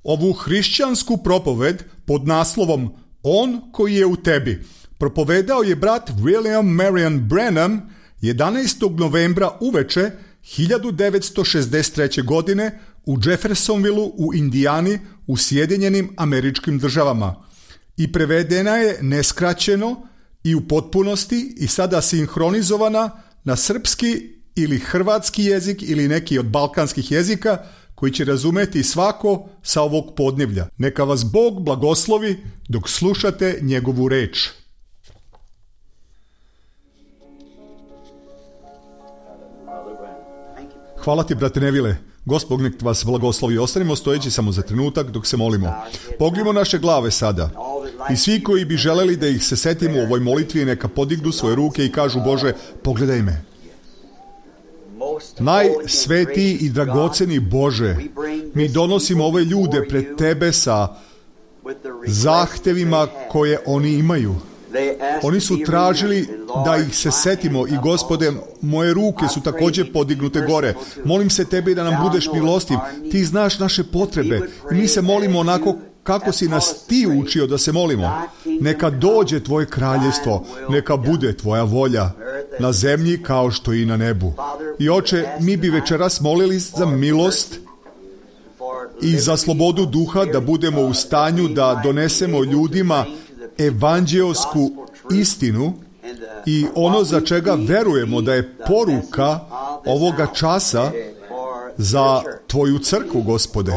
Ovu hrišćansku propoved pod naslovom On koji je u tebi propovedao je brat William Marion Branham 11. novembra uveče 1963. godine u Jeffersonvilleu u Indijani u Sjedinjenim Američkim Državama i prevedena je neskraćeno i u potpunosti i sada sinhronizovana na srpski ili hrvatski jezik ili neki od balkanskih jezika koji će razumeti svako sa ovog podneblja. Neka vas Bog blagoslovi dok slušate njegovu reč. Hvala ti, brate Nevile. Gospod nek vas blagoslovi. Ostanimo stojeći samo za trenutak dok se molimo. Pognimo naše glave sada. I svi koji bi želeli da ih se setimo u ovoj molitvi, neka podignu svoje ruke i kažu: Bože, pogledaj me. Najsvetiji i dragoceni Bože, mi donosimo ove ljude pred tebe sa zahtevima koje oni imaju. Oni su tražili da ih se setimo i Gospode, moje ruke su također podignute gore. Molim se tebi da nam budeš milostiv. Ti znaš naše potrebe i mi se molimo onako kako si nas ti učio da se molimo. Neka dođe tvoje kraljevstvo, neka bude tvoja volja na zemlji kao što i na nebu. I Oče, mi bi večeras molili za milost i za slobodu duha, da budemo u stanju da donesemo ljudima evanđeosku istinu i ono za čega verujemo da je poruka ovoga časa za tvoju crkvu, Gospode.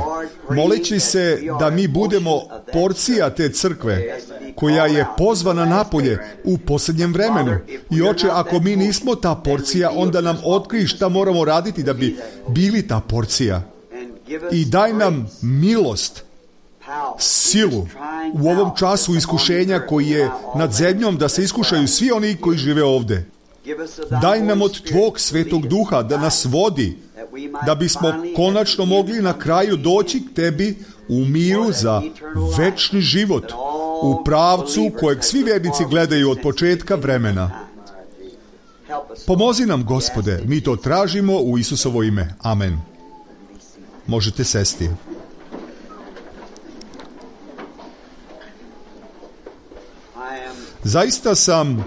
Moleći se da mi budemo porcija te crkve koja je pozvana napolje u posljednjem vremenu. I Oče, ako mi nismo ta porcija, onda nam otkrij šta moramo raditi da bi bili ta porcija. I daj nam milost, silu u ovom času iskušenja koji je nad zemljom, da se iskušaju svi oni koji žive ovdje. Daj nam od tvog svetog duha da nas vodi, da bismo konačno mogli na kraju doći k tebi u miru za večni život, u pravcu kojeg svi vjernici gledaju od početka vremena. Pomozi nam, Gospode, mi to tražimo u Isusovo ime. Amen. Možete sesti. Zaista sam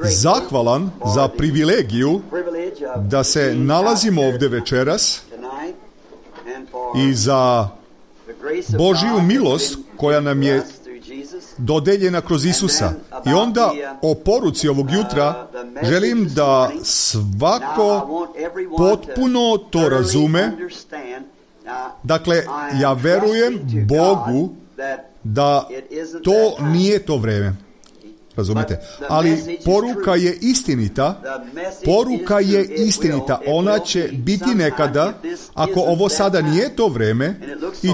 zahvalan za privilegiju da se nalazimo ovdje večeras i za Božju milost koja nam je dodeljena kroz Isusa. I onda o poruci ovog jutra želim da svako potpuno to razume. Dakle, ja verujem Bogu da to nije to vrijeme. Razumete? Ali poruka je istinita. Poruka je istinita. Ona će biti nekada, ako ovo sada nije to vrijeme, i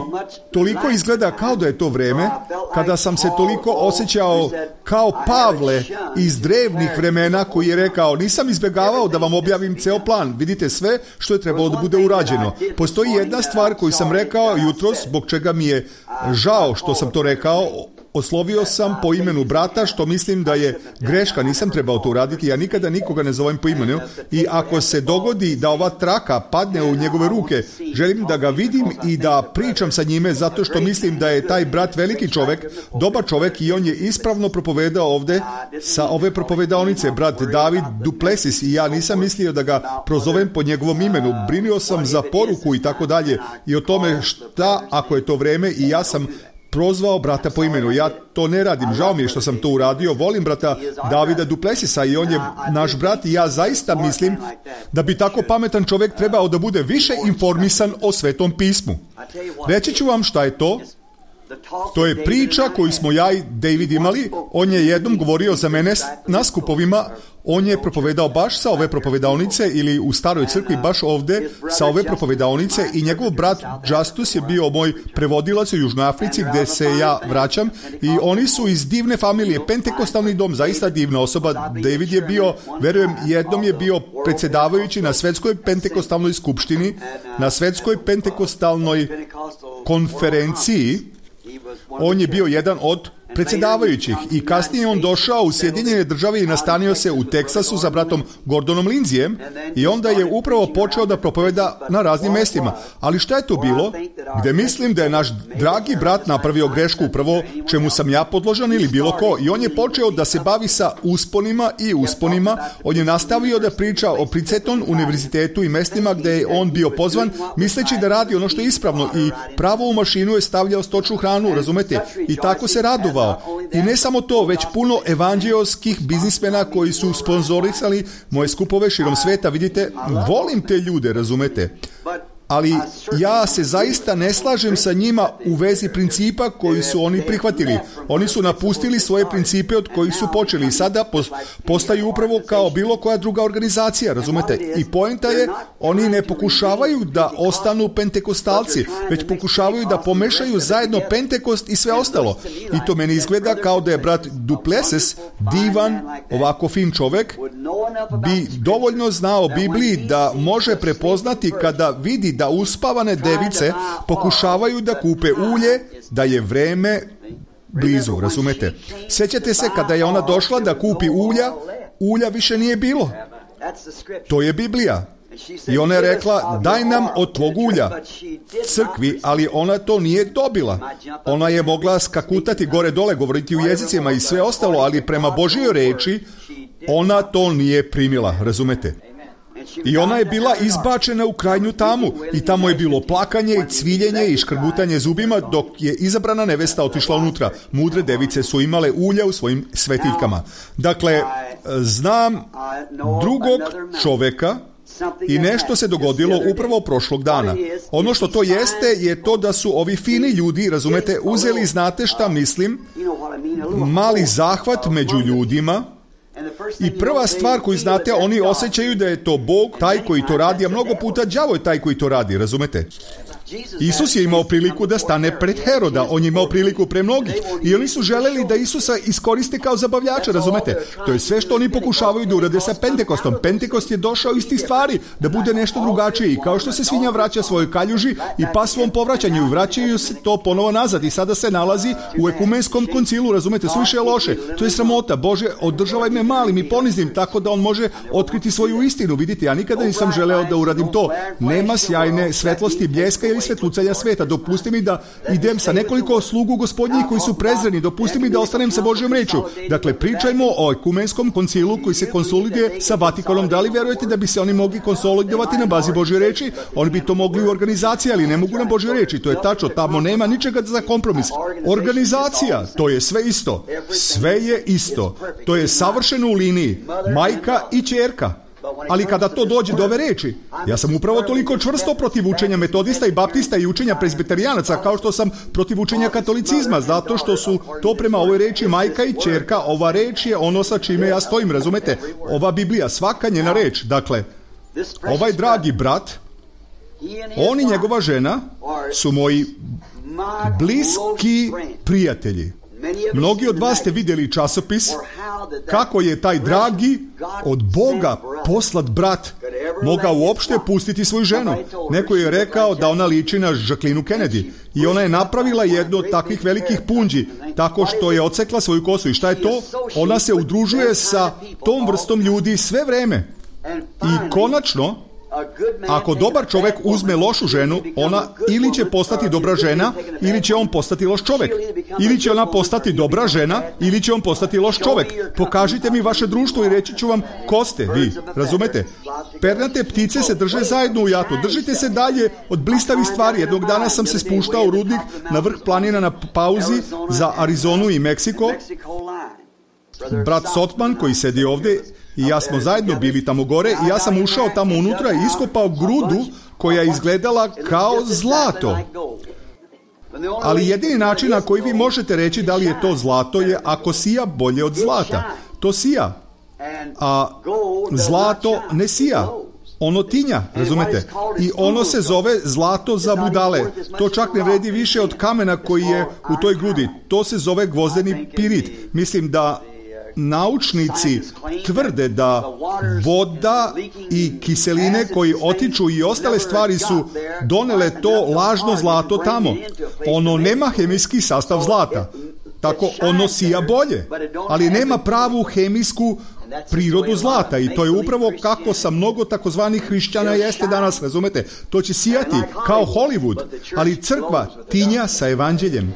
toliko izgleda kao da je to vrijeme, kada sam se toliko osjećao kao Pavle iz drevnih vremena koji je rekao: nisam izbjegavao da vam objavim ceo plan. Vidite sve što je trebalo da bude urađeno. Postoji jedna stvar koju sam rekao jutros, zbog čega mi je žao što sam to rekao. Oslovio sam po imenu brata, što mislim da je greška, nisam trebao to uraditi, ja nikada nikoga ne zovem po imenu i ako se dogodi da ova traka padne u njegove ruke, želim da ga vidim i da pričam sa njime, zato što mislim da je taj brat veliki čovjek, dobar čovjek i on je ispravno propovedao ovdje sa ove propovedaonice, brat David Duplessis, i ja nisam mislio da ga prozovem po njegovom imenu, brinio sam za poruku i tako dalje i o tome šta ako je to vrijeme i ja sam prozvao brata po imenu. Ja to ne radim, žao mi je što sam to uradio. Volim brata Davida Duplessisa i on je naš brat i ja zaista mislim da bi tako pametan čovjek trebao da bude više informisan o Svetom pismu. Reći ću vam šta je to. To je priča koju smo ja i David imali. On je jednom govorio za mene na skupovima. On je propovedao baš sa ove propovedaonice ili u staroj crkvi baš ovdje sa ove propovedaonice i njegov brat Justus je bio moj prevodilac u Južnoj Africi gdje se ja vraćam i oni su iz divne familije, pentekostalni dom, zaista divna osoba. David je bio, verujem, jednom je bio predsjedavajući na Svetskoj pentekostalnoj skupštini, na Svetskoj pentekostalnoj konferenciji. On je bio jedan od predsjedavajućih i kasnije on došao u Sjedinjene Države i nastanio se u Teksasu za bratom Gordonom Lindsayem i onda je upravo počeo da propoveda na raznim mestima. Ali šta je to bilo? Gde mislim da je naš dragi brat napravio grešku upravo čemu sam ja podložan ili bilo ko, i on je počeo da se bavi sa usponima i usponima. On je nastavio da priča o Princeton univerzitetu i mestima gde je on bio pozvan, misleći da radi ono što je ispravno, i pravo u mašinu je stavljao stočnu hranu, razumete? I tako se radovao. I ne samo to, već puno evanđeoskih biznismena koji su sponzorisali moje skupove širom sveta. Vidite, volim te ljude, razumete? Ali ja se zaista ne slažem sa njima u vezi principa koji su oni prihvatili. Oni su napustili svoje principe od kojih su počeli i sada postaju upravo kao bilo koja druga organizacija, razumete? I poenta je, oni ne pokušavaju da ostanu pentekostalci, već pokušavaju da pomešaju zajedno Pentekost i sve ostalo. I to meni izgleda kao da je brat Duplessis, divan, ovako fin čovek, bi dovoljno znao o Bibliji da može prepoznati kada vidi da uspavane device pokušavaju da kupe ulje, da je vreme blizu, razumete? Sjećate se kada je ona došla da kupi ulja više nije bilo. To je Biblija. I ona je rekla, daj nam od tvog ulja crkvi, ali ona to nije dobila. Ona je mogla skakutati gore dole, govoriti u jezicima i sve ostalo, ali prema Božjoj reči ona to nije primila, razumete? I ona je bila izbačena u krajnju tamu i tamo je bilo plakanje i cviljenje i škrgutanje zubima dok je izabrana nevesta otišla unutra. Mudre device su imale ulja u svojim svetiljkama. Dakle, znam drugog čoveka i nešto se dogodilo upravo prošlog dana. Ono što to jeste je to da su ovi fini ljudi, razumete, uzeli, znate šta mislim, mali zahvat među ljudima. I prva stvar koju znate, oni osjećaju da je to Bog taj koji to radi, a mnogo puta đavo je taj koji to radi, razumete? Isus je imao priliku da stane pred Heroda, on je imao priliku pre mnogih i oni su želeli da Isusa iskoriste kao zabavljača, razumete? To je sve što oni pokušavaju da urade sa Pentekostom. Pentekost je došao iz tih stvari, da bude nešto drugačije, i kao što se svinja vraća svojoj kaljuži i pas svom povraćanju, i vraćaju se to ponovo nazad i sada se nalazi u ekumenskom koncilu, razumete? Suviše je loše, to je sramota. Bože, održavaj me malim i poniznim tako da on može otkriti svoju istinu. Vidite, ja nikada nisam želeo da uradim to. Nema sjajne svetlosti, bljeska ili svetlucanja sveta. Dopusti mi da idem sa nekoliko slugu gospodnjih koji su prezreni. Dopusti mi da ostanem sa Božjom rečju. Dakle, pričajmo o ekumenskom koncilu koji se konsoliduje sa Vatikanom. Da li verujete da bi se oni mogli konsolidovati na bazi Božje reči? Oni bi to mogli u organizaciji, ali ne mogu na Božje reči. To je tačno, tamo nema ničega za kompromis. Organizacija, to je sve isto. Sve je isto. To je savršeno u liniji. Majka i ćerka. Ali kada to dođe do ove reči, ja sam upravo toliko čvrsto protiv učenja metodista i baptista i učenja prezbiterijanaca kao što sam protiv učenja katolicizma, zato što su to prema ovoj reči majka i ćerka. Ova reč je ono sa čime ja stojim, razumete? Ova Biblija, svaka njena reč. Dakle, ovaj dragi brat, on i njegova žena su moji bliski prijatelji. Mnogi od vas ste vidjeli časopis kako je taj dragi od Boga poslat brat mogao uopšte pustiti svoju ženu. Neko je rekao da ona liči na Jacqueline Kennedy i ona je napravila jednu od takvih velikih punđi tako što je odsekla svoju kosu. I šta je to? Ona se udružuje sa tom vrstom ljudi sve vreme. I konačno, ako dobar čovjek uzme lošu ženu, ona ili će postati dobra žena, ili će on postati loš čovjek. Ili će ona postati dobra žena, ili će on postati loš čovjek. Pokažite mi vaše društvo i reći ću vam ko ste vi. Razumete? Pernate ptice se drže zajedno u jatu. Držite se dalje od blistavih stvari. Jednog dana sam se spuštao u rudnik na vrh planina na pauzi za Arizonu i Meksiko. Brat Sotman koji sedi ovdje i ja smo zajedno bili tamo gore i ja sam ušao tamo unutra i iskopao grudu koja je izgledala kao zlato. Ali jedini način na koji vi možete reći da li je to zlato je ako sija bolje od zlata. To sija, a zlato ne sija. Ono tinja, razumete? I ono se zove zlato za budale. To čak ne vredi više od kamena koji je u toj grudi. To se zove gvozdeni pirit. Mislim da naučnici tvrde da voda i kiseline koji otiču i ostale stvari su donele to lažno zlato tamo. Ono nema hemijski sastav zlata. tako ono sija bolje, ali nema pravu hemijsku prirodu zlata i to je upravo kako sa mnogo takozvanih hrišćana jeste danas, razumete? To će sijati kao Hollywood, ali crkva tinja sa evanđeljem.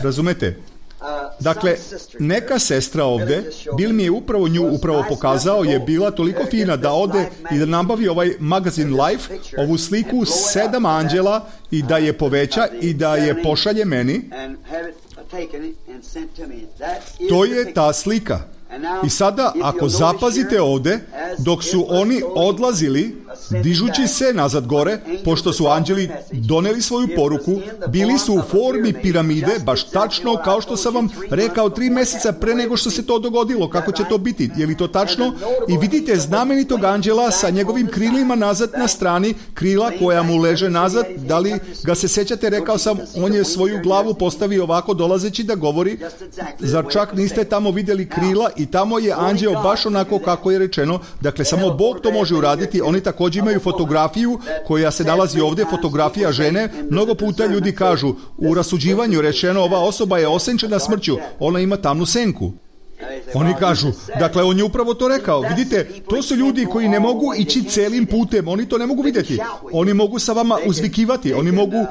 Razumete? Dakle, neka sestra ovde, Bill mi je upravo nju pokazao, je bila toliko fina da ode i da nabavi ovaj magazin Life, ovu sliku 7 anđela i da je poveća i da je pošalje meni. To je ta slika. I sada, ako zapazite ovde, dok su oni odlazili, dižući se nazad gore, pošto su anđeli doneli svoju poruku, bili su u formi piramide, baš tačno kao što sam vam rekao 3 meseca pre nego što se to dogodilo. Kako će to biti? Je li to tačno? I vidite znamenitog anđela sa njegovim krilima nazad na strani, krila koja mu leže nazad. Da li ga se sećate? Rekao sam, on je svoju glavu postavio ovako dolazeći da govori. Zar čak niste tamo vidjeli krila? I tamo je anđeo baš onako kako je rečeno. Dakle, samo Bog to može uraditi. Oni također imaju fotografiju koja se nalazi ovdje, fotografija žene. Mnogo puta ljudi kažu, u rasuđivanju rečeno, ova osoba je osenčena smrću, ona ima tamnu senku. Oni kažu, dakle, on je upravo to rekao. Vidite, to su ljudi koji ne mogu ići celim putem, oni to ne mogu vidjeti. Oni mogu sa vama uzvikivati, oni mogu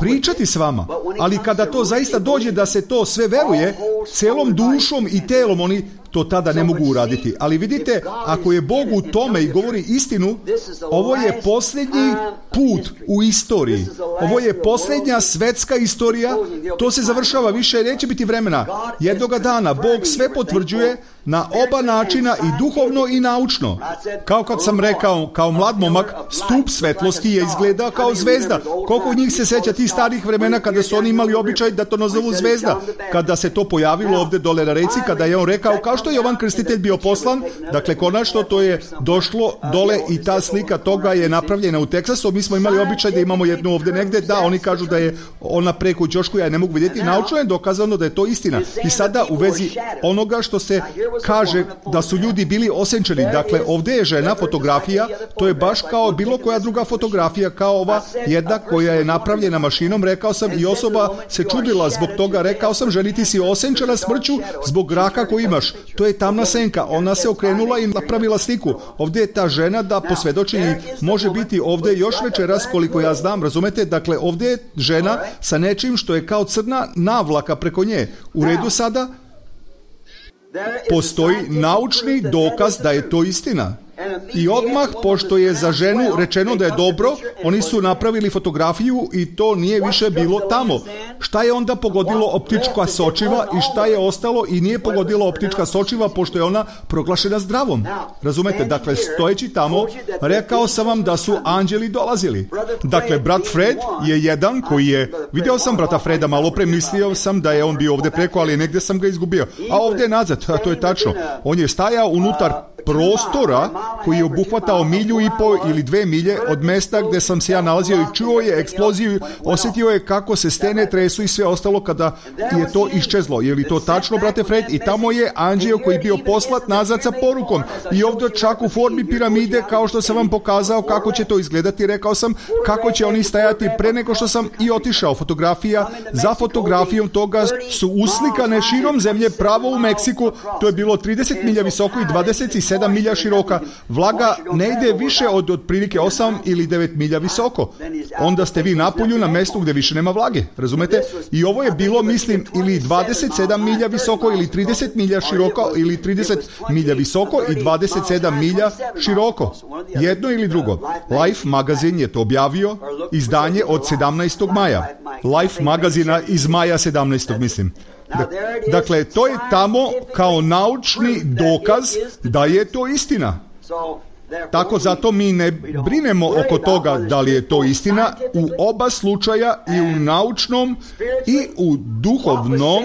pričati s vama, ali kada to zaista dođe da se to sve veruje, celom dušom i telom, oni to tada ne mogu uraditi. Ali vidite, ako je Bog u tome i govori istinu, ovo je posljednji put u istoriji. Ovo je posljednja svetska istorija. To se završava, više neće biti vremena. Jednoga dana Bog sve potvrđuje na oba načina, i duhovno i naučno. Kao kad sam rekao, kao mlad momak, stup svetlosti je izgleda kao zvezda. Koliko njih se seća tih starih vremena kada su oni imali običaj da to nazovu zvezda? Kada se to pojavilo ovdje dole na reci, kada je on rekao, kao što je Jovan Krstitelj bio poslan, dakle konačno to je došlo dole i ta slika toga je napravljena u Teksasu. Mi smo imali običaj da imamo jednu ovdje negdje, da, oni kažu da je ona preko ćošku, ja ne mogu vidjeti, naučno je dokazano da je to istina. I sada u vezi onoga što se kaže da su ljudi bili osenčeni, dakle ovdje je žena, fotografija, to je baš kao bilo koja druga fotografija, kao ova jedna koja je napravljena mašinom, rekao sam, i osoba se čudila zbog toga, rekao sam, ženi, ti si osenčena smrću zbog raka koji imaš. To je tamna senka, ona se okrenula i napravila sliku. Ovdje je ta žena da posvjedoči i može biti ovdje još večeras, koliko ja znam, razumete? Dakle, ovdje je žena sa nečim što je kao crna navlaka preko nje. U redu sada? Postoji naučni dokaz da je to istina. I odmah, pošto je za ženu rečeno da je dobro, oni su napravili fotografiju i to nije više bilo tamo. Šta je onda pogodilo optička sočiva i šta je ostalo i nije pogodilo optička sočiva, pošto je ona proglašena zdravom. Razumete? Dakle, stojeći tamo, rekao sam vam da su anđeli dolazili. Dakle, brat Fred je jedan koji je, vidio sam brata Freda malo pre, mislio sam da je on bio ovdje preko, ali negdje sam ga izgubio. A ovdje je nazad, to je tačno. On je stajao unutar prostora koji je obuhvatao 1,5 milje ili 2 milje od mesta gdje sam se ja nalazio i čuo je eksploziju, osjetio je kako se stene tresu i sve ostalo kada je to iščezlo. Je li to tačno, brate Fred? I tamo je anđeo koji je bio poslat nazad sa porukom i ovdje čak u formi piramide, kao što sam vam pokazao kako će to izgledati, rekao sam kako će oni stajati pre nego što sam i otišao. Fotografija za fotografijom toga su uslikane širom zemlje, pravo u Meksiku. To je bilo 30 milja visoko i 27 milja široka. Vlaga ne ide više od otprilike 8 ili 9 milja visoko. Onda ste vi na polju, na mjestu gdje više nema vlage. Razumete? I ovo je bilo, mislim, ili 27 milja visoko ili 30 milja široko ili 30 milja visoko i 27 milja široko. Jedno ili drugo. Life magazin je to objavio, izdanje od 17. maja. Life magazina iz maja 17. mislim. Dakle, to je tamo kao naučni dokaz da je to istina. Tako zato mi ne brinemo oko toga da li je to istina u oba slučaja, i u naučnom i u duhovnom,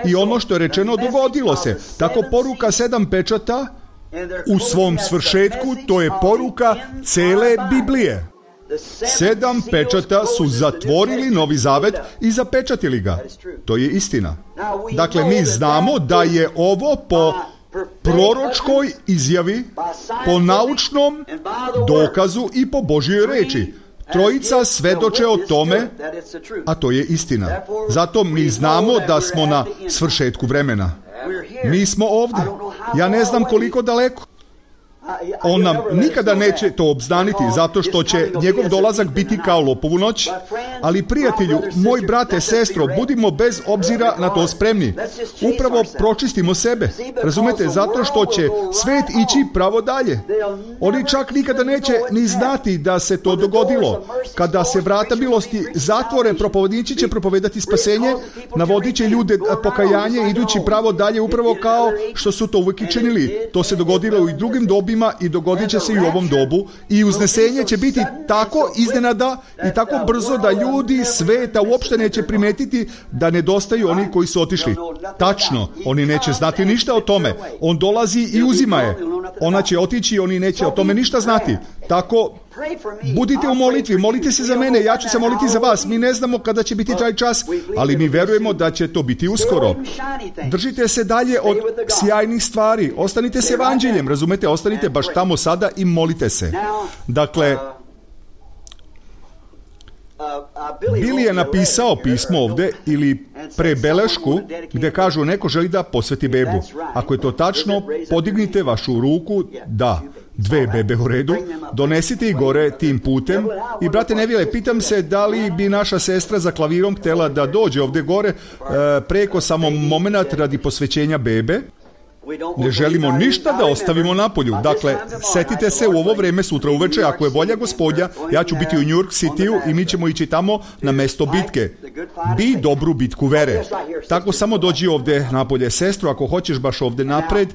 i ono što je rečeno dogodilo se. Tako poruka 7 pečata u svom svršetku, to je poruka cele Biblije. 7 pečata su zatvorili Novi Zavet i zapečatili ga. To je istina. Dakle, mi znamo da je ovo po proročkoj izjavi, po naučnom dokazu i po Božjoj reči. Trojica svedoče o tome, a to je istina. Zato mi znamo da smo na svršetku vremena. Mi smo ovdje. Ja ne znam koliko daleko. On nam nikada neće to obznaniti, zato što će njegov dolazak biti kao lopovu noć. Ali prijatelju, moj brate, sestro, budimo bez obzira na to spremni. Upravo pročistimo sebe. Razumete, zato što će svet ići pravo dalje. Oni čak nikada neće ni znati da se to dogodilo. Kada se vrata milosti zatvore, propovjednici će propovedati spasenje, navodit će ljude pokajanje, idući pravo dalje, upravo kao što su to uvijek i činili. To se dogodilo i drugim dobima i dogodit će se i u ovom dobu. I uznesenje će biti tako iznenada i tako brzo da ljudi sveta uopšte neće primetiti da nedostaju oni koji su otišli. Tačno, oni neće znati ništa o tome. On dolazi i uzima je. Ona će otići i oni neće o tome ništa znati. Tako, budite u molitvi, molite se za mene, ja ću se moliti za vas. Mi ne znamo kada će biti taj čas, ali mi verujemo da će to biti uskoro. Držite se dalje od sjajnih stvari, ostanite s evanđeljem, razumete, ostanite baš tamo sada i molite se. Dakle, Billy je napisao pismo ovdje ili prebelešku gdje kažu neko želi da posveti bebu. Ako je to tačno, podignite vašu ruku, da, 2 bebe u redu, donesite ih gore tim putem. I brate Nevile, pitam se da li bi naša sestra za klavirom htjela da dođe ovdje gore preko samo moment radi posvećenja bebe. Ne želimo ništa da ostavimo napolju. Dakle, setite se u ovo vrijeme sutra uveče, ako je volja Gospodja, ja ću biti u New York Cityu i mi ćemo ići tamo na mesto bitke. Bi dobru bitku vere. Tako samo dođi ovdje napolje. Sestro, ako hoćeš baš ovdje napred,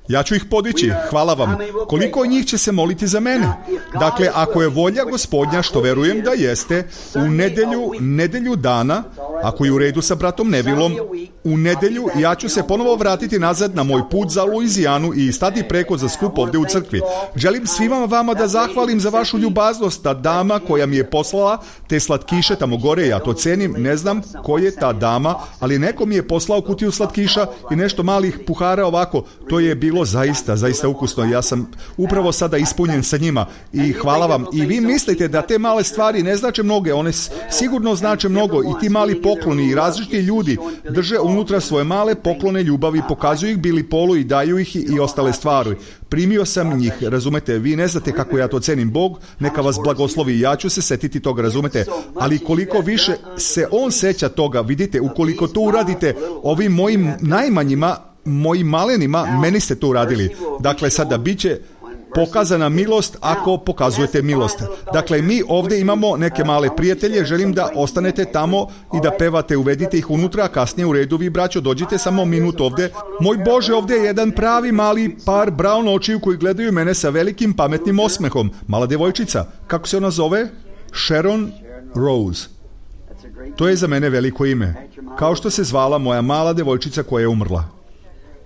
ja ću ih podići. Hvala vam. Koliko njih će se moliti za mene? Dakle, ako je volja Gospodnja, što verujem da jeste, u nedelju dana, ako je u redu sa bratom Nevilom, u nedelju ja ću se ponovo vratiti nazad na moj put za Luizijanu i stati preko za skup ovdje u crkvi. Želim svima vama da zahvalim za vašu ljubaznost. Ta dama koja mi je poslala te slatkiše tamo gore, ja to cenim, ne znam ko je ta dama, ali neko mi je poslao kutiju slatkiša i nešto malih puhara ovako. To je bilo zaista ukusno. Ja sam upravo sada ispunjen sa njima i hvala vam. I vi mislite da te male stvari ne znače mnoge, one sigurno znače mnogo i ti mali pokloni i različiti ljudi drže unutra svoje male poklone ljubavi, pokazuju ih Billy Paulu i daju ih i ostale stvari. Primio sam njih, razumete, vi ne znate kako ja to cenim. Bog neka vas blagoslovi, ja ću se setiti toga, razumete, ali koliko više se on seća toga, vidite, ukoliko to uradite ovim mojim najmanjima, mojim malenima, meni ste to uradili. Dakle, sada bit će pokazana milost ako pokazujete milost. Dakle, mi ovdje imamo neke male prijatelje, želim da ostanete tamo i da pevate, uvedite ih unutra, a kasnije u redu vi, braćo, dođite samo minut ovdje. Moj Bože, ovdje je jedan pravi mali par brown očiju koji gledaju mene sa velikim pametnim osmehom. Mala djevojčica, kako se ona zove? Sharon Rose. To je za mene veliko ime. Kao što se zvala moja mala djevojčica koja je umrla.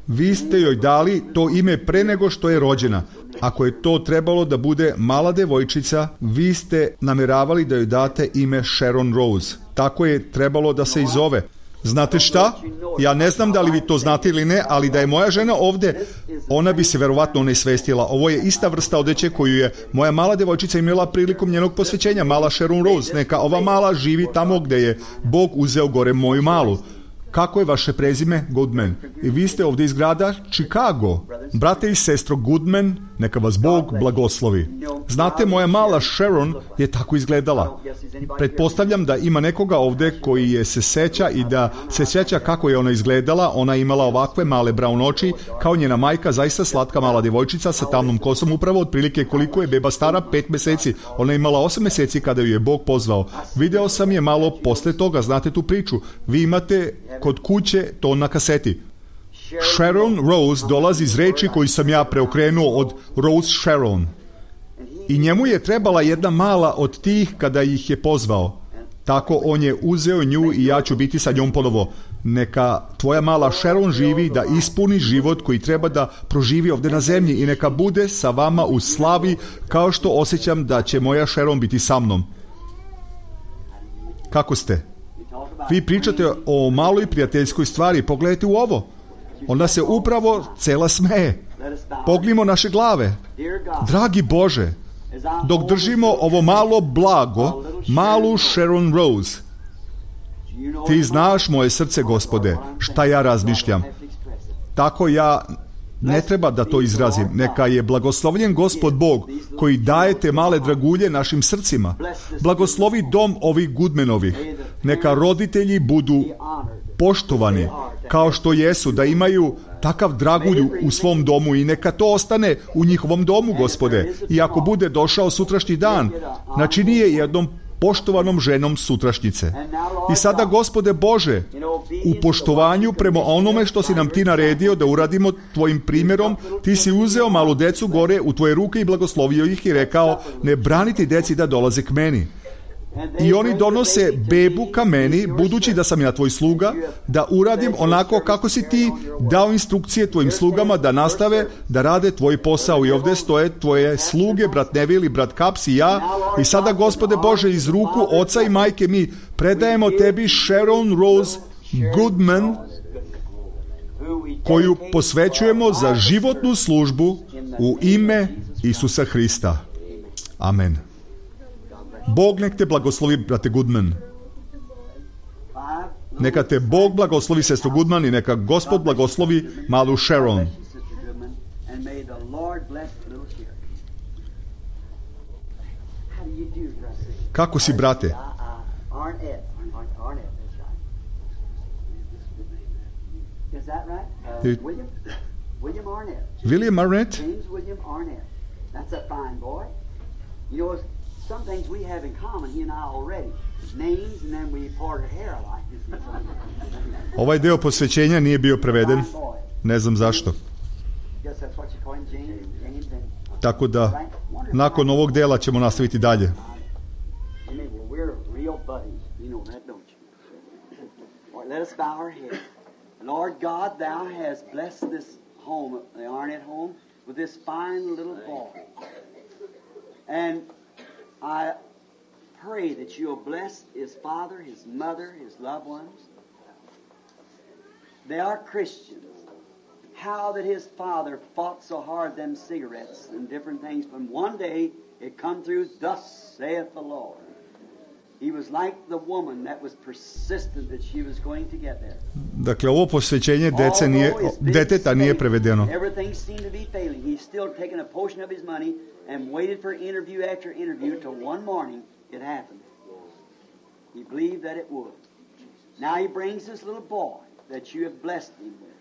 Vi ste joj dali to ime pre nego što je rođena. Ako je to trebalo da bude mala devojčica, vi ste namjeravali da joj date ime Sharon Rose. Tako je trebalo da se i zove. Znate šta? Ja ne znam da li vi to znate ili ne, ali da je moja žena ovdje, ona bi se verovatno onesvestila. Ovo je ista vrsta odeće koju je moja mala devojčica imala prilikom njenog posvećenja, mala Sharon Rose. Neka ova mala živi tamo gdje je Bog uzeo gore moju malu. Kako je vaše prezime? Goodman. I vi ste ovdje iz grada Chicago. Brate i sestro Goodman, neka vas Bog blagoslovi. Znate, moja mala Sharon je tako izgledala. Pretpostavljam da ima nekoga ovdje koji je se seća i da se seća kako je ona izgledala. Ona je imala ovakve male brown oči, kao njena majka, zaista slatka mala djevojčica sa tamnom kosom, upravo otprilike koliko je beba stara, 5 mjeseci. Ona je imala 8 mjeseci kada ju je Bog pozvao. Video sam je malo posle toga, znate tu priču. Vi imate kod kuće to na kaseti. Sharon Rose dolazi iz reči koju sam ja preokrenuo od Rose Sharon. I njemu je trebala jedna mala od tih kada ih je pozvao. Tako on je uzeo nju i ja ću biti sa njom ponovo. Neka tvoja mala Sharon živi da ispuni život koji treba da proživi ovdje na zemlji i neka bude sa vama u slavi kao što osjećam da će moja Sharon biti sa mnom. Kako ste? Vi pričate o maloj prijateljskoj stvari, pogledajte u ovo. Ona se upravo cela smeje. Pognimo naše glave. Dragi Bože, dok držimo ovo malo blago, malu Sharon Rose. Ti znaš moje srce, Gospode, šta ja razmišljam. Tako ja ne treba da to izrazim. Neka je blagoslovljen Gospod Bog koji daje te male dragulje našim srcima. Blagoslovi dom ovih Goodmanovih. Neka roditelji budu poštovani kao što jesu, da imaju takav dragulj u svom domu i neka to ostane u njihovom domu, Gospode. I ako bude došao sutrašnji dan, načini je jednom poštovanom ženom sutrašnjice. I sada, Gospode Bože, u poštovanju prema onome što si nam ti naredio da uradimo tvojim primjerom, ti si uzeo malu decu gore u tvoje ruke i blagoslovio ih i rekao, ne braniti deci da dolaze k meni. I oni donose bebu ka meni, budući da sam ja tvoj sluga, da uradim onako kako si ti dao instrukcije tvojim slugama da nastave da rade tvoj posao. I ovdje stoje tvoje sluge, brat Neville i brat Kaps i ja. I sada, Gospode Bože, iz ruku oca i majke mi predajemo tebi Sharon Rose Goodman, koju posvećujemo za životnu službu u ime Isusa Hrista. Amen. Bog nek te blagoslovi, brate Goodman. Neka te Bog blagoslovi, sestro Goodman, i neka Gospod blagoslovi malu Sharon. Kako si, brate? William Arnett? Some things we have in common, he and I already. Names, and then we parted hair like. Ovaj deo posvećenja nije bio preveden. Ne znam zašto. Tako da, nakon ovog dela ćemo nastaviti dalje. Let us bow our head. Lord God, thou hast blessed this home, the Arnett home, with this fine little boy. And I pray that you'll bless his father, his mother, his loved ones. They are Christians. How that his father fought so hard them cigarettes and different things, but one day it come through, thus saith the Lord. He was like the woman that was persistent that she was going to get there. Dakle, ovo posvećenje deteta nije prevedeno. Everything seemed to be failing. He's still taking a portion of his money and waited for interview after interview till one morning it happened. He believed that it would. Now he brings this little boy that you have blessed him with.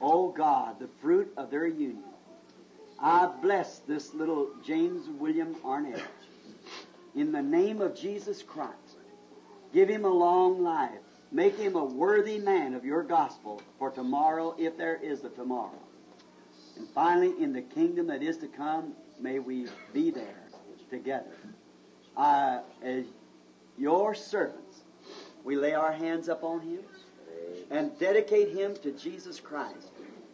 Oh God, the fruit of their union. I bless this little James William Arnett. In the name of Jesus Christ, give him a long life. Make him a worthy man of your gospel for tomorrow, if there is a tomorrow. And finally, in the kingdom that is to come, may we be there together. As your servants, we lay our hands upon him and dedicate him to Jesus Christ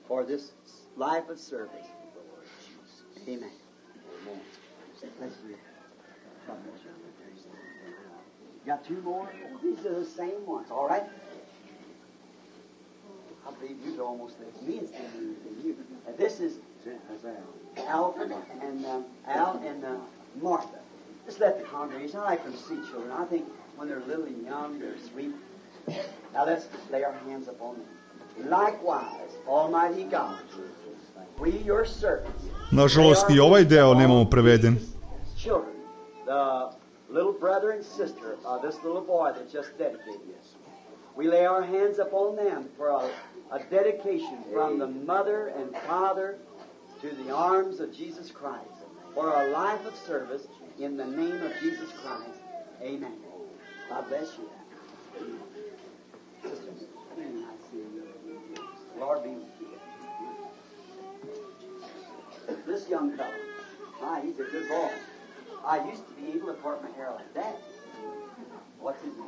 for this life of service. Amen. Let's read. Got two more? These are the same ones, all right? I believe you'd almost let me and you. This is Alfred and Al and Martha. Just let the congregation, I like them to see children. I think when they're little and young, they're sweet. Now let's lay our hands upon them. Likewise, Almighty God, we your servants. Nažalost, i ovaj deo nemamo preveden. Children, the little brother and sister of this little boy that just dedicated us. We lay our hands upon them for a dedication from the mother and father to the arms of Jesus Christ for a life of service in the name of Jesus Christ. Amen. God bless you. Sisters, I see you. Lord be with you. This young fellow, he's a good boy. I used to be able to part my hair like that. What's his name?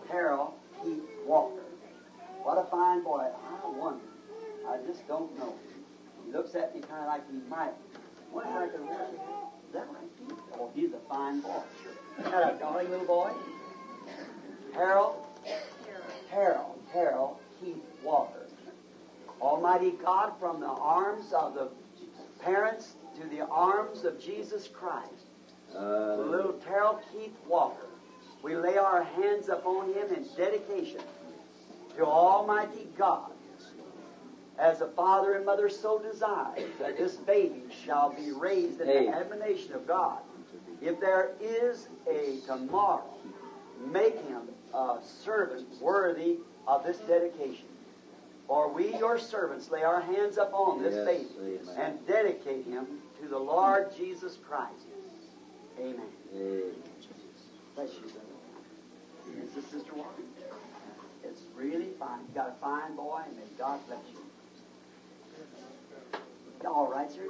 Harold Heath Walker. What a fine boy. I wonder. I just don't know. He looks at me kind of like he might. Wonder how I can work it. Is that right, Keith? Oh, he's a fine boy. That a darling little boy? Harold Heath Walker. Almighty God, from the arms of the parents to the arms of Jesus Christ. Little Terrell Keith Walker. We lay our hands upon him in dedication to Almighty God. As a father and mother so desire that this baby shall be raised in the admonition of God. If there is a tomorrow, make him a servant worthy of this dedication. For we, your servants, lay our hands upon this baby and dedicate him to the Lord Jesus Christ. Amen. Bless you, brother. This is Sister Walker. It's really fine. You got a fine boy, and may God bless you. All right, sir.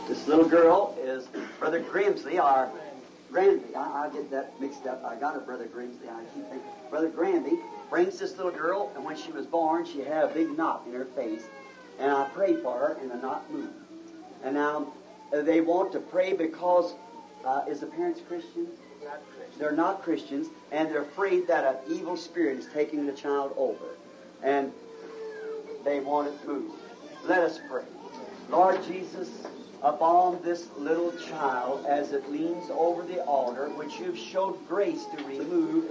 This little girl is Brother Grimsley, our Granby. I get that mixed up. I got her, Brother Grimsley. I keep thinking. Brother Granby brings this little girl, and when she was born, she had a big knot in her face. And I prayed for her, and the knot moved. And now they want to pray because, is the parents Christians? They're not Christians, and they're afraid that an evil spirit is taking the child over. And they want it moved. Let us pray. Lord Jesus, upon this little child as it leans over the altar, which you've showed grace to remove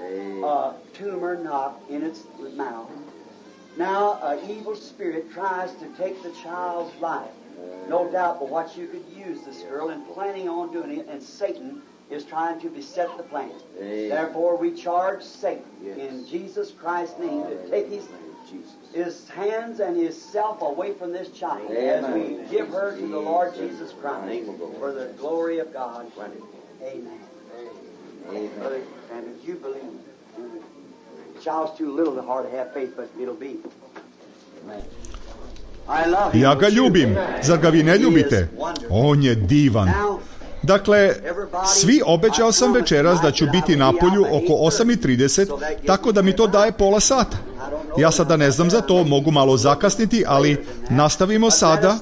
a tumor knot in its mouth. Now an evil spirit tries to take the child's life. No doubt but what you could use this girl and planning on doing it, and Satan is trying to beset the plan. Therefore we charge Satan in Jesus Christ's name to take his hands and his self away from this child as we give her to the Lord Jesus Christ for the glory of God. Amen. Brother, and if you believe, the child's too little to hard to have faith, but it'll be. Ja ga ljubim. Zar ga vi ne ljubite? On je divan. Dakle, svi obećao sam večeras da ću biti na polju oko 8:30, tako da mi to daje pola sata. Ja sada ne znam za to, mogu malo zakasniti, ali nastavimo sada.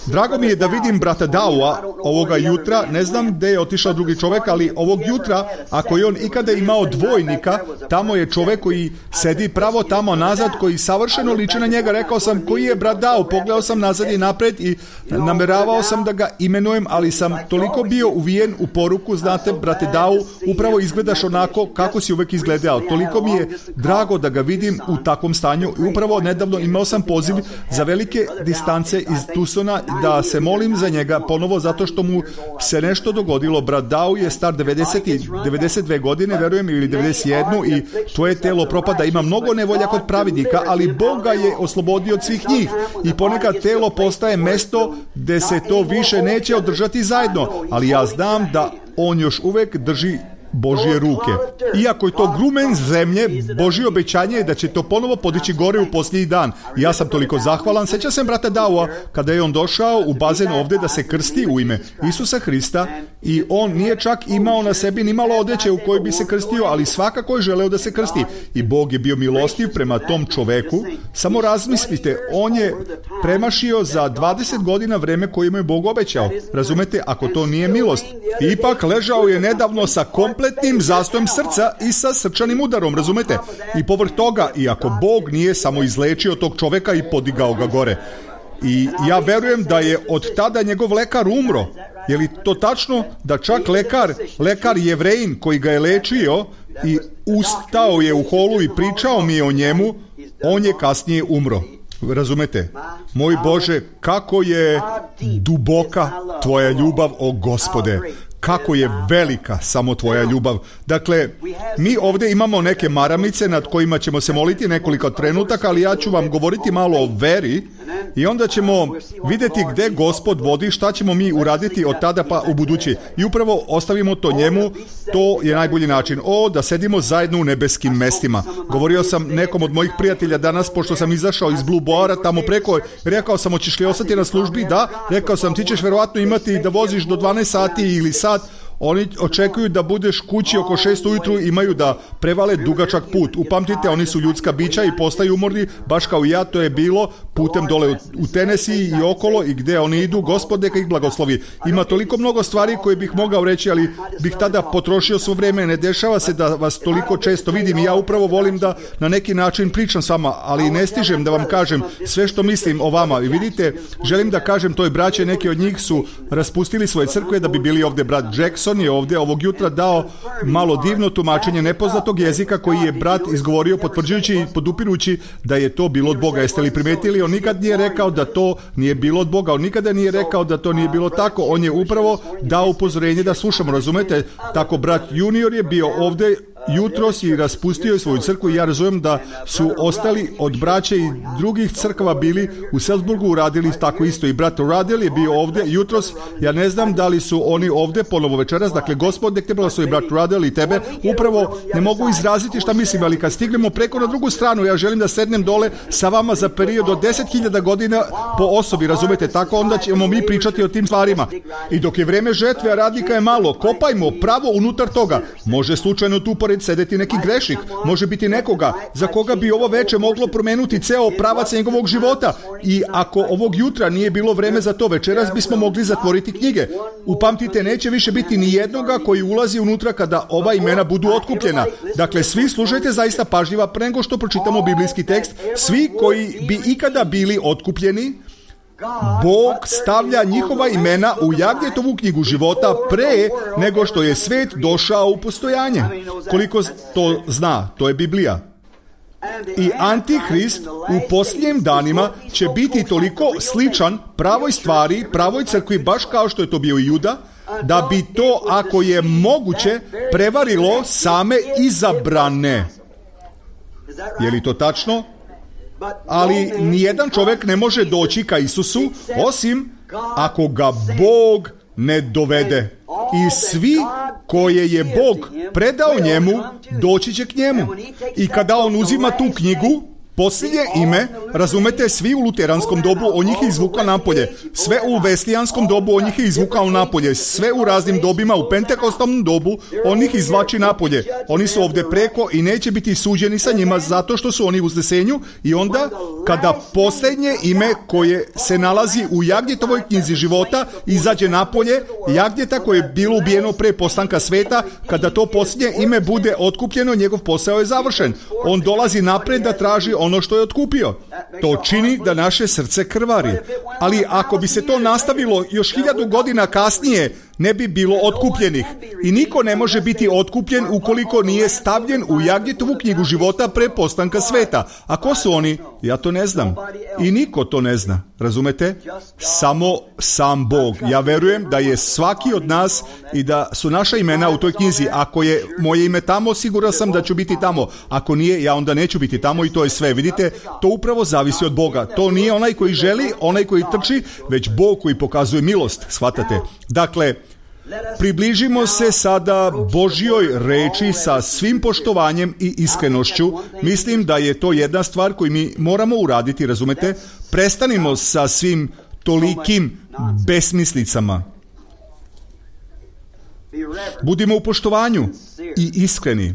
Drago mi je da vidim brata Daua ovoga jutra, ne znam gdje je otišao drugi čovjek, ali ovog jutra, ako je on ikada imao dvojnika, tamo je čovjek koji sedi pravo tamo nazad, koji savršeno liči na njega. Rekao sam, koji je brat Dau? Pogledao sam nazad i napred i nameravao sam da ga imenujem, ali sam toliko bio uvijen u poruku, znate, brate Dau, upravo izgledaš onako kako si uvek izgledao. Toliko mi je drago da ga vidim u takvom stanju. I upravo nedavno imao sam poziv za velike distance iz Tucsona da se molim za njega ponovo zato što mu se nešto dogodilo. Brat Dau je star 92 godine, verujem, ili 91 i tvoje telo propada. Ima mnogo nevolja kod pravednika, ali Bog ga je oslobodio od svih njih i ponekad telo postaje mesto gde se to više neće održati zajedno, ali ja znam da on još uvek drži Božje ruke. Iako je to grumen zemlje, Božje obećanje je da će to ponovo podići gore u posljednji dan. I ja sam toliko zahvalan. Sjećam se brata Daua kada je on došao u bazen ovdje da se krsti u ime Isusa Hrista i on nije čak imao na sebi ni malo odeće u kojoj bi se krstio, ali svakako je želeo da se krsti. I Bog je bio milostiv prema tom čoveku. Samo razmislite, on je premašio za 20 godina vreme koje mu je Bog obećao. Razumete, ako to nije milost. Ipak ležao je nedavno sa kompletnim zastojem srca i sa srčanim udarom, razumete? I povrh toga, iako Bog nije samo izlečio tog čoveka i podigao ga gore. I ja verujem da je od tada njegov lekar umro. Je li to tačno da čak lekar Jevrejin koji ga je lečio i ustao je u holu i pričao mi je o njemu, on je kasnije umro. Razumete? Moj Bože, kako je duboka tvoja ljubav, o Gospode. Kako je velika samo tvoja ljubav. Dakle, mi ovdje imamo neke maramice nad kojima ćemo se moliti nekoliko trenutaka, ali ja ću vam govoriti malo o veri i onda ćemo vidjeti gdje Gospod vodi, šta ćemo mi uraditi od tada pa u budući. I upravo ostavimo to njemu, to je najbolji način. Da sedimo zajedno u nebeskim mestima. Govorio sam nekom od mojih prijatelja danas, pošto sam izašao iz Blue Boara tamo preko, rekao sam, hoćeš li ostati na službi? Da. Rekao sam, ti ćeš verovatno imati da voziš do 12 sati ili sat. Oni očekuju da budeš kući oko 6 ujutru, imaju da prevale dugačak put. Upamtite, oni su ljudska bića i postaju umorni, baš kao i ja, to je bilo putem dole u Tenesiji i okolo i gdje oni idu, Gospod neka ih blagoslovi. Ima toliko mnogo stvari koje bih mogao reći, ali bih tada potrošio svo vrijeme. Ne dešava se da vas toliko često vidim i ja upravo volim da na neki način pričam s vama, ali ne stižem da vam kažem sve što mislim o vama. I vidite, želim da kažem toj braće, neki od njih su raspustili svoje crkve da bi bili ovdje. Brat Jackson je ovdje ovog jutra dao malo divno tumačenje nepoznatog jezika koji je brat izgovorio potvrđujući i podupirući da je to bilo od Boga. Jeste li primetili? On nikad nije rekao da to nije bilo od Boga. On nikada nije rekao da to nije bilo tako. On je upravo dao upozorenje da slušamo. Razumete? Tako brat Junior je bio ovdje jutros i raspustio svoju crkvu i ja razumijem da su ostali od braće i drugih crkava bili u Salzburgu uradili tako isto. I brat Radel je bio ovdje jutros. Ja ne znam da li su oni ovdje ponovo večeras. Dakle, Gospod nek te blagoslovi, brat Radel, i tebe. Upravo ne mogu izraziti šta mislim, ali kad stignemo preko na drugu stranu, ja želim da sednem dole sa vama za period od 10.000 godina po osobi, razumete? Tako onda ćemo mi pričati o tim stvarima. I dok je vreme žetve, a radnika je malo, kopajmo pravo unutar toga. Može slučajno tu pored sedeti neki grešnik, može biti nekoga za koga bi ovo veče moglo promenuti ceo pravac njegovog života. I ako ovog jutra nije bilo vreme za to, večeras bismo mogli zatvoriti knjige. Upamtite, neće više biti ni jednoga koji ulazi unutra kada ova imena budu otkupljena. Dakle, svi slušajte zaista pažljivo pre nego što pročitamo biblijski tekst. Svi koji bi ikada bili otkupljeni, Bog stavlja njihova imena u Jagnjetovu knjigu života pre nego što je svet došao u postojanje. Koliko to zna, to je Biblija. I Antihrist u posljednjim danima će biti toliko sličan pravoj stvari, pravoj crkvi, baš kao što je to bio i Juda, da bi to, ako je moguće, prevarilo same izabrane. Je li to tačno? Ali nijedan čovjek ne može doći ka Isusu osim ako ga Bog ne dovede. I svi koje je Bog predao njemu, doći će k njemu. I kada on uzima tu knjigu, posljednje ime, razumete, svi u luteranskom dobu on njih je izvukao napolje, sve u veslijanskom dobu on njih je izvukao napolje, sve u raznim dobima, u pentekostalnom dobu on njih izvlači napolje. Oni su ovdje preko i neće biti suđeni sa njima zato što su oni u uznesenju. I onda kada posljednje ime koje se nalazi u Jagnjetovoj knjizi života izađe napolje, Jagnjeta koje je bilo ubijeno pre postanka sveta, kada to posljednje ime bude otkupljeno, njegov posao je završen. On dolazi napred da traži ono što je otkupio. To čini da naše srce krvari. Ali ako bi se to nastavilo još 1000 godina kasnije, ne bi bilo otkupljenih. I niko ne može biti otkupljen ukoliko nije stavljen u Jagnjetovu knjigu života pre postanka sveta. A ko su oni? Ja to ne znam. I niko to ne zna. Razumete? Samo sam Bog. Ja verujem da je svaki od nas i da su naša imena u toj knjizi. Ako je moje ime tamo, siguran sam da ću biti tamo. Ako nije, ja onda neću biti tamo i to je sve. Vidite, to upravo zavisi od Boga. To nije onaj koji želi, onaj koji trči, već Bog koji pokazuje milost. Shvatate? Dakle, približimo se sada Božjoj reči sa svim poštovanjem i iskrenošću. Mislim da je to jedna stvar koju mi moramo uraditi, razumete? Prestanimo sa svim tolikim besmislicama. Budimo u poštovanju i iskreni.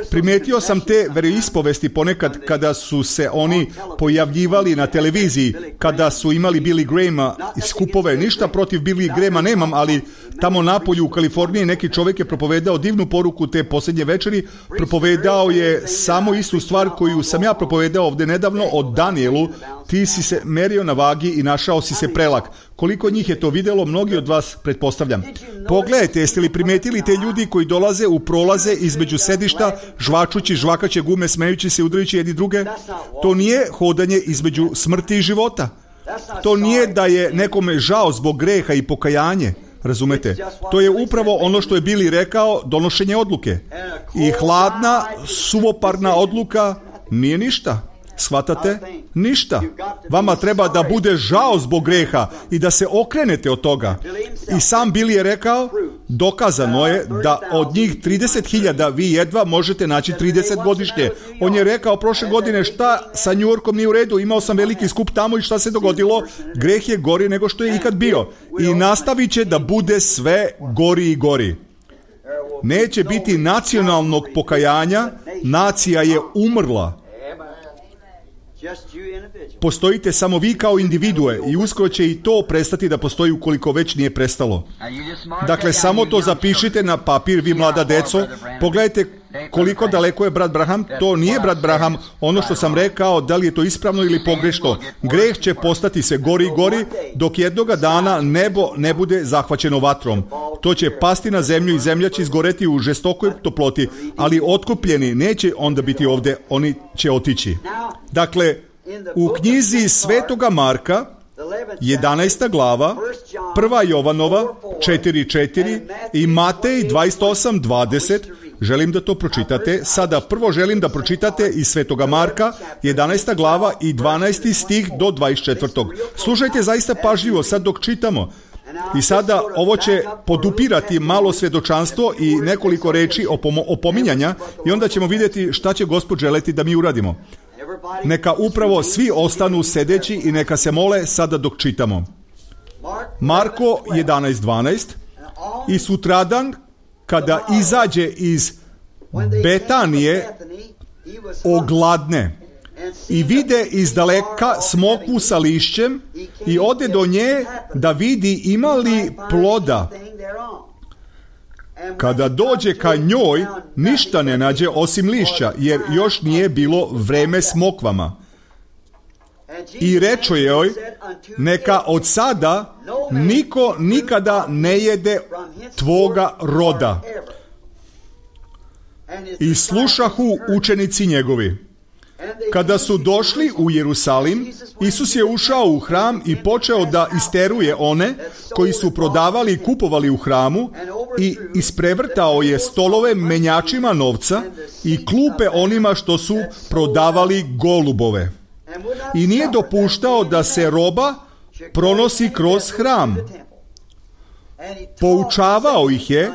Primetio sam te veroispovesti ponekad kada su se oni pojavljivali na televiziji, kada su imali Billy Grahama skupove. Ništa protiv Billy Grahama nemam, ali tamo napolju u Kaliforniji neki čovjek je propovedao divnu poruku te posljednje večeri. Propovedao je samo istu stvar koju sam ja propovedao ovdje nedavno o Danielu. Ti si se merio na vagi i našao si se prelak. Koliko njih je to vidjelo, mnogi od vas pretpostavljam. Pogledajte, jeste li primetili te ljudi koji dolaze u prolaze između sedišta, žvačući žvakaće gume, smejući se, udarajući jedni druge? To nije hodanje između smrti i života. To nije da je nekome žao zbog greha i pokajanje. Razumete? To je upravo ono što je Billy rekao, donošenje odluke. I hladna, suvoparna odluka nije ništa. Shvatate? Ništa. Vama treba da bude žao zbog greha i da se okrenete od toga. I sam Billy je rekao, dokazano je da od njih 30.000 vi jedva možete naći 30 godišnje. On je rekao prošle godine šta sa New Yorkom nije u redu, imao sam veliki skup tamo i šta se dogodilo? Greh je gori nego što je ikad bio. I nastavit će da bude sve gori i gori. Neće biti nacionalnog pokajanja, nacija je umrla. Postojite samo vi kao individue i uskoro će i to prestati da postoji ukoliko već nije prestalo. Dakle, samo to zapišite na papir, vi mlada deco. Pogledajte koliko daleko je brat Branham. To nije brat Branham, ono što sam rekao, da li je to ispravno ili pogrešno. Greh će postati sve gori i gori, dok jednoga dana nebo ne bude zahvaćeno vatrom. To će pasti na zemlju i zemlja će izgoreti u žestokoj toploti, ali otkupljeni neće onda biti ovdje, oni će otići. Dakle, u knjizi Svetoga Marka, 11. glava, 1. Jovanova, 4.4 i Matej 28.20, želim da to pročitate. Sada prvo želim da pročitate iz Svetoga Marka, 11. glava i 12. stih do 24. Slušajte zaista pažljivo sad dok čitamo. I sada ovo će podupirati malo svjedočanstvo i nekoliko reči opominjanja i onda ćemo vidjeti šta će Gospod želeti da mi uradimo. Neka upravo svi ostanu sedeći i neka se mole sada dok čitamo. Marko 11.12 i sutradan kada izađe iz Betanije ogladne i vide izdaleka smokvu sa lišćem i ode do nje da vidi ima li ploda. Kada dođe ka njoj, ništa ne nađe osim lišća, jer još nije bilo vreme smokvama. I reče joj, neka od sada niko nikada ne jede tvoga roda. I slušahu učenici njegovi. Kada su došli u Jerusalim, Isus je ušao u hram i počeo da isteruje one koji su prodavali i kupovali u hramu i isprevrtao je stolove menjačima novca i klupe onima što su prodavali golubove. I nije dopuštao da se roba pronosi kroz hram. Poučavao ih je,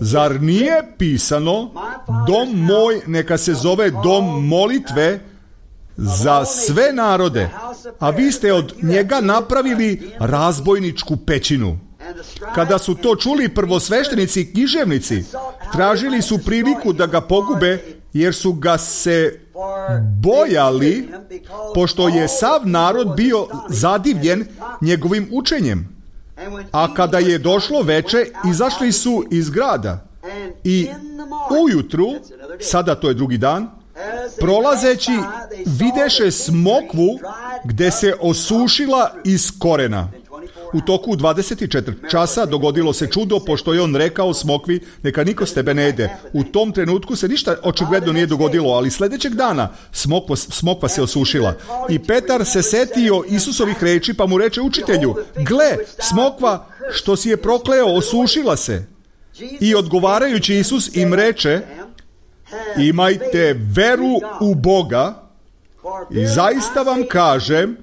zar nije pisano, dom moj neka se zove dom molitve za sve narode, a vi ste od njega napravili razbojničku pećinu. Kada su to čuli prvosveštenici i književnici, tražili su priliku da ga pogube, jer su ga se bojali, pošto je sav narod bio zadivljen njegovim učenjem. A kada je došlo veče, izašli su iz grada i ujutru, sada to je drugi dan, prolazeći videše smokvu gde se osušila iz korena. U toku 24 časa dogodilo se čudo, pošto je on rekao smokvi, neka niko s tebe ne jede. U tom trenutku se ništa očigledno nije dogodilo, ali sljedećeg dana smokva se osušila. I Petar se setio Isusovih reči, pa mu reče, učitelju, gle, smokva što si je prokleo osušila se. I odgovarajući Isus im reče, imajte veru u Boga i zaista vam kažem,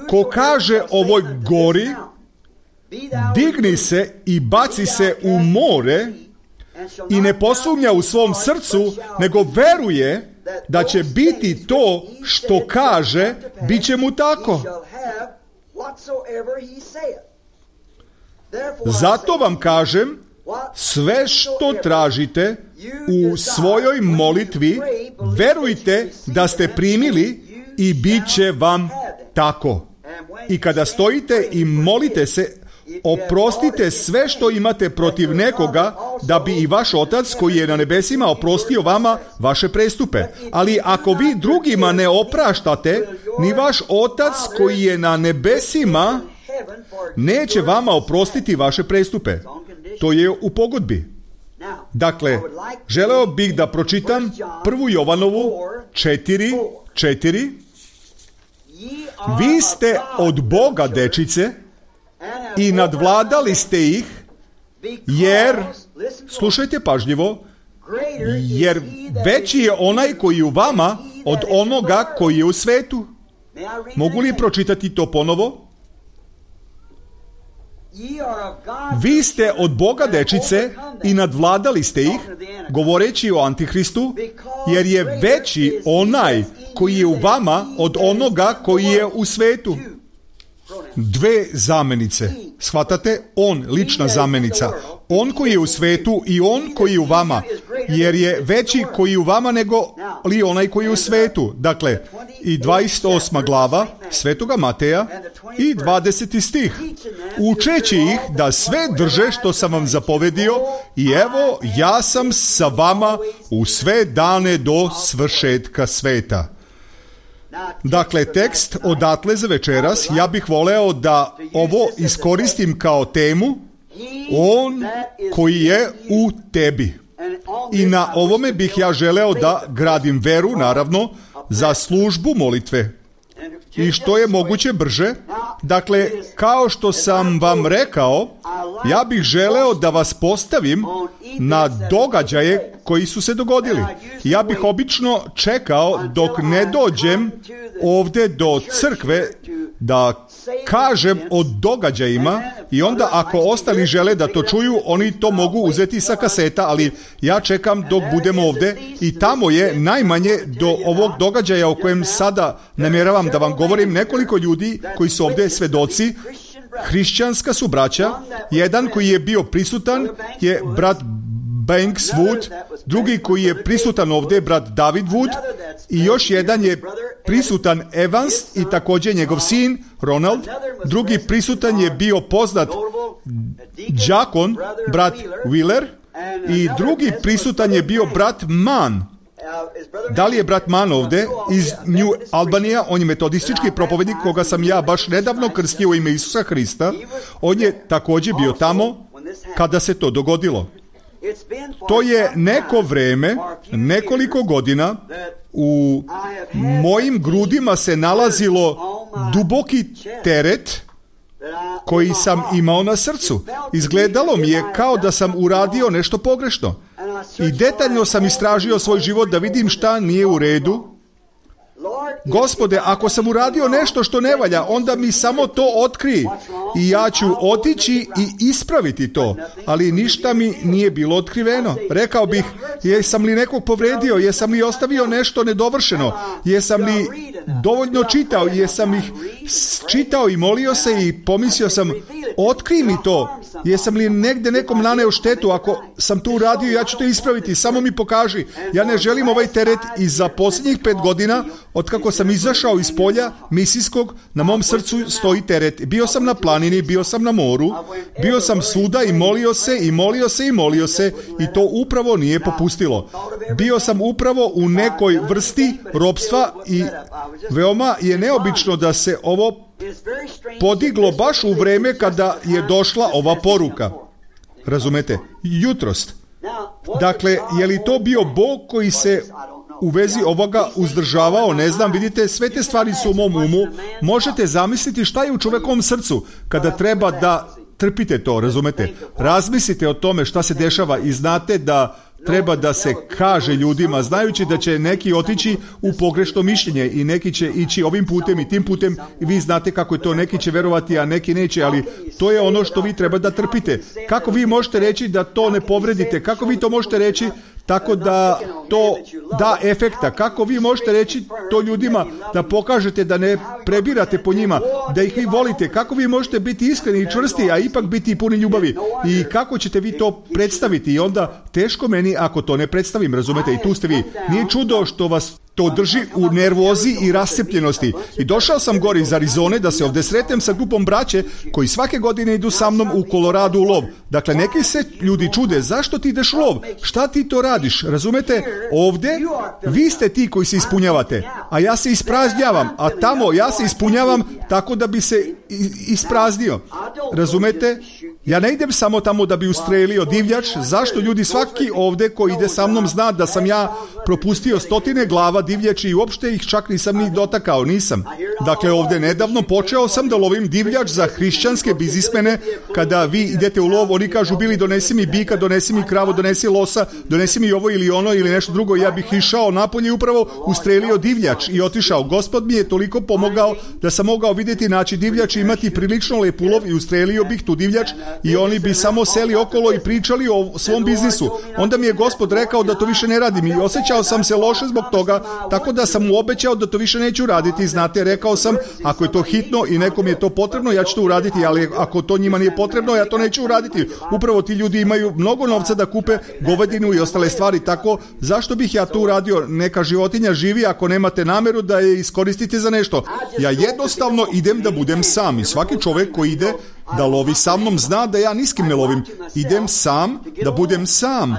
ko kaže ovoj gori, digni se i baci se u more i ne posumnja u svom srcu, nego veruje da će biti to što kaže, bit će mu tako. Zato vam kažem, sve što tražite u svojoj molitvi, verujte da ste primili i bit će vam tako. I kada stojite i molite se, oprostite sve što imate protiv nekoga, da bi i vaš Otac koji je na nebesima oprostio vama vaše prestupe. Ali ako vi drugima ne opraštate, ni vaš Otac koji je na nebesima neće vama oprostiti vaše prestupe. To je u pogodbi. Dakle, želeo bih da pročitam 1. Jovanovu 4.4. Vi ste od Boga, dečice, i nadvladali ste ih, jer, slušajte pažljivo, jer veći je onaj koji je u vama od onoga koji je u svetu. Mogu li pročitati to ponovo? Vi ste od Boga dečice i nadvladali ste ih, govoreći o Antihristu, jer je veći onaj koji je u vama od onoga koji je u svetu. Dve zamenice. Shvatate? On, lična zamenica. On koji je u svetu i on koji je u vama. Jer je veći koji je u vama nego li onaj koji je u svetu. Dakle, i 28. glava Svetoga Mateja i 20. stih. Učeći ih da sve drže što sam vam zapovedio i evo, ja sam sa vama u sve dane do svršetka sveta. Dakle, tekst odatle za večeras, ja bih voleo da ovo iskoristim kao temu, on koji je u tebi. I na ovome bih ja želeo da gradim veru, naravno, za službu molitve. I što je moguće brže. Dakle, kao što sam vam rekao, ja bih želeo da vas postavim na događaje koji su se dogodili. Ja bih obično čekao dok ne dođem ovde do crkve da kažem o događajima i onda ako ostali žele da to čuju, oni to mogu uzeti sa kaseta, ali ja čekam dok budem ovde i tamo je najmanje do ovog događaja o kojem sada namjeravam da vam govorim nekoliko ljudi koji su ovde svedoci. Hrišćanska su braća. Jedan koji je bio prisutan je brat Banks Wood, drugi koji je prisutan ovdje, brat David Wood, i još jedan je prisutan Evans i također njegov sin Ronald. Drugi prisutan je bio poznat đakon, brat Wheeler, i drugi prisutan je bio brat Mann. Da li je brat Mann ovdje iz New Albanija? On je metodistički propovednik koga sam ja baš nedavno krstio u ime Isusa Hrista. On je također bio tamo kada se to dogodilo. To je neko vreme, nekoliko godina, u mojim grudima se nalazilo duboki teret koji sam imao na srcu. Izgledalo mi je kao da sam uradio nešto pogrešno. I detaljno sam istražio svoj život da vidim šta nije u redu. Gospode, ako sam uradio nešto što ne valja, onda mi samo to otkrij i ja ću otići i ispraviti to, ali ništa mi nije bilo otkriveno. Rekao bih, jesam li nekog povredio, jesam li ostavio nešto nedovršeno, jesam li dovoljno čitao, jesam ih čitao i molio se i pomislio sam, otkrij mi to, jesam li negde nekom naneo štetu, ako sam to uradio, ja ću to ispraviti, samo mi pokaži. Ja ne želim ovaj teret i za posljednjih 5 godina, otkako sam izašao iz polja misijskog, na mom srcu stoji teret. Bio sam na planini, bio sam na moru, bio sam svuda i molio se i molio se i molio se i to upravo nije popustilo. Bio sam upravo u nekoj vrsti ropstva i veoma je neobično da se ovo podiglo baš u vreme kada je došla ova poruka. Razumete? Jutrost. Dakle, je li to bio Bog koji se u vezi ovoga uzdržavao? Ne znam, vidite, sve te stvari su u mom umu. Možete zamisliti šta je u čovekovom srcu kada treba da trpite to, razumete? Razmislite o tome šta se dešava i znate da treba da se kaže ljudima, znajući da će neki otići u pogrešno mišljenje i neki će ići ovim putem i tim putem i vi znate kako je to, neki će verovati, a neki neće, ali to je ono što vi treba da trpite. Kako vi možete reći da to ne povredite? Kako vi to možete reći tako da to da efekta? Kako vi možete reći to ljudima da pokažete da ne prebirate po njima, da ih vi volite? Kako vi možete biti iskreni i čvrsti, a ipak biti puni ljubavi? I kako ćete vi to predstaviti? I onda teško meni ako to ne predstavim, razumete? I tu ste vi. Nije čudo što vas to drži u nervozi i rascepljenosti. I došao sam gore iz Arizone da se ovdje sretnem sa grupom braće koji svake godine idu sa mnom u Koloradu u lov. Dakle, neki se ljudi čude, zašto ti ideš u lov? Šta ti to radiš? Razumete? Ovdje vi ste ti koji se ispunjavate, a ja se ispraznjavam, a tamo ja se ispunjavam tako da bi se ispraznio. Razumete? Ja ne idem samo tamo da bi ustrelio divljač. Zašto ljudi svaki ovde ko ide sa mnom zna da sam ja propustio 100 glava divljači i uopšte ih čak nisam ni dotakao, nisam. Dakle, ovde nedavno počeo sam da lovim divljač za hrišćanske biznismene. Kada vi idete u lov, oni kažu, Bili, donesi mi bika, donesi mi kravu, donesi losa, donesi mi ovo ili ono ili nešto drugo. Ja bih išao napolje i upravo ustrelio divljač i otišao. Gospod mi je toliko pomogao da sam mogao vidjeti, naći divljač i imati prilično lep ulov i ustrelio bih tu divljač i oni bi samo seli okolo i pričali o svom biznisu. Onda mi je Gospod rekao da to više ne radim i osjećao sam se loše zbog toga, tako da sam mu obećao da to više neću raditi. Znate, rekao sam, ako je to hitno i nekom je to potrebno, ja ću to uraditi, ali ako to njima nije potrebno, ja to neću uraditi. Upravo ti ljudi imaju mnogo novca da kupe govedinu i ostale stvari, tako zašto bih ja to uradio? Neka životinja živi ako nemate nameru da je iskoristite za nešto. Ja jednostavno idem da budem sam i svaki čovjek koji ide da lovi sa mnom zna da ja ni s kim ne lovim. Idem sam da budem sam,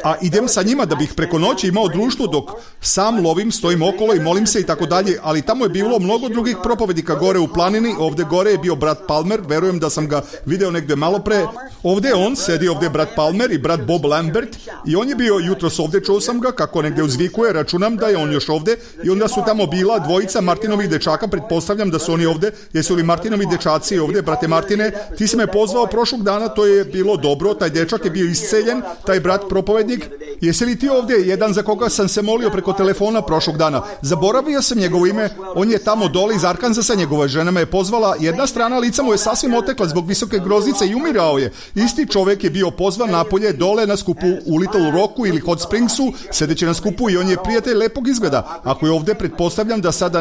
a idem sa njima da bih preko noći imao društvo dok sam lovim, stojim okolo i molim se i tako dalje, ali tamo je bilo mnogo drugih propovednika gore u planini. Ovde gore je bio brat Palmer, verujem da sam ga video negde malo pre. Ovde je on, sedi ovde brat Palmer i brat Bob Lambert i on je bio jutros ovde, čuo sam ga kako negde uzvikuje, računam da je on još ovde i onda su tamo bila dvojica Martinovih dečaka, pretpostavljam da su oni ovde. Jesu li Martinovi dečaci ovde? Brate Martine, ti si me pozvao prošlog dana, to je bilo dobro, taj dečak je bio isceljen, taj brat propovednik. Jesi li ti ovde, jedan za koga sam se molio preko telefona prošlog dana? Zaboravio sam njegovo ime, on je tamo dole iz Arkansasa, njegova žena me je pozvala, jedna strana lica mu je sasvim otekla zbog visoke groznice i umirao je. Isti čovjek je bio pozvan napolje dole na skupu u Little Rocku ili Hot Springsu, sedeći na skupu i on je prijatelj lepog izgleda. Ako je ovde, pretpostavljam da sada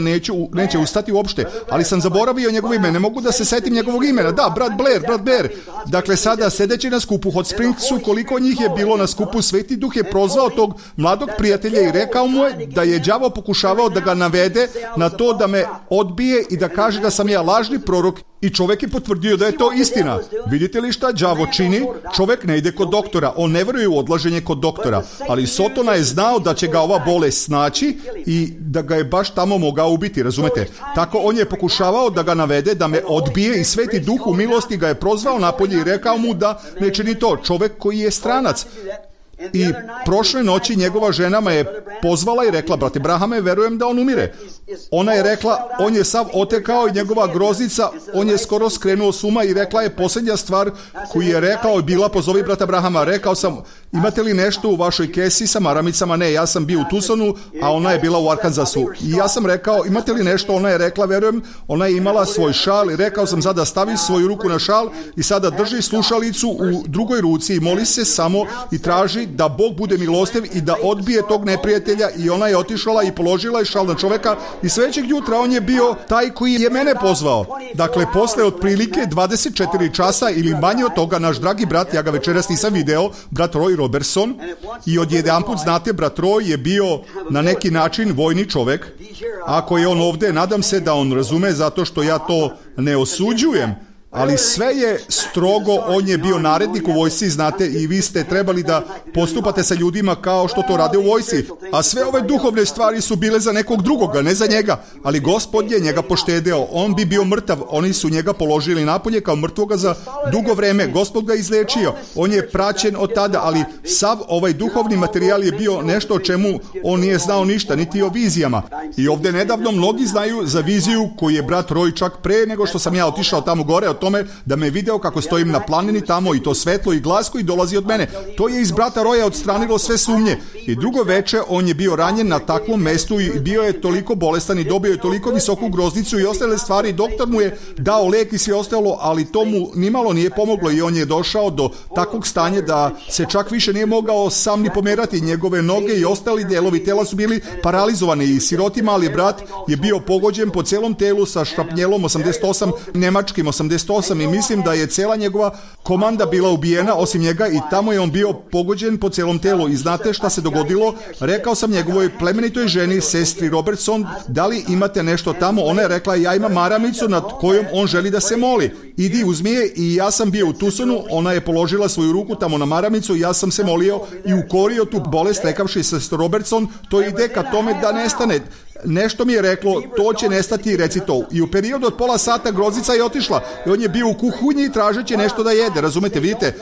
neće ustati uopšte, ali sam zaboravio njegovo ime, ne mogu da se setim njegovog imena. Da, brat Blair. Dakle, sada sedeći na skupu Hot Springsu, koliko njih je bilo na skupu, Sveti Duh je prozvao tog mladog prijatelja i rekao mu je da je đavo pokušavao da ga navede na to da me odbije i da kaže da sam ja lažni prorok i čovjek je potvrdio da je to istina. Vidite li šta đavo čini? Čovjek ne ide kod doktora, on ne veruje u odlaženje kod doktora, ali Sotona je znao da će ga ova bolest snaći i da ga je baš tamo mogao ubiti, razumete? Tako on je pokušavao da ga navede, da me odbije i Sveti Duh u milosti ga je prozvao napolje i rekao mu da ne čini to. Čovjek koji je stranac. I prošle noći njegova žena me je pozvala i rekla, brate Brahame, verujem da on umire. Ona je rekla, on je sav otekao i njegova groznica, on je skoro skrenuo s uma i rekla je posljednja stvar koju je rekao je bila, pozovi brata Brahama. Rekao sam, imate li nešto u vašoj kesi sa maramicama? Ne, ja sam bio u Tucsonu, a ona je bila u Arkansasu. I ja sam rekao, imate li nešto? Ona je rekla, verujem, ona je imala svoj šal i rekao sam, sada stavi svoju ruku na šal i sada drži slušalicu u drugoj ruci i moli se samo i traži da Bog bude milostiv i da odbije tog neprijatelja. I ona je otišla i položila je šal na čoveka i sledećeg jutra on je bio taj koji je mene pozvao. Dakle, posle otprilike 24 časa ili manje od toga, naš dragi brat, ja ga večeras nisam video, brat Roy Robertson, i odjedanput, znate, brat Roy je bio na neki način vojni čovek. Ako je on ovde, nadam se da on razume, zato što ja to ne osuđujem. Ali sve je strogo, on je bio narednik u vojsci, znate, i vi ste trebali da postupate sa ljudima kao što to rade u vojsci. A sve ove duhovne stvari su bile za nekog drugoga, ne za njega. Ali Gospod je njega poštedeo, on bi bio mrtav, oni su njega položili napolje kao mrtvoga za dugo vreme. Gospod ga izlečio, on je praćen od tada, ali sav ovaj duhovni materijal je bio nešto o čemu on nije znao ništa, niti o vizijama. I ovde nedavno mnogi znaju za viziju koju je brat Roy čak pre nego što sam ja otišao tamo gore, o tome da me video kako stojim na planini tamo i to svetlo i glas koji dolazi od mene. To je iz brata Roya odstranilo sve sumnje. I drugo veče on je bio ranjen na takvom mestu i bio je toliko bolestan i dobio je toliko visoku groznicu i ostale stvari. Doktor mu je dao lek i sve ostalo, ali to mu nimalo nije pomoglo i on je došao do takvog stanja da se čak više nije mogao sam ni pomerati. Njegove noge i ostali delovi tela su bili paralizovani i siroti mali brat je bio pogođen po celom telu sa šrapnjelom 88, nemačkim 88 i mislim da je cela njegova komanda bila ubijena osim njega i tamo je on bio pogođen po celom telu. I znate šta se dogodilo? Rekao sam njegovoj plemenitoj ženi, sestri Robertson, da li imate nešto tamo? Ona je rekla, ja imam maramicu nad kojom on želi da se moli. Idi, uzmi je. I ja sam bio u Tucsonu, ona je položila svoju ruku tamo na maramicu i ja sam se molio i ukorio tu bolest rekavši sestru Robertson, to ide ka tome da nestane. nešto mi je reklo, to će nestati, reci to. I u periodu od pola sata grozica je otišla i on je bio u kuhinji tražeći nešto da jede, razumete, vidite,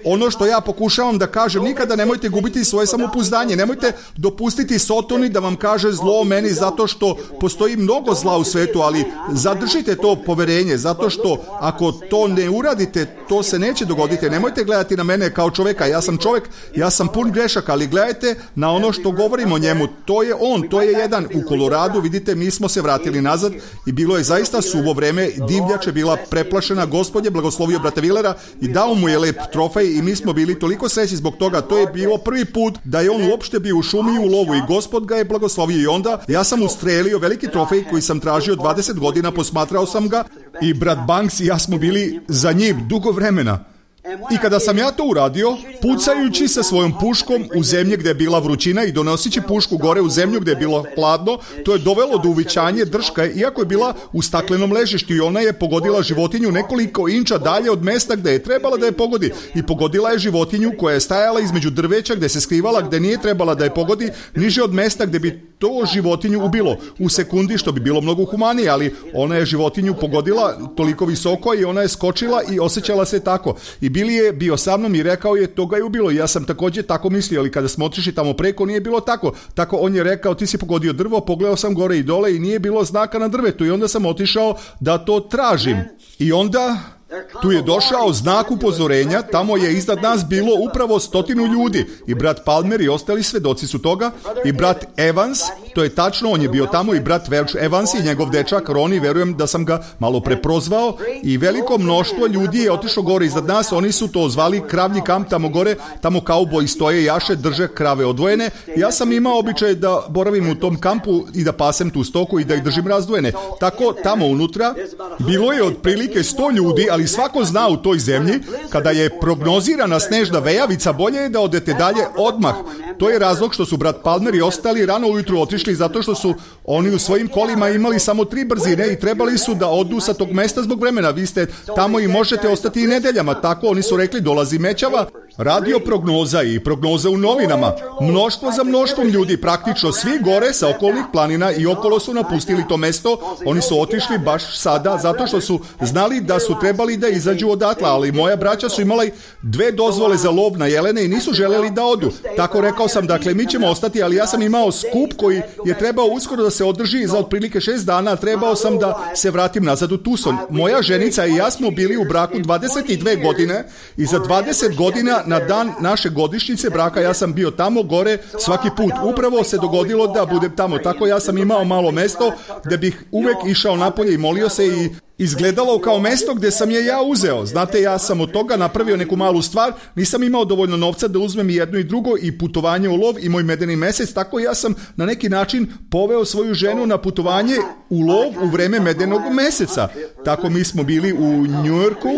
ono što ja pokušavam da kažem, nikada nemojte gubiti svoje samopouzdanje, nemojte dopustiti Sotoni da vam kaže zlo o meni zato što postoji mnogo zla u svetu, ali zadržite to poverenje, zato što ako to ne uradite, to se neće dogoditi. Nemojte gledati na mene kao čoveka, ja sam čovek, ja sam pun grešaka, ali gledajte na ono što govorim o njemu, to je on, to je jedan. U Koloradu, vidite, mi smo se vratili nazad i bilo je zaista suvo vreme, divljač je bila preplašena, Gospod je blagoslovio brata Vilera i dao mu je lep trofej i mi smo bili toliko srećni zbog toga. To je bilo prvi put da je on uopšte bio u šumi i u lovu i Gospod ga je blagoslovio i onda ja sam ustrelio veliki trofej koji sam tražio 20 godina, posmatrao sam ga i brat Banks i ja smo bili za njim dugo vremena. I kada sam ja to uradio, pucajući sa svojom puškom u zemlji gdje je bila vrućina i donosići pušku gore u zemlju gdje je bilo hladno, to je dovelo do uvićanja drška, iako je bila u staklenom ležištu i ona je pogodila životinju nekoliko inča dalje od mesta gdje je trebala da je pogodi. I pogodila je životinju koja je stajala između drveća gdje se skrivala, gdje nije trebala da je pogodi, niže od mesta gdje bi to životinju ubilo u sekundi, što bi bilo mnogo humanije, ali ona je životinju pogodila toliko visoko i ona je skočila i osjećala se tako. I Bili je bio sa mnom i rekao je, to ga je ubilo. I ja sam također tako mislio, ali kada smo otišli tamo preko nije bilo tako. Tako on je rekao, ti si pogodio drvo, pogledao sam gore i dole i nije bilo znaka na drvetu i onda sam otišao da to tražim. I onda tu je došao znak upozorenja, tamo je iznad nas bilo upravo 100 ljudi i brat Palmer i ostali svedoci su toga i brat Evans, to je tačno, on je bio tamo i brat Welch Evans i njegov dečak Roni, verujem da sam ga malo preprozvao i veliko mnoštvo ljudi je otišlo gore iznad nas, oni su to zvali kravlji kamp tamo gore, tamo kauboji stoje, jaše, drže krave odvojene. Ja sam imao običaj da boravim u tom kampu i da pasem tu stoku i da ih držim razdvojene. Tako tamo unutra bilo je otprilike 100 ljudi, ali svako zna u toj zemlji, kada je prognozirana snežna vejavica, bolje je da odete dalje odmah. To je razlog što su brat Palmer i ostali rano ujutru otišli, zato što su oni u svojim kolima imali samo 3 brzine i trebali su da odu sa tog mesta zbog vremena. Vi ste tamo i možete ostati i nedeljama. Tako oni su rekli, dolazi mećava, radio prognoza i prognoza u novinama. Mnoštvo za mnoštvom ljudi, praktično svi gore sa okolnih planina i okolo su napustili to mesto. Oni su otišli baš sada, zato što su znali da su trebali da izađu odatle, ali moja braća su imali 2 dozvole za lov na jelene i nisu želeli da odu. Tako rekao sam, dakle, mi ćemo ostati, ali ja sam imao skup koji je trebao uskoro da se održi za otprilike 6 dana, trebao sam da se vratim nazad u Tucson. Moja ženica i ja smo bili u braku 22 godine i za 20 godina na dan naše godišnjice braka ja sam bio tamo gore svaki put. Upravo se dogodilo da budem tamo, tako ja sam imao malo mesto gdje bih uvek išao napolje i molio se i izgledalo kao mesto gdje sam je ja uzeo. Znate, ja sam od toga napravio neku malu stvar, nisam imao dovoljno novca da uzmem i jedno i drugo i putovanje u lov i moj medeni mesec, tako ja sam na neki način poveo svoju ženu na putovanje u lov u vreme medenog meseca. Tako mi smo bili u Njujorku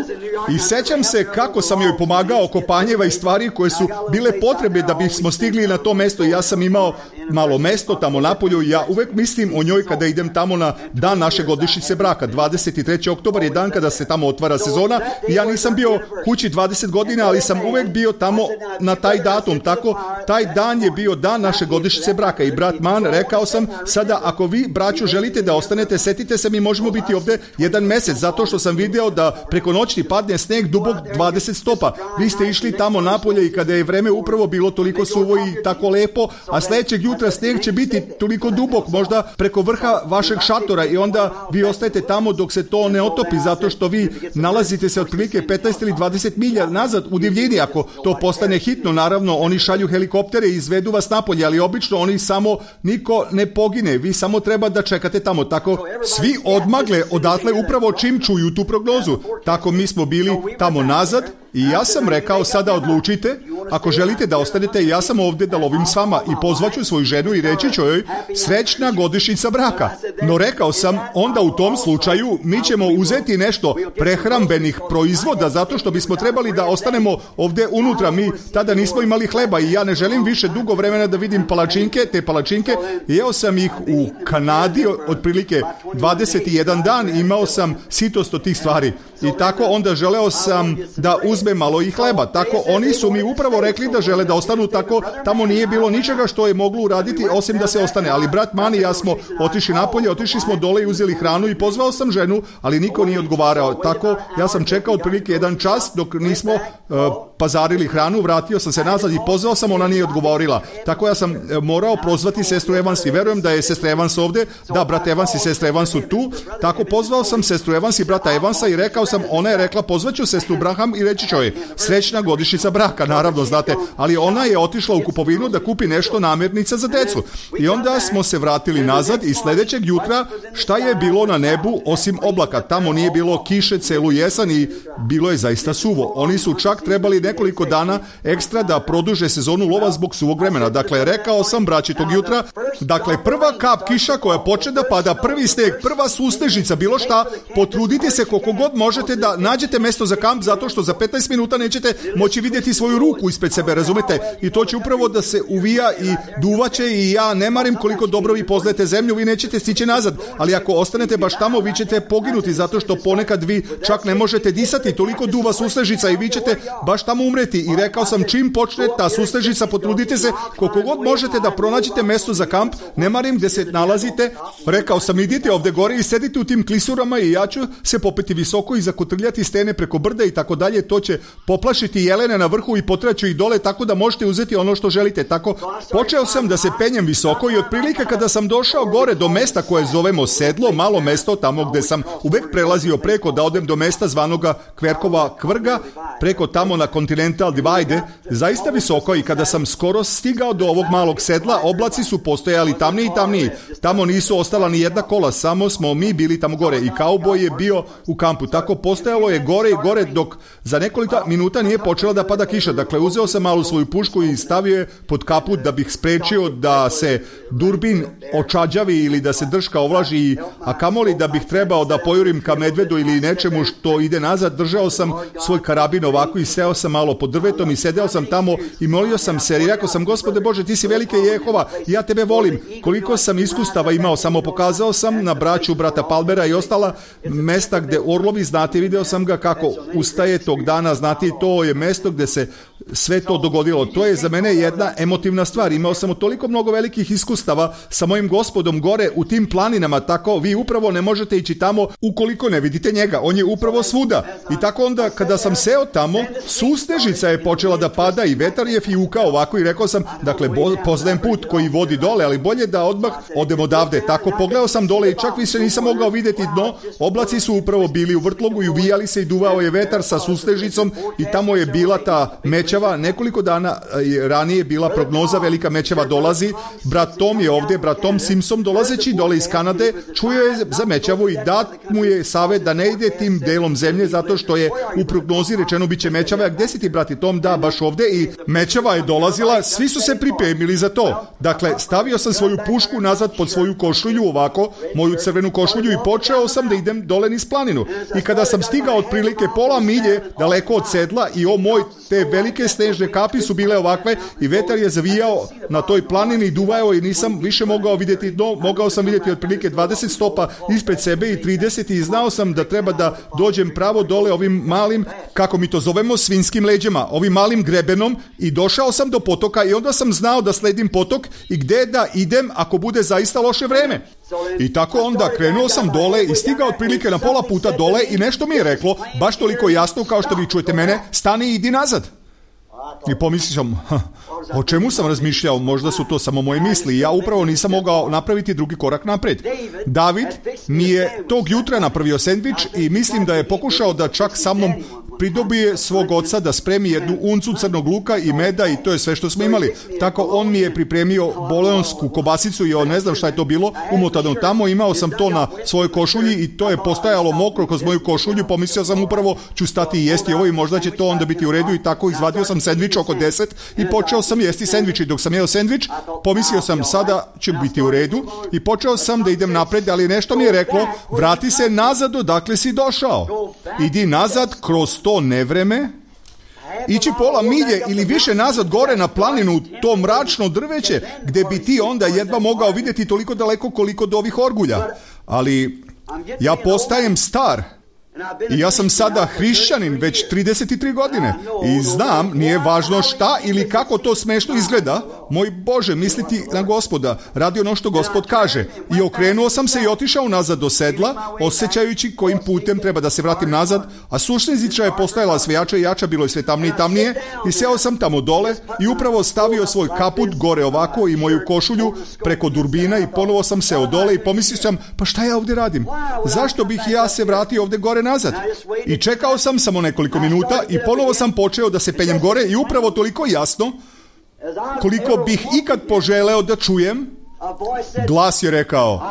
i sećam se kako sam joj pomagao oko panjeva i stvari koje su bile potrebe da bismo stigli na to mesto. Ja sam imao malo mesto tamo napolju i ja uvek mislim o njoj kada idem tamo na dan naše godišnjice braka. 23. oktobar je dan kada se tamo otvara sezona i ja nisam bio kući 20 godina, ali sam uvek bio tamo na taj datum. Tako, taj dan je bio dan naše godišnjice braka i brat Man, rekao sam, sada ako vi, braćo, želite da ostanete, setite se, mi možemo biti ovdje 1 mesec, zato što sam video da preko noći padne sneg dubok 20 stopa. Vi ste išli tamo napolje i kada je vreme upravo bilo toliko suvo i tako lepo, a sljedećeg jutra sneg će biti toliko dubok, možda preko vrha vašeg šatora i onda vi ostajete tamo dok se to ne otopi, zato što vi nalazite se otprilike 15 ili 20 milja nazad u divljini. Ako to postane hitno, naravno, oni šalju helikoptere i izvedu vas napolje, ali obično oni samo, niko ne pogine, vi samo treba da čekate tamo. Tako svi odmagle odatle upravo čim čuju tu prognozu. Tako mi smo bili tamo nazad i ja sam rekao, sada odlučite, ako želite da ostanete, ja sam ovdje da lovim s vama i pozvaću svoju ženu i reći ću joj srećna godišnjica braka. No rekao sam, onda u tom slučaju mi ćemo uzeti nešto prehrambenih proizvoda, zato što bismo trebali da ostanemo ovdje unutra. Mi tada nismo imali hleba i ja ne želim više dugo vremena da vidim palačinke. Te palačinke, jeo sam ih u Kanadi otprilike 21 dan i imao sam sitost od tih stvari. i tako onda želeo sam da uzmem malo i hleba. Tako oni su mi upravo rekli da žele da ostanu, tako tamo nije bilo ničega što je moglo uraditi osim da se ostane. Ali brat Mani i ja smo otišli napolje, otišli smo dole i uzeli hranu i pozvao sam ženu, ali niko nije odgovarao. Tako ja sam čekao otprilike 1 čas dok nismo pazarili hranu, vratio sam se nazad i pozvao sam, ona nije odgovorila. Tako ja sam morao prozvati sestru Evans i verujem da je sestra Evans ovde. Da, brat Evans i sestra Evans su tu. Tako pozvao sam sestru Evans i brata Evansa i rekao sam, ona je rekla pozvaću sestru Braham i reći ću joj srećna godišnjica braka, naravno znate, ali ona je otišla u kupovinu da kupi nešto namirnica za decu. I onda smo se vratili nazad i sljedećeg jutra šta je bilo na nebu osim oblaka? Tamo nije bilo kiše celu jesen i bilo je zaista suvo. Oni su čak trebali nekoliko dana ekstra da produže sezonu lova zbog suvog vremena. Dakle, rekao sam braći tog jutra, dakle, prva kap kiša koja počne da pada, prvi sneg, prva sustežica, bilo šta, potrudite se koliko god možete da nađete mesto za kamp, zato što za 15 minuta nećete moći vidjeti svoju ruku ispred sebe, razumete? I to će upravo da se uvija i duvaće i ja ne marim koliko dobro vi poznajete zemlju, vi nećete stići nazad, ali ako ostanete baš tamo, vi ćete poginuti, zato što ponekad vi čak ne možete disati, toliko duva sustežica i vi ćete baš tamo umreti. I rekao sam, čim počne ta sustežica, potrudite se koliko god možete da pronađete mesto za kamp, ne marim gde se nalazite. Rekao sam, idite ovde gore i sedite u tim klisurama i ja ću se popeti visoko i zakotrljati stene preko brda i tako dalje. To će poplašiti jelene na vrhu i potraću ih dole, tako da možete uzeti ono što želite. Tako počeo sam da se penjem visoko i otprilike kada sam došao gore do mesta koje zovemo Sedlo, malo mesto tamo gde sam uvek prelazio preko da odem do mesta zvanoga Kverkova Kvrga, preko tamo na Continental Divide, zaista visoko, i kada sam skoro stigao do ovog malog sedla, oblaci su postojali tamniji i tamniji. Tamo nisu ostala ni jedna kola, samo smo mi bili tamo gore i kauboj je bio u kampu. Tako postojalo je gore i gore dok za nekoliko minuta nije počela da pada kiša. Dakle, uzeo sam malu svoju pušku i stavio je pod kaput da bih sprečio da se durbin očađavi ili da se drška ovlaži, a kamoli da bih trebao da pojurim ka medvedu ili nečemu što ide nazad. Držao sam svoj karabin ovako i seo sam malo pod drvetom i sedeo sam tamo i molio sam se i rekao sam, Gospode Bože, ti si velike Jehova, ja tebe volim. Koliko sam iskustava imao, samo pokazao sam na braću brata Palmera i ostala mesta gde orlovi, znate, video sam ga kako ustaje tog dana, znate, to je mesto gde se sve to dogodilo. To je za mene jedna emotivna stvar. Imao sam toliko mnogo velikih iskustava sa mojim Gospodom gore u tim planinama, tako vi upravo ne možete ići tamo ukoliko ne vidite njega. On je upravo svuda. I tako onda kada sam seo tamo, sustežica je počela da pada i vetar je fijukao ovako i rekao sam, dakle, poznajem put koji vodi dole, ali bolje da odmah odem odavde. Tako pogledao sam dole i čak više nisam mogao vidjeti dno. Oblaci su upravo bili u vrtlogu i uvijali se i duvao je vetar sa sustežicom i tamo je bila ta mećava. Nekoliko dana ranije je bila prognoza, velika mećava dolazi. Brat Tom je ovdje, brat Tom Simpson, dolazeći dole iz Kanade, čuo je za mećavu i dat mu je savjet da ne ide tim delom zemlje, zato što je u prognozi rečeno biće mećava. A gde si ti, brati Tom? Da, baš ovdje. I mećava je dolazila, svi su se pripremili za to. Dakle, stavio sam svoju pušku nazad pod svoju košulju, ovako, moju crvenu košulju, i počeo sam da idem dole niz planinu. I kada sam stigao otprilike pola milje daleko od sedla i te velike snežne kapi su bile ovakve i vetar je zavijao na toj planini i duvao i nisam više mogao vidjeti dno, mogao sam vidjeti otprilike 20 stopa ispred sebe i 30 i znao sam da treba da dođem pravo dole ovim malim, kako mi to zovemo, svinskim leđima, ovim malim grebenom, i došao sam do potoka i onda sam znao da sledim potok i gde da idem ako bude zaista loše vreme. I tako onda krenuo sam dole i stigao otprilike na pola puta dole i nešto mi je reklo, baš toliko jasno kao što vi čujete mene, stani i idi nazad. I pomislio sam, o čemu sam razmišljao, možda su to samo moje misli. Ja upravo nisam mogao napraviti drugi korak napred. David mi je tog jutra napravio sendvič i mislim da je pokušao da čak sa mnom pridobije svog oca da spremi jednu uncu crnog luka i meda i to je sve što smo imali. Tako on mi je pripremio boleonsku kobasicu i ne znam šta je to bilo, umotano tamo, imao sam to na svojoj košulji i to je postajalo mokro kroz moju košulju, pomislio sam upravo ću stati i jesti ovo i možda će to onda biti u redu i tako izvadio sam sendvič oko 10 i počeo sam jesti sendvič i dok sam jeo sendvič pomislio sam sada će biti u redu i počeo sam da idem napred, ali nešto mi je reklo vrati se nazad odakle si došao, idi nazad kroz to nevreme, ići pola milje ili više nazad gore na planinu, to mračno drveće gdje bi ti onda jedva mogao vidjeti toliko daleko koliko do ovih orgulja, ali ja postajem star I ja sam sada hrišćanin već 33 godine. I znam, nije važno šta ili kako to smešno izgleda. Moj Bože, misliti na Gospoda, radi ono što Gospod kaže. I okrenuo sam se i otišao nazad do sedla, osjećajući kojim putem treba da se vratim nazad, a sušnizića je postajala sve jača i jača, bilo je sve tamnije i tamnije. I seo sam tamo dole i upravo stavio svoj kaput gore ovako i moju košulju preko durbina i ponovo sam seo dole i pomislio sam, pa šta ja ovdje radim? Zašto bih ja se vratio ovdje gore nazad? I čekao sam samo nekoliko minuta i ponovo sam počeo da se penjem gore i upravo toliko jasno, koliko bih ikad poželeo da čujem, glas je rekao,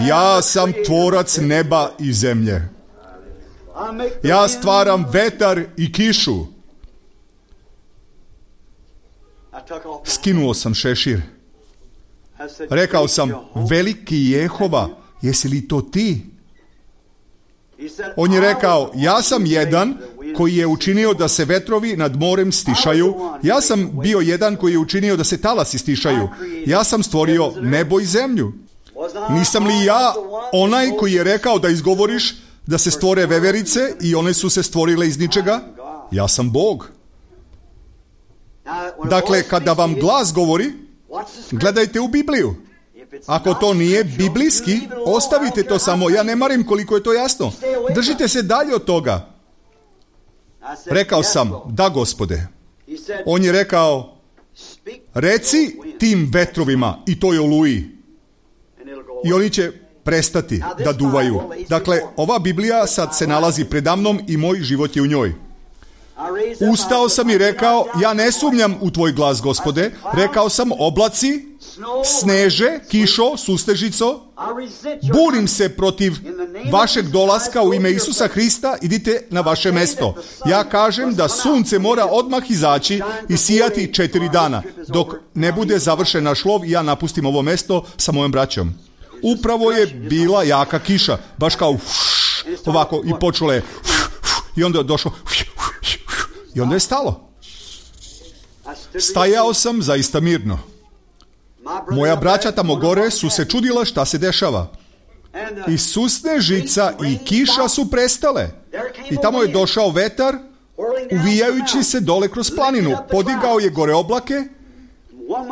ja sam tvorac neba i zemlje. Ja stvaram vetar i kišu. Skinuo sam šešir. Rekao sam, veliki Jehova, jesi li to ti? On je rekao, ja sam jedan koji je učinio da se vetrovi nad morem stišaju. Ja sam bio jedan koji je učinio da se talasi stišaju. Ja sam stvorio nebo i zemlju. Nisam li ja onaj koji je rekao da izgovoriš da se stvore veverice i one su se stvorile iz ničega? Ja sam Bog. Dakle, kada vam glas govori, gledajte u Bibliju. Ako to nije biblijski, ostavite to samo. Ja ne marim koliko je to jasno. Držite se dalje od toga. Rekao sam, da Gospode. On je rekao, reci tim vetrovima i toj oluji. I oni će prestati da duvaju. Dakle, ova Biblija sad se nalazi predamnom i moj život je u njoj. Ustao sam i rekao, ja ne sumnjam u tvoj glas, Gospode. Rekao sam, oblaci, sneže, kišo, sustežico, bunim se protiv vašeg dolaska u ime Isusa Hrista, idite na vaše mesto. Ja kažem da sunce mora odmah izaći i sijati 4 dana, dok ne bude završen naš lov i ja napustim ovo mesto sa mojom braćom. Upravo je bila jaka kiša, baš kao ovako i počelo je i onda je došlo i onda je stalo. Stajao sam zaista mirno. Moja braća tamo gore su se čudila šta se dešava. I susnežica i kiša su prestale. I tamo je došao vetar, uvijajući se dole kroz planinu. Podigao je gore oblake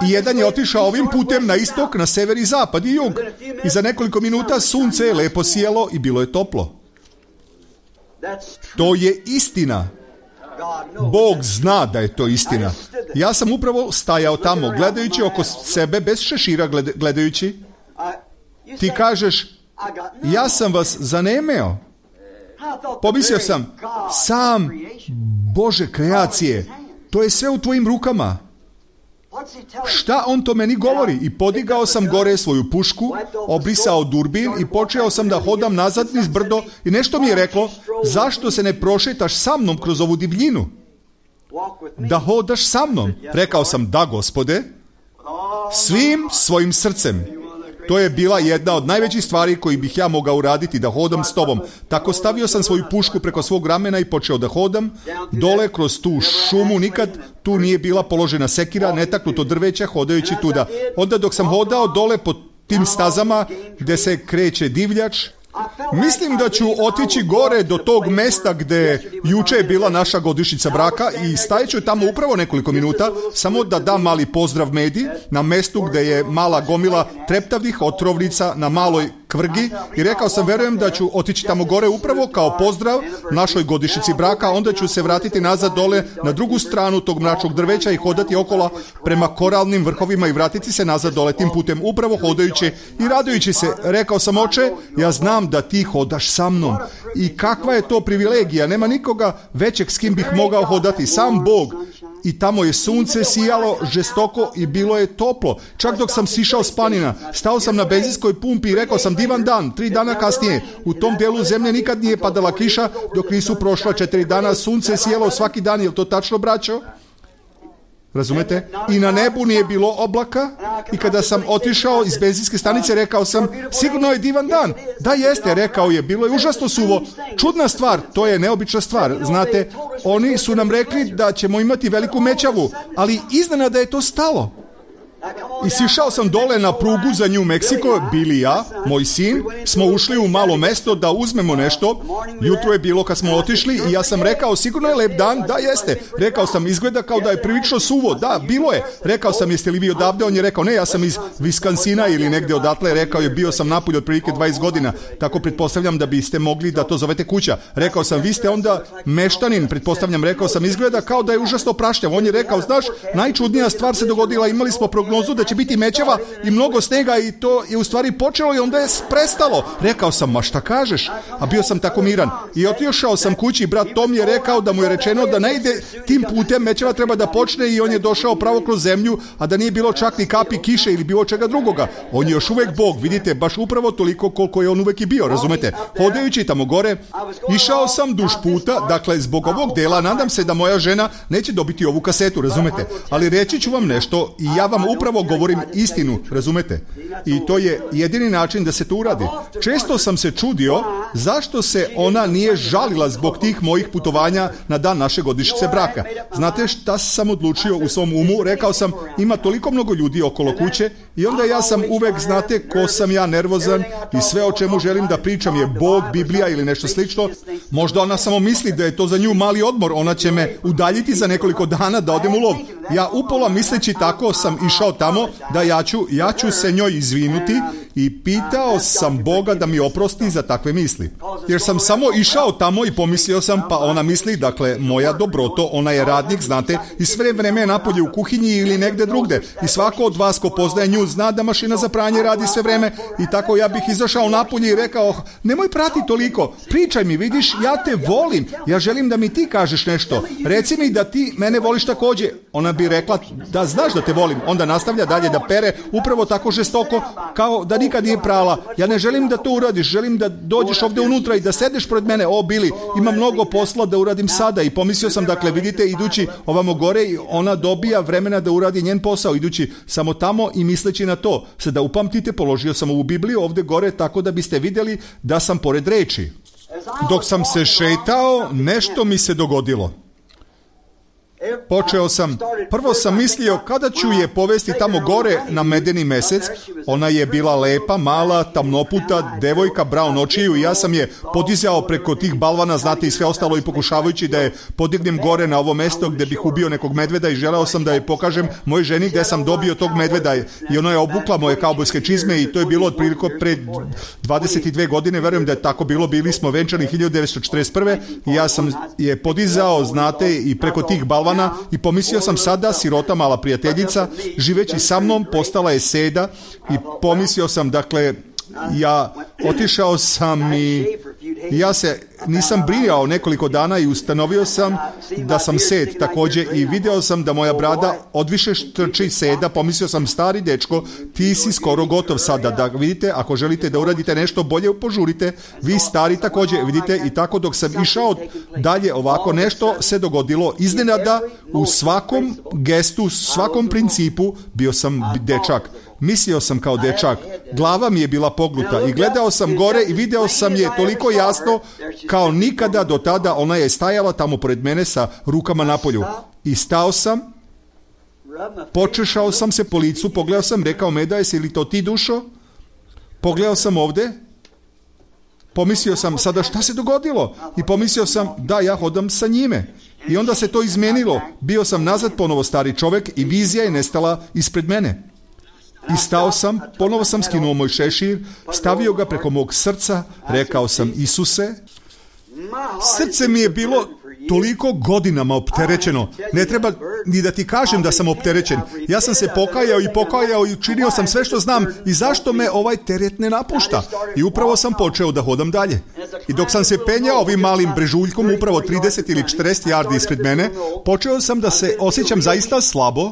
i jedan je otišao ovim putem na istok, na sever i zapad i jug. I za nekoliko minuta sunce je lepo sijelo i bilo je toplo. To je istina. Bog zna da je to istina. Ja sam upravo stajao tamo, gledajući oko sebe, bez šešira gledajući. Ti kažeš, ja sam vas zanemeo. Pomislio sam Bože kreacije, to je sve u tvojim rukama. Šta on to meni govori? I podigao sam gore svoju pušku, obrisao durbin i počeo sam da hodam nazad niz brdo i nešto mi je reklo, zašto se ne prošetaš sa mnom kroz ovu divljinu? Da hodaš sa mnom. Rekao sam, da Gospode, svim svojim srcem. To je bila jedna od najvećih stvari koji bih ja mogao uraditi, da hodam s tobom. Tako stavio sam svoju pušku preko svog ramena i počeo da hodam dole kroz tu šumu. Nikad tu nije bila položena sekira, netaknuto drveća, hodajući tuda. Onda dok sam hodao dole po tim stazama gde se kreće divljač, mislim da ću otići gore do tog mesta gde juče je bila naša godišnjica braka i stajeću tamo upravo nekoliko minuta, samo da dam mali pozdrav Medi na mestu gde je mala gomila treptavih otrovnica na maloj kvrgi i rekao sam, verujem da ću otići tamo gore upravo kao pozdrav našoj godišnjici braka, onda ću se vratiti nazad dole na drugu stranu tog mračnog drveća i hodati okolo prema koralnim vrhovima i vratiti se nazad dole tim putem, upravo hodajući i radujući se. Rekao sam, oče, ja znam da ti hodaš sa mnom. I kakva je to privilegija, nema nikoga većeg s kim bih mogao hodati, sam Bog. I tamo je sunce sijalo žestoko i bilo je toplo. Čak dok sam sišao s planina, stao sam na benzinskoj pumpi i rekao sam, divan dan. 3 dana kasnije, u tom delu zemlje nikad nije padala kiša, dok nisu prošla 4 dana, sunce sijalo svaki dan, je li to tačno, braćo? Razumete? I na nebu nije bilo oblaka i kada sam otišao iz benzinske stanice rekao sam, sigurno je divan dan. Da jeste, rekao je, bilo je užasno suvo. Čudna stvar, to je neobična stvar. Znate, oni su nam rekli da ćemo imati veliku mećavu, ali iznenada je to stalo. I sišao sam dole na prugu za New Mexico, bili ja, moj sin, smo ušli u malo mesto da uzmemo nešto. Jutro je bilo kad smo otišli i ja sam rekao, sigurno je lep dan? Da, jeste. Rekao sam, izgleda kao da je prilično suvo. Da, bilo je. Rekao sam, jeste li vi odavde? On je rekao, ne, ja sam iz Wisconsina ili negdje odatle. Rekao je, bio sam napolje otprilike 20 godina. Tako pretpostavljam da biste mogli da to zovete kuća. Rekao sam, vi ste onda meštanin, pretpostavljam. Rekao sam, izgleda kao da je užasno prašnjav. On je rekao, znaš, najčudnija stvar se dogodila, imali smo prognozu da će biti mećava i mnogo snega i to je u stvari počelo i onda je prestalo. Rekao sam, ma šta kažeš? A bio sam tako miran. I otišao sam kući, brat Tom je rekao da mu je rečeno da ne ide tim putem, mećava treba da počne i on je došao pravo kroz zemlju, a da nije bilo čak ni kapi kiše ili bilo čega drugoga. On je još uvek Bog, vidite, baš upravo toliko koliko je on uvek i bio, razumete? Hodajući tamo gore, išao sam duž puta, dakle zbog ovog dela, nadam se da moja žena neće dobiti ovu kasetu, razumete? Ali reći ću vam nešto i ja vam upravo govorim istinu, razumete? I to je jedini način da se to uradi. Često sam se čudio zašto se ona nije žalila zbog tih mojih putovanja na dan naše godišnjice braka. Znate šta sam odlučio u svom umu? Rekao sam, ima toliko mnogo ljudi okolo kuće i onda ja sam uvek, znate, ko sam ja, nervozan i sve o čemu želim da pričam je Bog, Biblija ili nešto slično. Možda ona samo misli da je to za nju mali odmor, ona će me udaljiti za nekoliko dana da odem u lov. Ja upola misleći tako sam išao tamo da ja ću se njoj izvinuti i pitao sam Boga da mi oprosti za takve misli. Jer sam samo išao tamo i pomislio sam, pa ona misli, dakle, moja dobroto, ona je radnik, znate, i sve vreme je napolje u kuhinji ili negde drugde. I svako od vas ko poznaje nju zna da mašina za pranje radi sve vreme i tako ja bih izašao napolje i rekao, nemoj prati toliko, pričaj mi, vidiš, ja te volim, ja želim da mi ti kažeš nešto, reci mi da ti mene voliš takođe. Ona bi rekla da znaš da te volim, onda nastavlja dalje da pere upravo tako žestoko kao da nikad nije prala. Ja ne želim da to uradiš, želim da dođeš ovde unutra i da sedeš pred mene. O, Bili, ima mnogo posla da uradim sada. I pomislio sam, dakle, vidite, idući ovamo gore, ona dobija vremena da uradi njen posao, idući samo tamo i misleći na to. Sada upamtite, položio sam ovu Bibliju ovde gore tako da biste vidjeli da sam pored reči. Dok sam se šetao, nešto mi se dogodilo. Prvo sam mislio kada ću je povesti tamo gore na medeni mesec. Ona je bila lepa, mala, tamnoputa, devojka, brown očiju i ja sam je podizao preko tih balvana, znate, i sve ostalo i pokušavajući da je podignem gore na ovo mesto gde bih ubio nekog medveda i želeo sam da je pokažem mojoj ženi gde sam dobio tog medveda i ona je obukla moje kaubojske čizme i to je bilo otprilike pre 22 godine, verujem da je tako bilo, bili smo venčani 1941. i ja sam je podizao, znate, i preko tih balvana i pomislio sam sada, sirota mala prijateljica, živeći sa mnom, postala je seda i pomislio sam, dakle, ja otišao sam i ja se nisam brijao nekoliko dana i ustanovio sam da sam sed također i video sam da moja brada odviše štrči seda. Pomislio sam, stari dečko, ti si skoro gotov sada, da vidite, ako želite da uradite nešto bolje, požurite, vi stari također, vidite. I tako dok sam išao dalje ovako, nešto se dogodilo iznenada. U svakom gestu, svakom principu bio sam dečak. Mislio sam kao dečak, glava mi je bila pognuta i gledao sam gore i video sam je toliko jasno kao nikada do tada. Ona je stajala tamo pored mene sa rukama na polju. I stao sam, počešao sam se po licu, pogledao sam, rekao, Meda, jesi li to ti, dušo? Pogledao sam ovde, pomislio sam, sada šta se dogodilo? I pomislio sam, da, ja hodam sa njime. I onda se to izmenilo. Bio sam nazad ponovo stari čovek i vizija je nestala ispred mene. I stao sam, ponovo sam skinuo moj šešir, stavio ga preko mog srca, rekao sam, Isuse, srce mi je bilo toliko godinama opterećeno. Ne treba ni da ti kažem da sam opterećen. Ja sam se pokajao i učinio sam sve što znam i zašto me ovaj teret ne napušta. I upravo sam počeo da hodam dalje. I dok sam se penjao ovim malim brežuljkom, upravo 30 ili 40 yardi ispred mene, počeo sam da se osjećam zaista slabo.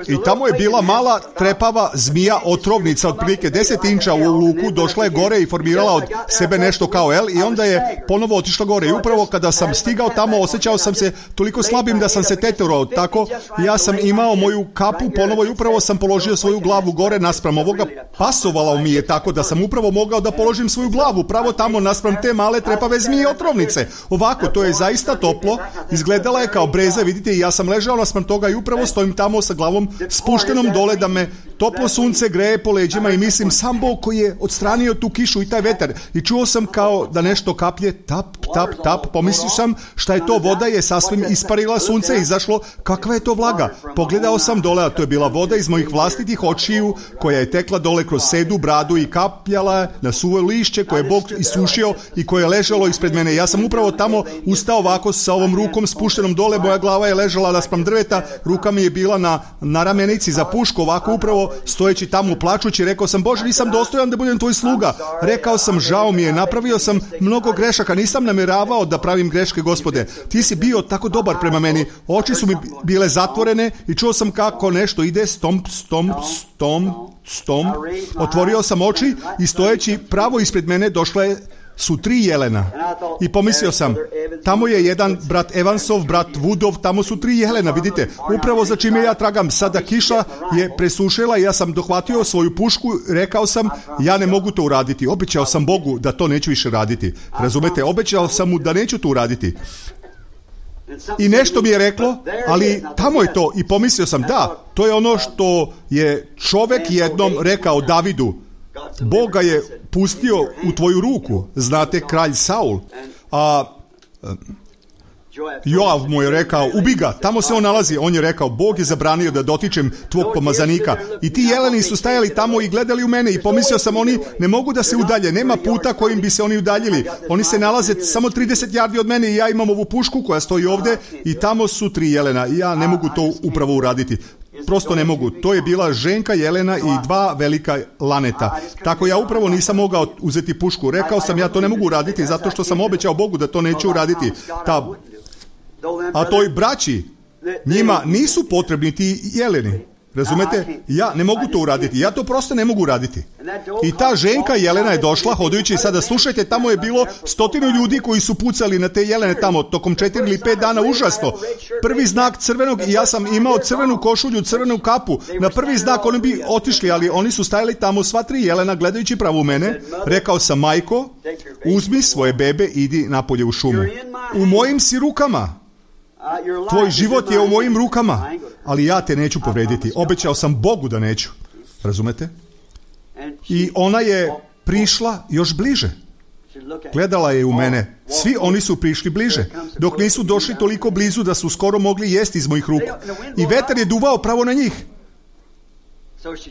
I tamo je bila mala trepava zmija otrovnica, otprilike 10 inča u luku, došla je gore i formirala od sebe nešto kao L i onda je ponovo otišla gore. I upravo kada sam stigao tamo, osjećao sam se toliko slabim da sam se teturao. Tako, ja sam imao moju kapu ponovo i upravo sam položio svoju glavu gore naspram ovoga. Pasovala mi je tako da sam upravo mogao da položim svoju glavu pravo tamo naspram te male trepave zmije otrovnice. Ovako, to je zaista toplo, izgledala je kao breza, vidite, i ja sam ležao naspram toga i upravo stojim tamo sa glavom, spuštenom dole da me toplo sunce greje po leđima i mislim sam Bog koji je odstranio tu kišu i taj vetar. I čuo sam kao da nešto kaplje, tap, tap, tap. Pomislio sam šta je to, voda je sasvim isparila, sunce je izašlo, kakva je to vlaga. Pogledao sam dole, a to je bila voda iz mojih vlastitih očiju koja je tekla dole kroz sedu, bradu i kapljala na suvo lišće koje je Bog isušio i koje je ležalo ispred mene. Ja sam upravo tamo ustao ovako sa ovom rukom spuštenom dole, moja glava je ležala naspram drveta, ruka mi je bila na ramenici za pušku, ovako upravo stojeći tamo plačući, rekao sam, Bože, nisam dostojan da budem tvoj sluga. Rekao sam, žao mi je, napravio sam mnogo grešaka, nisam namjeravao da pravim greške, Gospode. Ti si bio tako dobar prema meni, oči su mi bile zatvorene i čuo sam kako nešto ide, stomp, stomp, stomp, stomp. Otvorio sam oči i stojeći pravo ispred mene su 3 jelena. I pomislio sam, tamo je jedan brat Evansov, brat Woodov, tamo su 3 jelena, vidite, upravo za čime ja tragam. Sada kiša je presušila i ja sam dohvatio svoju pušku, rekao sam, ja ne mogu to uraditi. Obećao sam Bogu da to neću više raditi. Razumete, obećao sam mu da neću to uraditi. I nešto mi je reklo, ali tamo je to. I pomislio sam, da, to je ono što je čovjek jednom rekao Davidu. Bog ga je pustio u tvoju ruku, znate, kralj Saul. A Joav mu je rekao, ubi ga, tamo se on nalazi. On je rekao, Bog je zabranio da dotičem tvog pomazanika. I ti jeleni su stajali tamo i gledali u mene i pomislio sam, oni ne mogu da se udalje, nema puta kojim bi se oni udaljili. Oni se nalaze samo 30 yardi od mene i ja imam ovu pušku koja stoji ovdje i tamo su 3 jelena i ja ne mogu to upravo uraditi. Prosto ne mogu. To je bila ženka jelena i 2 velika laneta. Tako ja upravo nisam mogao uzeti pušku. Rekao sam, ja to ne mogu uraditi zato što sam obećao Bogu da to neću uraditi. A toj braći, njima nisu potrebni ti jeleni. Razumete? Ja ne mogu to uraditi. Ja to prosto ne mogu uraditi. I ta ženka jelena je došla, hodajući, sada slušajte, tamo je bilo 100 ljudi koji su pucali na te jelene tamo tokom 4 ili 5 dana, užasno. Prvi znak crvenog i ja sam imao crvenu košulju, crvenu kapu. Na prvi znak oni bi otišli, ali oni su stajali tamo sva 3 jelena gledajući pravo u mene. Rekao sam, majko, uzmi svoje bebe, idi napolje u šumu. U mojim si rukama. Tvoj život je u mojim rukama, ali ja te neću povrediti. Obećao sam Bogu da neću. Razumete? I ona je prišla još bliže. Gledala je u mene. Svi oni su prišli bliže, dok nisu došli toliko blizu da su skoro mogli jesti iz mojih ruku. I vetar je duvao pravo na njih.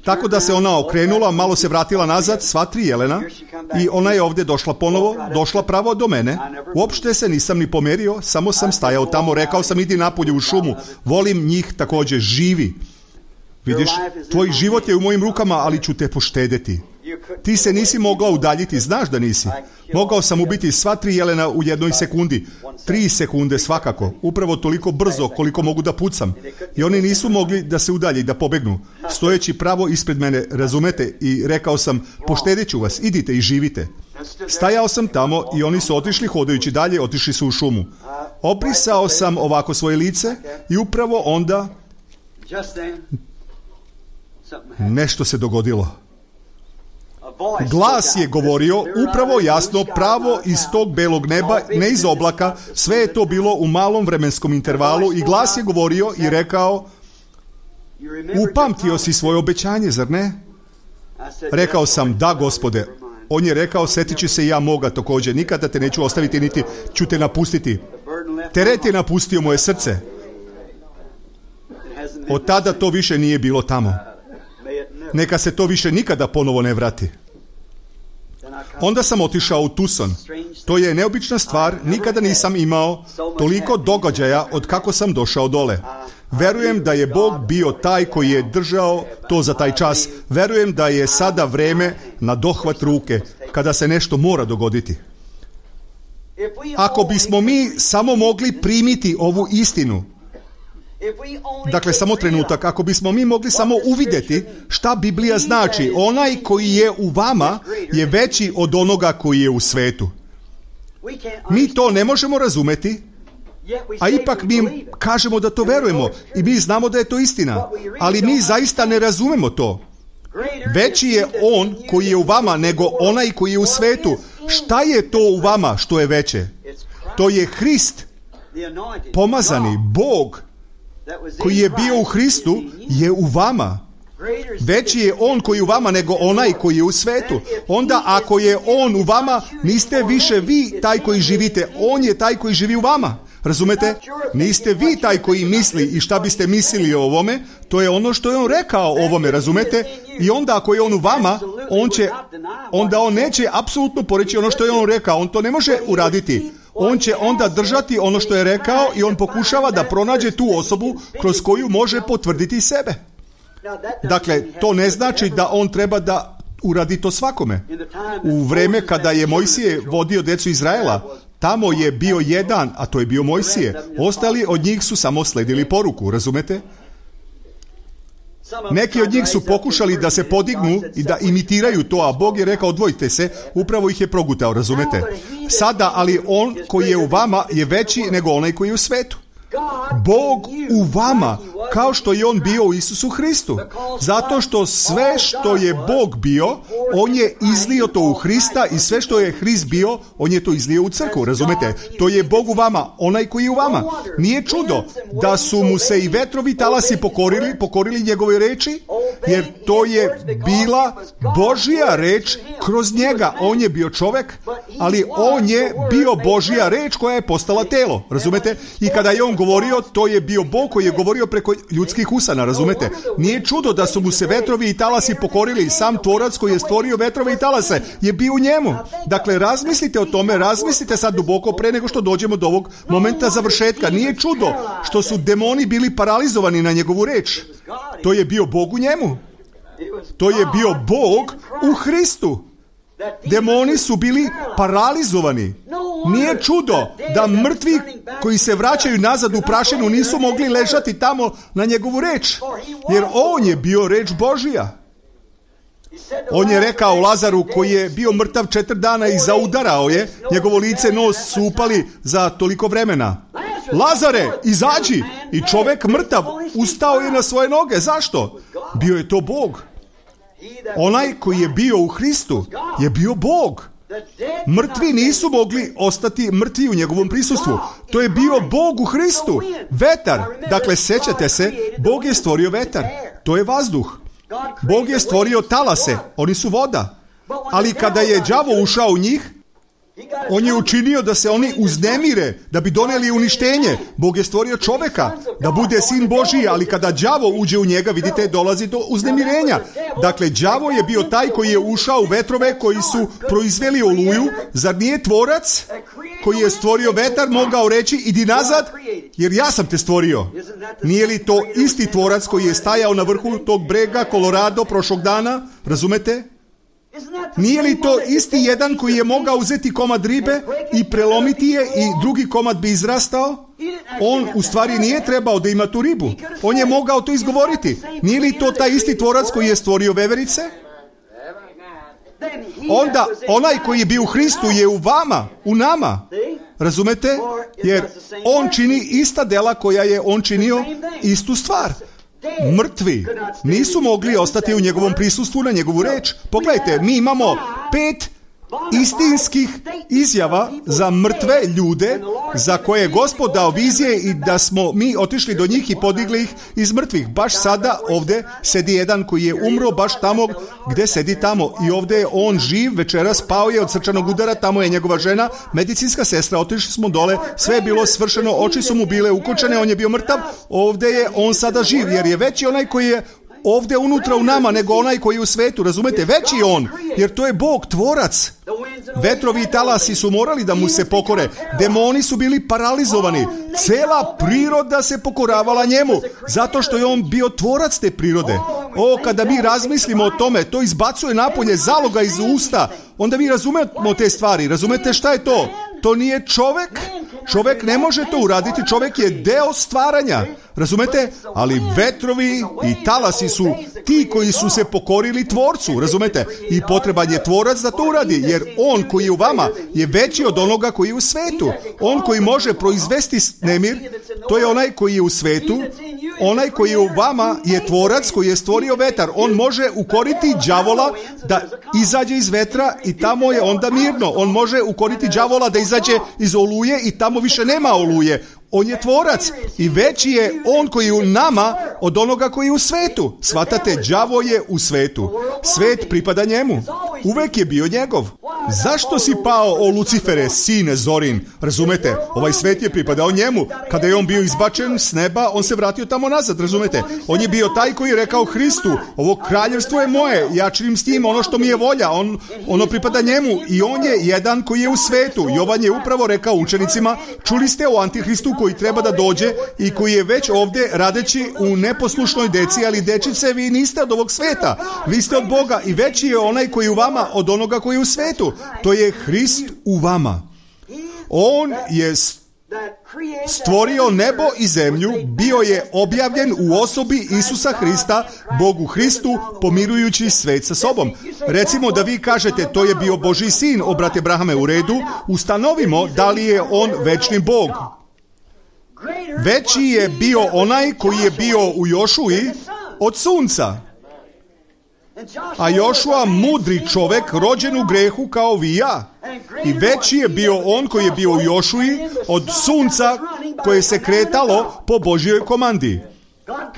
Tako da se ona okrenula, malo se vratila nazad, sva 3 jelena, i ona je ovdje došla ponovo, došla pravo do mene. Uopšte se nisam ni pomerio, samo sam stajao tamo, rekao sam, idi napolje u šumu, volim njih također, živi. Vidiš, tvoj život je u mojim rukama, ali ću te poštedeti. Ti se nisi mogla udaljiti, znaš da nisi. Mogao sam ubiti sva 3 jelena u 1 sekundi. 3 sekunde svakako. Upravo toliko brzo koliko mogu da pucam. I oni nisu mogli da se udalji, da pobegnu. Stojeći pravo ispred mene, razumete, i rekao sam, poštedit ću vas, idite i živite. Stajao sam tamo i oni su otišli hodajući dalje, otišli su u šumu. Obrisao sam ovako svoje lice i upravo onda nešto se dogodilo. Glas je govorio upravo jasno, pravo iz tog belog neba, ne iz oblaka, sve je to bilo u malom vremenskom intervalu i glas je govorio i rekao, upamtio si svoje obećanje, zar ne? Rekao sam, da, Gospode. On je rekao, sjetit ću se i ja moga također, nikada te neću ostaviti niti ću te napustiti. Teret je napustio moje srce. Od tada to više nije bilo tamo. Neka se to više nikada ponovo ne vrati. Onda sam otišao u Tucson. To je neobična stvar, nikada nisam imao toliko događaja od kako sam došao dole. Verujem da je Bog bio taj koji je držao to za taj čas. Verujem da je sada vreme na dohvat ruke, kada se nešto mora dogoditi. Ako bismo mi samo mogli primiti ovu istinu, dakle, samo trenutak, ako bismo mi mogli samo uvidjeti šta Biblija znači, onaj koji je u vama je veći od onoga koji je u svetu. Mi to ne možemo razumeti, a ipak mi kažemo da to verujemo i mi znamo da je to istina, ali mi zaista ne razumemo to. Veći je on koji je u vama nego onaj koji je u svetu. Šta je to u vama što je veće? To je Hrist, pomazani, Bog. koji je bio u Hristu je u vama. Veći je on koji je u vama nego onaj koji je u svetu. Onda ako je on u vama, niste više vi taj koji živite, on je taj koji živi u vama. Razumete? Niste vi taj koji misli i šta biste mislili o ovome, to je ono što je on rekao o ovome, razumete? I onda ako je on u vama, onda on neće apsolutno poreći ono što je on rekao, on to ne može uraditi. On će onda držati ono što je rekao i on pokušava da pronađe tu osobu kroz koju može potvrditi sebe. Dakle, to ne znači da on treba da uradi to svakome. U vreme kada je Mojsije vodio djecu Izraela, tamo je bio jedan, a to je bio Mojsije. Ostali od njih su samo sledili poruku, razumete? Neki od njih su pokušali da se podignu i da imitiraju to, a Bog je rekao odvojite se, upravo ih je progutao, razumete? Sada, ali on koji je u vama je veći nego onaj koji je u svetu. Bog u vama, kao što je on bio u Isusu Hristu. Zato što sve što je Bog bio, on je izlio to u Hrista i sve što je Hrist bio, on je to izlio u crkvu, razumete? To je Bog u vama, onaj koji je u vama. Nije čudo da su mu se i vetrovi talasi pokorili njegove reči, jer to je bila Božja reč kroz njega. On je bio čovjek, ali on je bio Božja reč koja je postala telo, razumete? I kada je on govorio, to je bio Bog koji je govorio preko ljudskih usana, razumete? Nije čudo da su mu se vetrovi i talasi pokorili. Sam tvorac koji je stvorio vetrove i talase je bio u njemu. Dakle, razmislite o tome, razmislite sad duboko pre nego što dođemo do ovog momenta završetka. Nije čudo što su demoni bili paralizovani na njegovu reč. To je bio Bog u njemu. To je bio Bog u Hristu. Demoni su bili paralizovani. Nije čudo da mrtvi koji se vraćaju nazad u prašinu nisu mogli ležati tamo na njegovu reč, jer on je bio reč Božija. On je rekao Lazaru koji je bio mrtav 4 dana i zaudarao je, njegovo lice, nos su upali za toliko vremena. Lazare, izađi! I čovjek mrtav ustao je na svoje noge. Zašto? Bio je to Bog. Onaj koji je bio u Hristu je bio Bog. Mrtvi nisu mogli ostati mrtvi u njegovom prisustvu. To je bio Bog u Hristu. Vetar. Dakle, sećate se, Bog je stvorio vetar. To je vazduh. Bog je stvorio talase. Oni su voda. Ali kada je đavo ušao u njih, on je učinio da se oni uznemire, da bi doneli uništenje. Bog je stvorio čovjeka da bude sin Božiji, ali kada đavo uđe u njega, vidite, dolazi do uznemirenja. Dakle, đavo je bio taj koji je ušao u vetrove koji su proizveli oluju. Zar nije tvorac koji je stvorio vetar mogao reći idi nazad, jer ja sam te stvorio? Nije li to isti tvorac koji je stajao na vrhu tog brega Colorado prošlog dana? Razumete? Nije li to isti jedan koji je mogao uzeti komad ribe i prelomiti je i drugi komad bi izrastao? On u stvari nije trebao da ima tu ribu. On je mogao to izgovoriti. Nije li to taj isti tvorac koji je stvorio veverice? Onda onaj koji je bio u Hristu je u vama, u nama. Razumete? Jer on čini ista dela koja je on činio, istu stvar. Mrtvi nisu mogli ostati u njegovom prisustvu na njegovu reč. Pogledajte, mi imamo 5 istinskih izjava za mrtve ljude za koje je Gospod dao vizije i da smo mi otišli do njih i podigli ih iz mrtvih. Baš sada ovdje sedi jedan koji je umro baš tamo gdje sedi tamo i ovdje je on živ, večeras pao je od srčanog udara, tamo je njegova žena, medicinska sestra, otišli smo dole, sve je bilo svršeno, oči su mu bile ukočene, on je bio mrtav, ovdje je on sada živ, jer je veći onaj koji je ovdje unutra u nama nego onaj koji je u svetu, razumete? Veći je on, jer to je Bog, tvorac. Vetrovi i talasi su morali da mu se pokore. Demoni su bili paralizovani. Cela priroda se pokoravala njemu, zato što je on bio tvorac te prirode. Kada mi razmislimo o tome, to izbacuje napolje zaloga iz usta. Onda mi razumemo te stvari. Razumete šta je to? To nije čovjek. Čovjek ne može to uraditi. Čovjek je deo stvaranja. Razumete? Ali vetrovi i talasi su ti koji su se pokorili tvorcu. Razumete? I potreban je tvorac da to uradi. Jer on koji je u vama je veći od onoga koji je u svetu. On koji može proizvesti nemir, to je onaj koji je u svetu. Onaj koji je u vama je tvorac koji je stvorio vetar. On može ukoriti đavola da izađe iz vetra i tamo je onda mirno. On može ukoriti đavola da izađe iz oluje i tamo više nema oluje. On je tvorac i veći je on koji je u nama od onoga koji je u svetu. Shvatate, đavo je u svetu. Svet pripada njemu. Uvek je bio njegov. Zašto si pao, o Lucifere, sine Zorin? Razumete, ovaj svet je pripadao njemu. Kada je on bio izbačen s neba, on se vratio tamo nazad, razumete? On je bio taj koji je rekao Hristu, ovo kraljevstvo je moje, ja činim s njim ono što mi je volja, ono pripada njemu i on je jedan koji je u svetu. Jovan je upravo rekao učenicima, čuli ste o Antihristu koji treba da dođe i koji je već ovdje radeći u neposlušnoj deci, ali dečice, vi niste od ovog sveta, vi ste od Boga i veći je onaj koji je u vama od onoga koji je u svetu. To je Hrist u vama. On je stvorio nebo i zemlju, bio je objavljen u osobi Isusa Hrista, Bogu Hristu, pomirujući svet sa sobom. Recimo da vi kažete, to je bio Božji sin, o brate Brahame, u redu, ustanovimo da li je on večni Bog. Veći je bio onaj koji je bio u Jošuji od sunca. A Jošua, mudri čovek, rođen u grehu kao vi i ja. I veći je bio on koji je bio u Jošuji od sunca koje se kretalo po Božjoj komandi.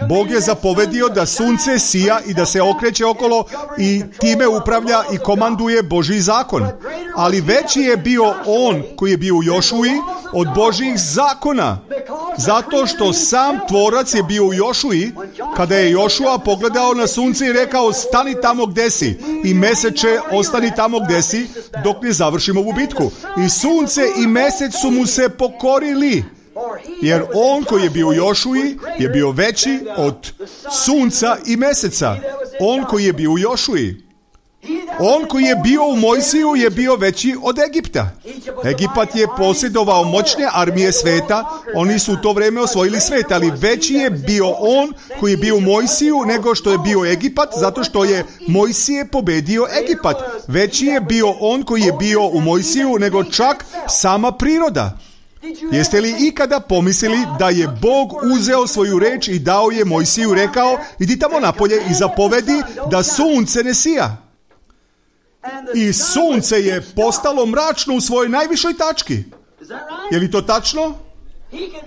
Bog je zapovedio da sunce sija i da se okreće okolo i time upravlja i komanduje Božji zakon. Ali veći je bio on koji je bio u Jošuji od Božjih zakona. Zato što sam tvorac je bio u Jošuji, kada je Jošua pogledao na sunce i rekao, stani tamo gde si i meseče ostani tamo gde si dok ne završimo ovu bitku. I sunce i mesec su mu se pokorili. Jer on koji je bio u Jošuji je bio veći od sunca i meseca. On koji je bio u Jošuji. On koji je bio u Mojsiju je bio veći od Egipta. Egipat je posjedovao moćne armije sveta, oni su u to vrijeme osvojili svet, ali veći je bio on koji je bio u Mojsiju nego što je bio Egipat, zato što je Mojsije pobedio Egipat. Veći je bio on koji je bio u Mojsiju nego čak sama priroda. Jeste li ikada pomislili da je Bog uzeo svoju reč i dao je Mojsiju, rekao, idi tamo napolje i zapovedi da sunce ne sija. I sunce je postalo mračno u svojoj najvišoj tački. Je li to tačno?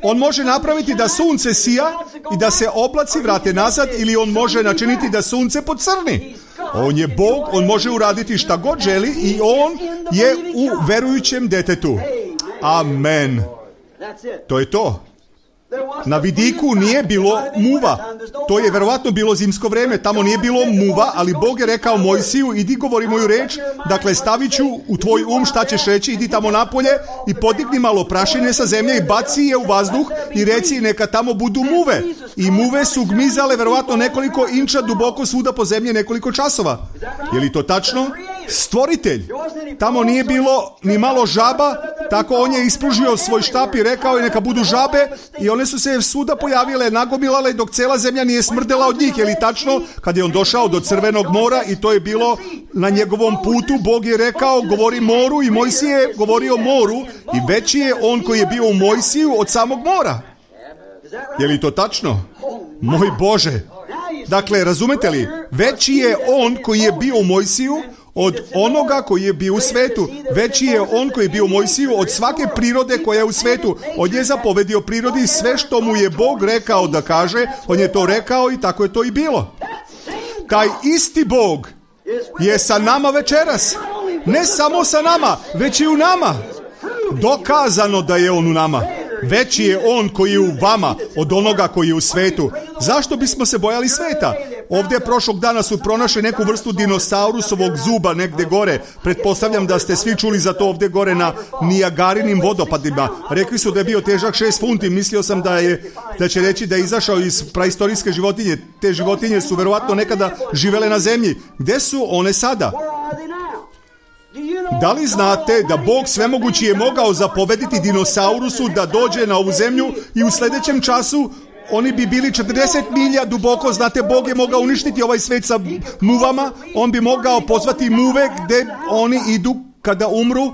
On može napraviti da sunce sija i da se oblaci vrate nazad, ili on može načiniti da sunce pocrni. On je Bog, on može uraditi šta god želi i on je u verujućem detetu. Amen. To je to. Na vidiku nije bilo muva. To je verovatno bilo zimsko vrijeme. Tamo nije bilo muva, ali Bog je rekao Mojsiju, idi govori moju reč, dakle stavit ću u tvoj šta ćeš reći, idi tamo napolje i podigni malo prašine sa zemlje i baci je u vazduh i reci neka tamo budu muve. I muve su gmizale verovatno nekoliko inča duboko svuda po zemlji nekoliko časova. Je li to tačno? Stvoritelj. Tamo nije bilo ni malo žaba, tako on je ispružio svoj štap i rekao je neka budu žabe i one su se svuda pojavile, nagomilale dok cela zemlja nije smrdela od njih. Je li tačno? Kad je on došao do Crvenog mora i to je bilo na njegovom putu, Bog je rekao govori moru i Mojsije je govorio moru i veći je on koji je bio u Mojsiju od samog mora. Je li to tačno? Moj Bože! Dakle, razumete li? Veći je on koji je bio u Mojsiju od onoga koji je bio u svetu. Veći je on koji je bio u Mojsiju od svake prirode koja je u svetu. On je zapovedio prirodi sve što mu je Bog rekao da kaže, on je to rekao i tako je to i bilo. Taj isti Bog je sa nama večeras. Ne samo sa nama, već i u nama. Dokazano da je on u nama. Veći je on koji je u vama od onoga koji je u svetu. Zašto bismo se bojali sveta? Ovdje prošlog dana su pronašli neku vrstu dinosaurusovog zuba negdje gore. Pretpostavljam da ste svi čuli za to ovdje gore na Nijagarinim vodopadima. Rekli su da je bio težak 6 funti. Mislio sam da će reći da je izašao iz praistorijske životinje. Te životinje su verovatno nekada živele na zemlji. Gde su one sada? Da li znate da Bog svemogući je mogao zapovediti dinosaurusu da dođe na ovu zemlju i u sljedećem času oni bi bili 40 milja duboko? Znate, Bog je mogao uništiti ovaj svet sa muvama, on bi mogao pozvati muve gde oni idu kada umru.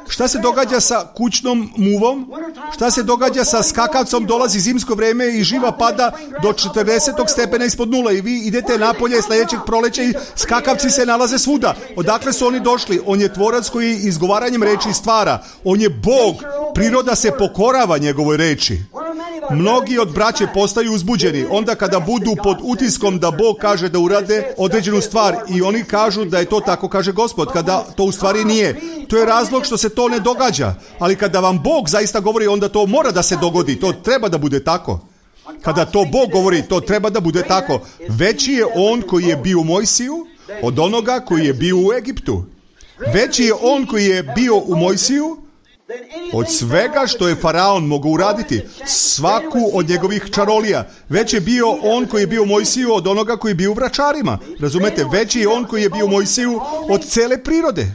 Šta se događa sa kućnom muvom? Šta se događa sa skakavcom? Dolazi zimsko vrijeme i živa pada do 40 stepena ispod nula i vi idete napolje sljedećeg proleća i skakavci se nalaze svuda. Odakle su oni došli? On je tvorac koji izgovaranjem reči stvara. On je Bog. Priroda se pokorava njegovoj reči. mnogi od braće postaju uzbuđeni onda kada budu pod utiskom da Bog kaže da urade određenu stvar i oni kažu da je to tako kaže Gospod, kada to u stvari nije. To je razlog što se to ne događa. Ali kada vam Bog zaista govori, onda to mora da se dogodi. To treba da bude tako. Kada to Bog govori, to treba da bude tako. Veći je on koji je bio u Mojsiju od onoga koji je bio u Egiptu. Veći je on koji je bio u Mojsiju od svega što je faraon mogao uraditi, svaku od njegovih čarolija. Već je bio on koji je bio u Mojsiju od onoga koji je bio u vračarima. Razumete? Veći je on koji je bio u Mojsiju od cele prirode.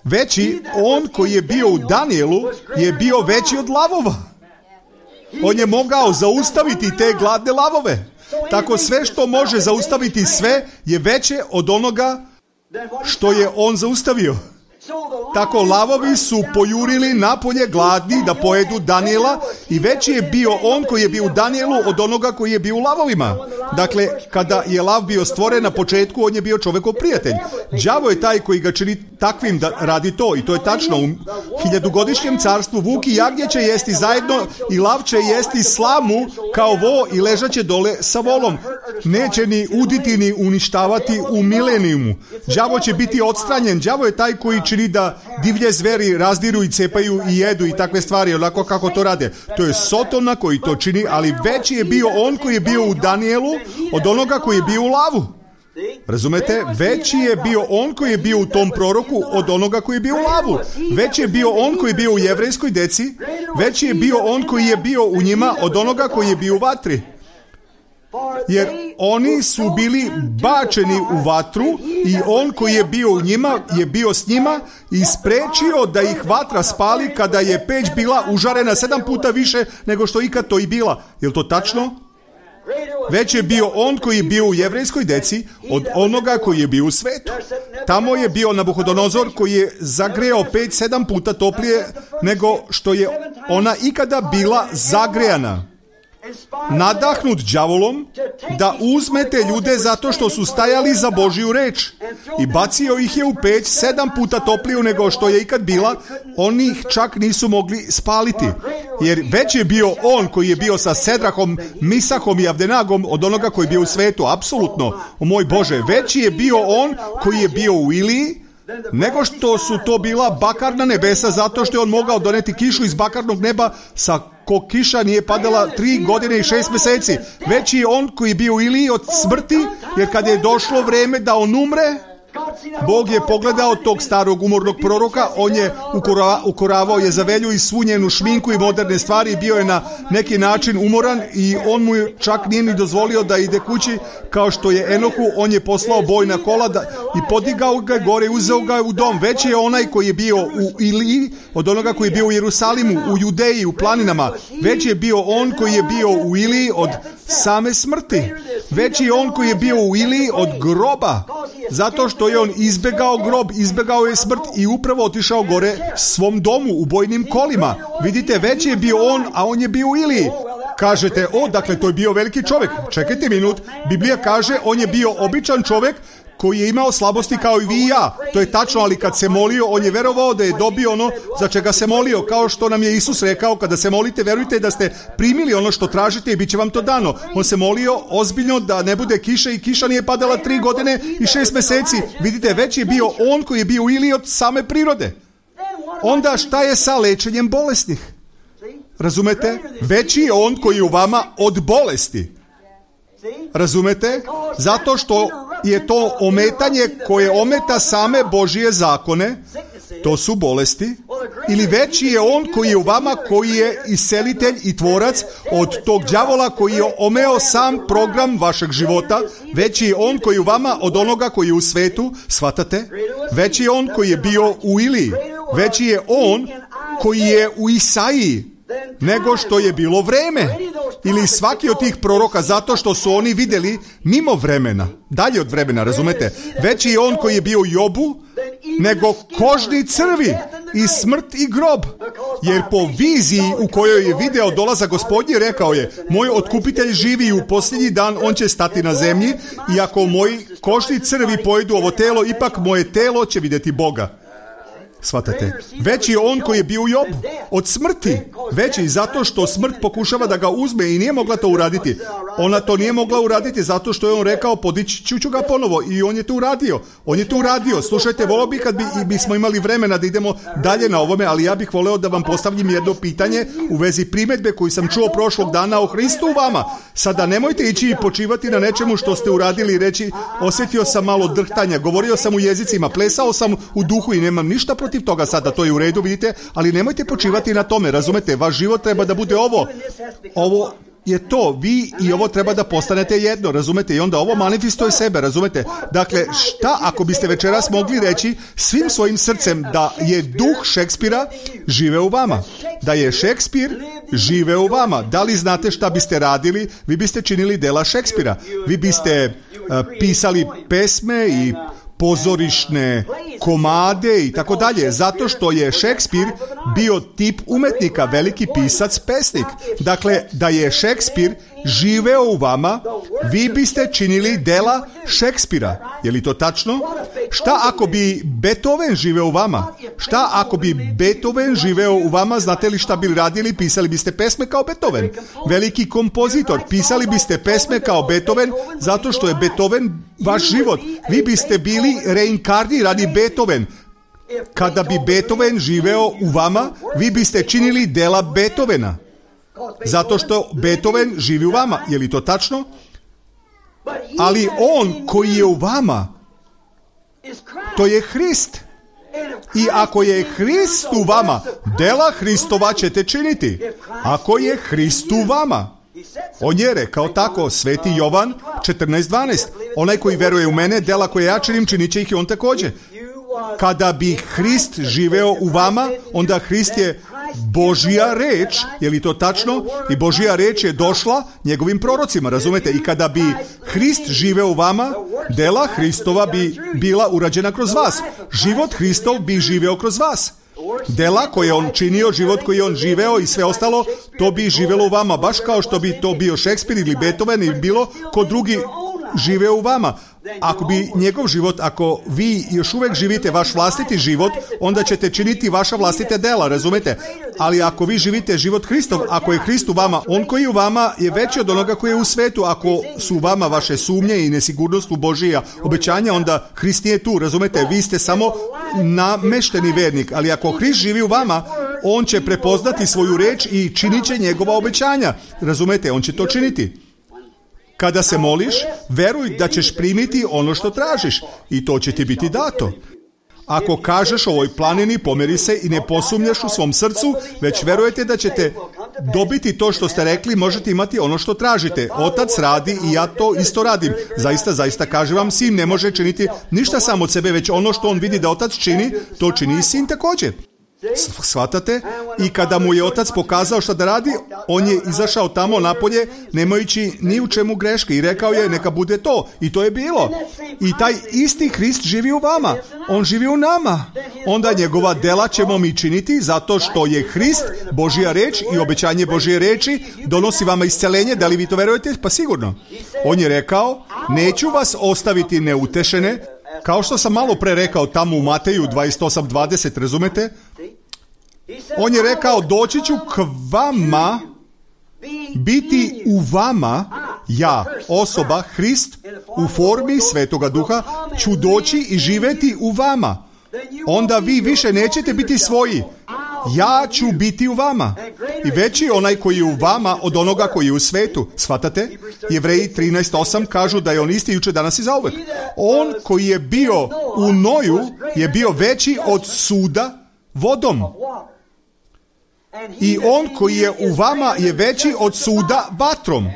Veći on koji je bio u Danijelu je bio veći od lavova. On je mogao zaustaviti te gladne lavove. Tako sve što može zaustaviti sve je veće od onoga što je on zaustavio. Tako lavovi su pojurili napolje gladni da pojedu Danijela i veći je bio on koji je bio u Danijelu od onoga koji je bio u lavovima. Dakle, kada je lav bio stvoren na početku, on je bio čovekov prijatelj. Đavo je taj koji ga čini takvim da radi to i to je tačno. U 1000-godišnjem carstvu vuk i jagnje će jesti zajedno i lav će jesti slamu kao vo i ležaće dole sa volom. Neće ni uditi ni uništavati u milenijumu. Đavo će biti odstranjen. Đavo je taj koji čini da divlje zveri razdiru i cepaju i jedu i takve stvari, onako kako to rade. To je Sotona koji to čini, ali veći je bio on koji je bio u Danijelu od onoga koji je bio u lavu. Razumete? Veći je bio on koji je bio u tom proroku od onoga koji je bio u lavu. Veći je bio on koji je bio u jevrejskoj deci. Veći je bio on koji je bio u njima od onoga koji je bio u vatri. Jer oni su bili bačeni u vatru i on koji je bio u njima je bio s njima i sprečio da ih vatra spali kada je peć bila užarena 7 puta više nego što ikad to i bila. Je li to tačno? Već je bio on koji je bio u jevrejskoj deci od onoga koji je bio u svetu. Tamo je bio Nabuhodonozor koji je zagrejao peć 7 puta toplije nego što je ona ikada bila zagrejana. Nadahnut đavolom da uzmete ljude zato što su stajali za Božiju reč i bacio ih je u peć 7 puta topliju nego što je ikad bila, oni ih čak nisu mogli spaliti. Jer već je bio on koji je bio sa Sedrahom, Misahom i Avdenagom od onoga koji je bio u svetu, apsolutno. O moj Bože, veći je bio on koji je bio u Iliji nego što su to bila bakarna nebesa, zato što je on mogao doneti kišu iz bakarnog neba sa ko kiša nije padala 3 godine i 6 meseci. Već je on koji je bio u Iliji od smrti, jer kad je došlo vreme da on umre, Bog je pogledao tog starog umornog proroka, on je ukoravao Jezavelju i svu njenu šminku i moderne stvari, bio je na neki način umoran i on mu čak nije ni dozvolio da ide kući kao što je Enohu, on je poslao bojna kola i podigao ga gore i uzeo ga u dom. Već je onaj koji je bio u Iliji od onoga koji je bio u Jerusalimu, u Judeji, u planinama. Već je bio on koji je bio u Iliji od same smrti. Već je on koji je bio u Iliji od groba, zato što je on izbegao grob, izbegao je smrt i upravo otišao gore svom domu u bojnim kolima. Vidite, već je bio on, a on je bio u Iliji. Kažete, dakle, to je bio veliki čovjek. Čekajte minut, Biblija kaže, on je bio običan čovjek koji je imao slabosti kao i vi i ja. To je tačno, ali kad se molio, on je verovao da je dobio ono za čega se molio, kao što nam je Isus rekao, kada se molite, verujte da ste primili ono što tražite i bit će vam to dano. On se molio ozbiljno da ne bude kiše i kiša nije padala 3 godine i 6 meseci. Vidite, već je bio on koji je bio u Iliji od same prirode. Onda šta je sa lečenjem bolesnih? Razumete? Veći je on koji je u vama od bolesti. Razumete? Zato što je to ometanje koje ometa same Božije zakone, to su bolesti. Ili veći je on koji je u vama, koji je iscelitelj i tvorac od tog đavola koji je omeo sam program vašeg života. Veći je on koji je u vama od onoga koji je u svetu, shvatate? Veći je on koji je bio u Iliji. Veći je on koji je u Isaiji nego što je bilo vreme. Ili svaki od tih proroka, zato što su oni vidjeli mimo vremena, dalje od vremena, razumete? Veći je on koji je bio u Jobu nego kožni crvi i smrt i grob. Jer po viziji u kojoj je video dolazak Gospodnji rekao je, moj otkupitelj živi i u posljednji dan on će stati na zemlji i ako moji kožni crvi pojedu ovo telo, ipak moje telo će vidjeti Boga. Shvatate? Već je on koji je bio u Jobu od smrti, Veći zato što smrt pokušava da ga uzme i nije mogla to uraditi. Ona to nije mogla uraditi zato što je on rekao podići ću ga ponovo i on je to uradio. On je to uradio. Slušajte, volio bih kad bismo imali vremena da idemo dalje na ovome, ali ja bih voleo da vam postavim jedno pitanje u vezi primedbe koju sam čuo prošlog dana o Hristu u vama. Sada nemojte ići i počivati na nečemu što ste uradili i reći osjetio sam malo drhtanja, govorio sam u jezicima, plesao sam u duhu i nemam ništa protiv toga sada, to je u redu, vidite, ali nemojte počivati na tome, razumete, vaš život treba da bude ovo je to, vi i ovo treba da postanete jedno, razumete, i onda ovo manifestuje sebe, razumete. Dakle, šta ako biste večeras mogli reći svim svojim srcem da je duh Šekspira žive u vama, da je Šekspir žive u vama. Da li znate šta biste radili? Vi biste činili dela Šekspira, vi biste pisali pesme i pozorišne komade i tako dalje, zato što je Šekspir bio tip umetnika, veliki pisac, pesnik. Dakle, da je Šekspir živeo u vama, vi biste činili dela Šekspira. Je li to tačno? Šta ako bi Beethoven živeo u vama? Šta ako bi Beethoven živeo u vama? Znate li šta bi radili? Pisali biste pesme kao Beethoven. Veliki kompozitor. Pisali biste pesme kao Beethoven zato što je Beethoven vaš život. Vi biste bili reinkarnirani Beethoven. Kada bi Beethoven živeo u vama, vi biste činili dela Beethovena. Zato što Beethoven živi u vama. Je li to tačno? Ali on koji je u vama, to je Hrist. I ako je Hrist u vama, dela Hristova ćete činiti. Ako je Hrist u vama. On je rekao tako, Sveti Jovan 14:12. Onaj koji veruje u mene, dela koje ja činim, činit će ih i on također. Kada bi Hrist živeo u vama, onda Hrist je Božja reč, je li to tačno? I Božja reč je došla njegovim prorocima, razumete? I kada bi Hrist živeo u vama, dela Hristova bi bila urađena kroz vas. Život Hristov bi živeo kroz vas. Dela koje on činio, život koji on živeo i sve ostalo, to bi živelo u vama, baš kao što bi to bio Šekspir ili Beethoven ili bilo ko drugi živeo u vama. Ako bi njegov život, ako vi još uvijek živite vaš vlastiti život, onda ćete činiti vaša vlastite dela, razumete? Ali ako vi živite život Hristov, ako je Hrist u vama, on koji je u vama je veći od onoga koji je u svetu. Ako su u vama vaše sumnje i nesigurnost u Božija obećanja, onda Hrist nije tu, razumete? Vi ste samo namešteni vernik, ali ako Hrist živi u vama, on će prepoznati svoju reč i činit će njegova obećanja, razumete? On će to činiti. Kada se moliš, veruj da ćeš primiti ono što tražiš i to će ti biti dato. Ako kažeš ovoj planini pomeri se i ne posumnjaš u svom srcu, već verujete da ćete dobiti to što ste rekli, možete imati ono što tražite. Otac radi i ja to isto radim. Zaista kažem vam, sin ne može činiti ništa sam od sebe, već ono što on vidi da otac čini, to čini i sin također. Shvatate? I kada mu je otac pokazao šta da radi, on je izašao tamo napolje nemajući ni u čemu greške i rekao je neka bude to. I to je bilo. I taj isti Hrist živi u vama. On živi u nama. Onda njegova dela ćemo mi činiti zato što je Hrist Božja reč i obećanje Božje reči donosi vama isceljenje. Da li vi to verujete? Pa sigurno. On je rekao, neću vas ostaviti neutešene, kao što sam malo pre rekao tamo u Mateju 28:20, razumete? On je rekao, doći ću k vama, biti u vama, ja, osoba, Hrist, u formi Svetoga Duha, ću doći i živjeti u vama. Onda vi više nećete biti svoji. Ja ću biti u vama. I veći onaj koji je u vama od onoga koji je u svetu. Shvatate? Jevreji 13:8 kažu da je on isti jučer, danas i zauvek. On koji je bio u Noju je bio veći od suda vodom. I on koji je u vama je veći od suda vatrom.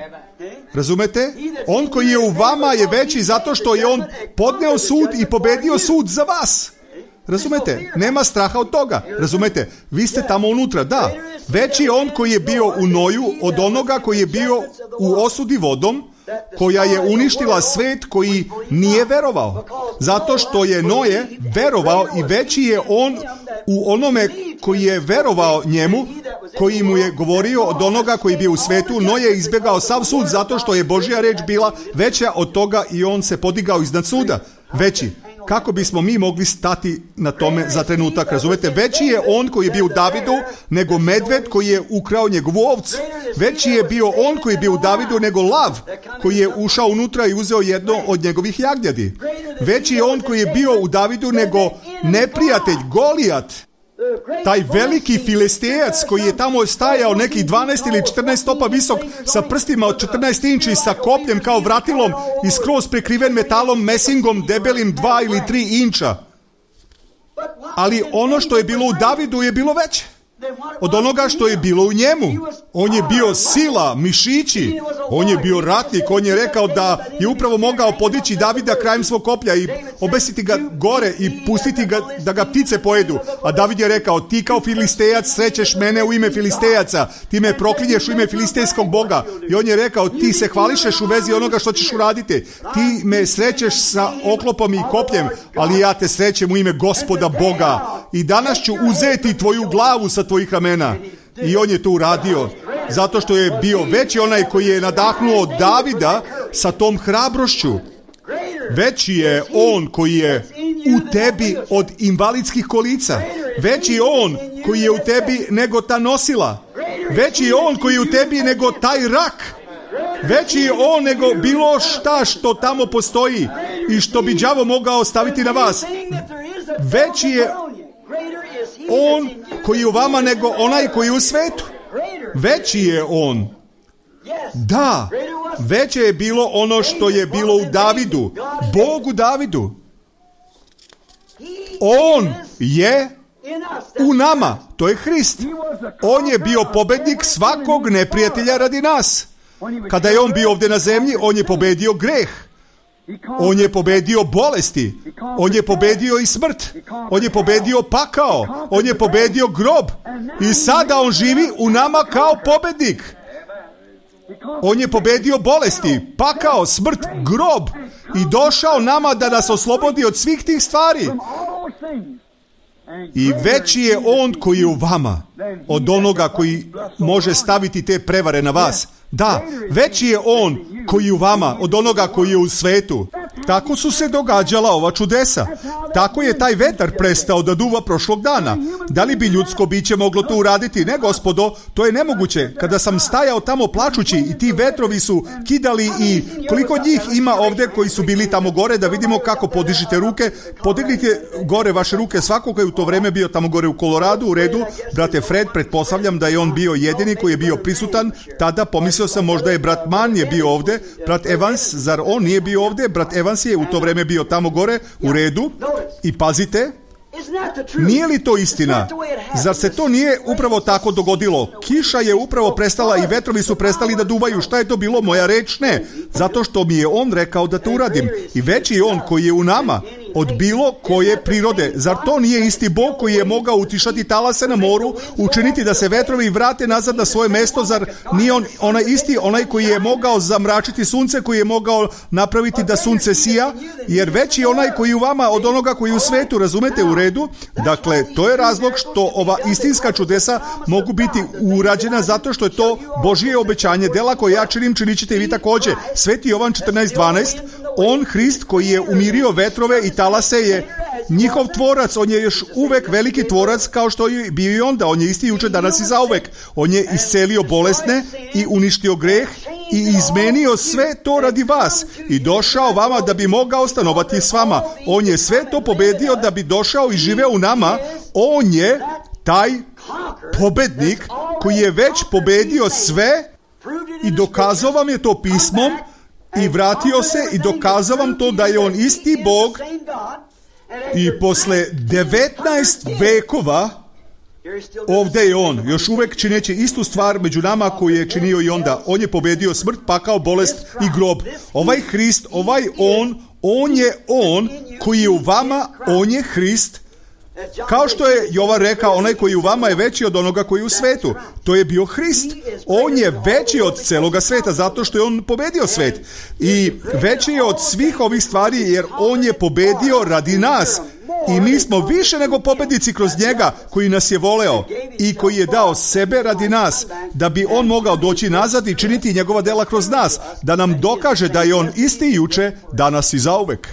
Razumete? On koji je u vama je veći zato što je on podneo sud i pobedio sud za vas. Razumete? Nema straha od toga. Razumete? Vi ste tamo unutra, da. Veći je on koji je bio u Noju od onoga koji je bio u osudi vodom, koja je uništila svet koji nije verovao. Zato što je Noje verovao i veći je on u onome koji je verovao njemu, koji mu je govorio od onoga koji je bio u svetu. Noje je izbjegao sav sud zato što je Božja reč bila veća od toga i on se podigao iznad suda. Veći. kako bismo mi mogli stati na tome za trenutak. Razumete, veći je on koji je bio u Davidu nego medved koji je ukrao njegovu ovcu. Veći je bio on koji je bio u Davidu nego lav koji je ušao unutra i uzeo jedno od njegovih jagnjadi. Veći je on koji je bio u Davidu nego neprijatelj Golijat, taj veliki Filistejac koji je tamo stajao nekih 12 ili 14 stopa visok sa prstima od 14 inči, sa kopljem kao vratilom i skroz prekriven metalom, mesingom debelim 2 ili 3 inča. Ali ono što je bilo u Davidu je bilo veće od onoga što je bilo u njemu. On je bio sila, mišići, on je bio ratnik, on je rekao da je upravo mogao podići Davida krajem svog koplja i obesiti ga gore i pustiti ga da ga ptice pojedu. A David je rekao, ti kao Filistejac srećeš mene u ime Filistejaca, ti me proklinješ u ime filistejskog boga. I on je rekao, ti se hvališeš u vezi onoga što ćeš uraditi. Ti me srećeš sa oklopom i kopljem, ali ja te srećem u ime Gospoda Boga. I danas ću uzeti tvoju glavu sa tvojih ramena. I on je to uradio, zato što je bio veći onaj koji je nadahnuo Davida sa tom hrabrošću. Veći je on koji je u tebi od invalidskih kolica. Veći je on koji je u tebi nego ta nosila. Veći je on koji je u tebi nego taj rak. Veći je on nego bilo šta što tamo postoji i što bi đavo mogao staviti na vas. Veći je on koji je u vama nego onaj koji je u svetu. Veći je on. Da, veće je bilo ono što je bilo u Davidu, Bogu Davidu. On je u nama, to je Hrist. On je bio pobednik svakog neprijatelja radi nas. Kada je on bio ovdje na zemlji, on je pobedio greh. On je pobedio bolesti. On je pobedio i smrt. On je pobedio pakao. On je pobedio grob. I sada on živi u nama kao pobednik. On je pobedio bolesti, pakao, smrt, grob i došao nama da nas oslobodi od svih tih stvari. I veći je on koji je u vama od onoga koji može staviti te prevare na vas. Da, veći je on koji je u vama od onoga koji je u svetu. Tako su se događala ova čudesa. Tako je taj vetar prestao da duva prošlog dana. Da li bi ljudsko biće moglo to uraditi? Ne, gospodo, to je nemoguće. Kada sam stajao tamo plačući i ti vetrovi su kidali i koliko njih ima ovdje koji su bili tamo gore, da vidimo kako podižite ruke. Podignite gore vaše ruke, svako koji je u to vreme bio tamo gore u Koloradu, u redu. Brate Fred, pretpostavljam da je on bio jedini koji je bio prisutan. Tada pomislio sam možda je brat Mann je bio ovdje. Brat Evans, zar on nije bio ovdje? Brat Evans je u to vreme bio tamo gore, u redu. I pazite, nije li to istina? Zar se to nije upravo tako dogodilo? Kiša je upravo prestala i vetrovi su prestali da duvaju. Šta je to bilo? Moja reč? Ne. Zato što mi je on rekao da to uradim. I veći je on koji je u nama od bilo koje prirode. Zar to nije isti Bog koji je mogao utišati talase na moru, učiniti da se vetrovi vrate nazad na svoje mesto? Zar nije on onaj isti, onaj koji je mogao zamračiti sunce, koji je mogao napraviti da sunce sija? Jer veći je onaj koji je u vama od onoga koji je u svetu, razumete, u redu? Dakle, to je razlog što ova istinska čudesa mogu biti urađena, zato što je to Božje obećanje. Dela koje ja činim, činit ćete i vi također. Sveti Jovan 14:12, on, Hrist, koji je umirio vetrove i talase, je njihov tvorac. On je još uvek veliki tvorac kao što je bio i onda. On je isti jučer, danas i zauvek. On je iscelio bolesne i uništio greh i izmenio sve to radi vas i došao vama da bi mogao stanovati s vama. On je sve to pobedio da bi došao i živeo u nama. On je taj pobednik koji je već pobedio sve i dokazao vam je to pismom i vratio se i dokazao vam to da je on isti Bog i posle 19 vekova ovdje je on, još uvek čineći istu stvar među nama koju je činio i onda. On je pobedio smrt, pakao, bolest i grob. Ovaj Hrist, ovaj on je on koji je u vama, on je Hrist. Kao što je Jovan rekao, onaj koji je u vama je veći od onoga koji je u svetu. To je bio Hrist. On je veći od celoga sveta zato što je on pobedio svet. I veći je od svih ovih stvari jer on je pobedio radi nas. I mi smo više nego pobednici kroz njega koji nas je voleo i koji je dao sebe radi nas, da bi on mogao doći nazad i činiti njegova dela kroz nas, da nam dokaže da je on isti juče, danas i zauvek.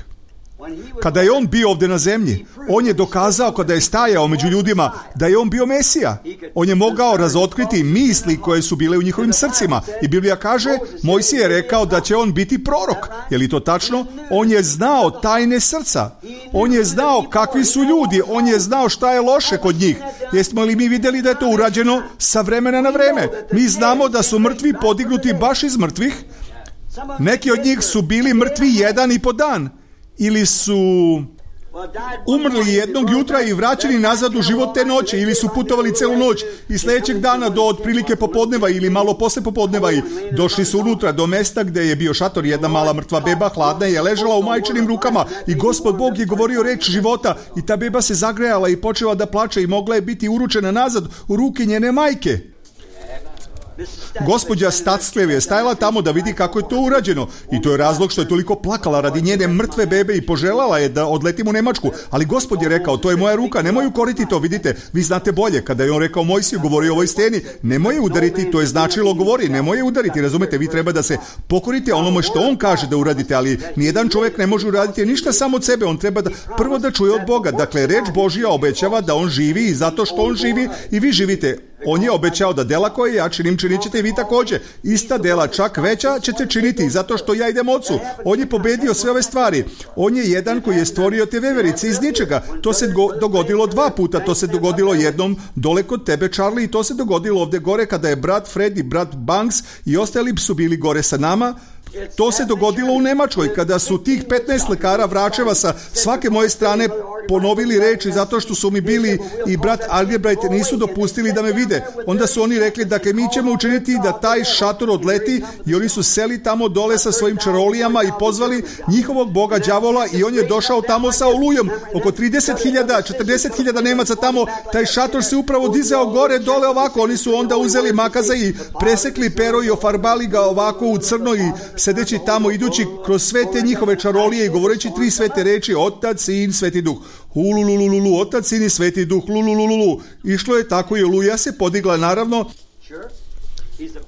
Kada je on bio ovdje na zemlji, on je dokazao kada je stajao među ljudima da je on bio Mesija. On je mogao razotkriti misli koje su bile u njihovim srcima. I Biblija kaže, Mojsije je rekao da će on biti prorok. Je li to tačno? On je znao tajne srca. On je znao kakvi su ljudi. On je znao šta je loše kod njih. Jesmo li mi vidjeli da je to urađeno sa vremena na vreme? Mi znamo da su mrtvi podignuti baš iz mrtvih. Neki od njih su bili mrtvi 1,5 dan. Ili su umrli jednog jutra i vraćeni nazad u život te noći, ili su putovali celu noć i sljedećeg dana do otprilike popodneva ili malo posle popodneva i došli su unutra do mesta gdje je bio šator. Jedna mala mrtva beba, hladna, je ležala u majčinim rukama i Gospod Bog je govorio reč života i ta beba se zagrejala i počela da plače i mogla je biti uručena nazad u ruke njene majke. Gospođa Statslev je stajala tamo da vidi kako je to urađeno i to je razlog što je toliko plakala radi njene mrtve bebe i poželjela je da odletim u Nemačku, ali Gospod je rekao, to je moja ruka, nemoj ju koriti to, vidite, vi znate bolje. Kada je on rekao Mojsiju, govori o ovoj steni, nemoj je udariti, to je značilo govori, nemoj je udariti, razumete, vi treba da se pokorite onome što on kaže da uradite, ali nijedan čovjek ne može uraditi ništa samo od sebe, on treba da prvo da čuje od Boga. Dakle, reč Božja obećava da on živi i zato što on živi i vi živite. On je obećao da dela koje ja činim, činit ćete i vi također. Ista dela, čak veća, ćete činiti, zato što ja idem Ocu. On je pobedio sve ove stvari. On je jedan koji je stvorio te veverice iz ničega. To se dogodilo 2 puta. To se dogodilo jednom dole kod tebe, Charlie, i to se dogodilo ovdje gore kada je brat Fred i brat Banks i ostali su bili gore sa nama. To se dogodilo u Nemačkoj, kada su tih 15 lekara vračeva sa svake moje strane ponovili reči zato što su mi bili i brat Algebright nisu dopustili da me vide. Onda su oni rekli da mi ćemo učiniti da taj šator odleti i oni su seli tamo dole sa svojim čarolijama i pozvali njihovog boga đavola i on je došao tamo sa olujom. Oko 30.000, 40.000 Nemaca tamo, taj šator se upravo dizao gore dole ovako. Oni su onda uzeli makaza i presekli pero i ofarbali ga ovako u crno i sedeći tamo, idući kroz sve te njihove čarolije i govoreći 3 svete reči, Otac, Sin, Sveti Duh. Hululululu, Otac, Sin i Sveti Duh, lulululu. Išlo je tako i oluja se podigla, naravno.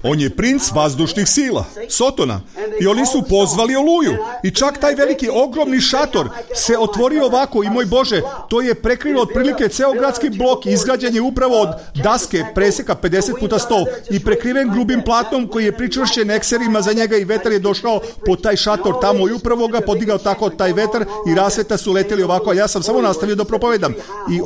On je princ vazdušnih sila, Sotona. I oni su pozvali oluju. I čak taj veliki, ogromni šator se otvorio ovako i moj Bože, to je prekrilo otprilike ceo gradski blok. Izgrađen je upravo od daske preseka 50 puta 100 i prekriven grubim platnom koji je pričvršćen ekserima za njega i vetar je došao po taj šator tamo i upravo ga podigao tako taj vetar i rasveta su leteli ovako, a ja sam samo nastavio da propovedam. I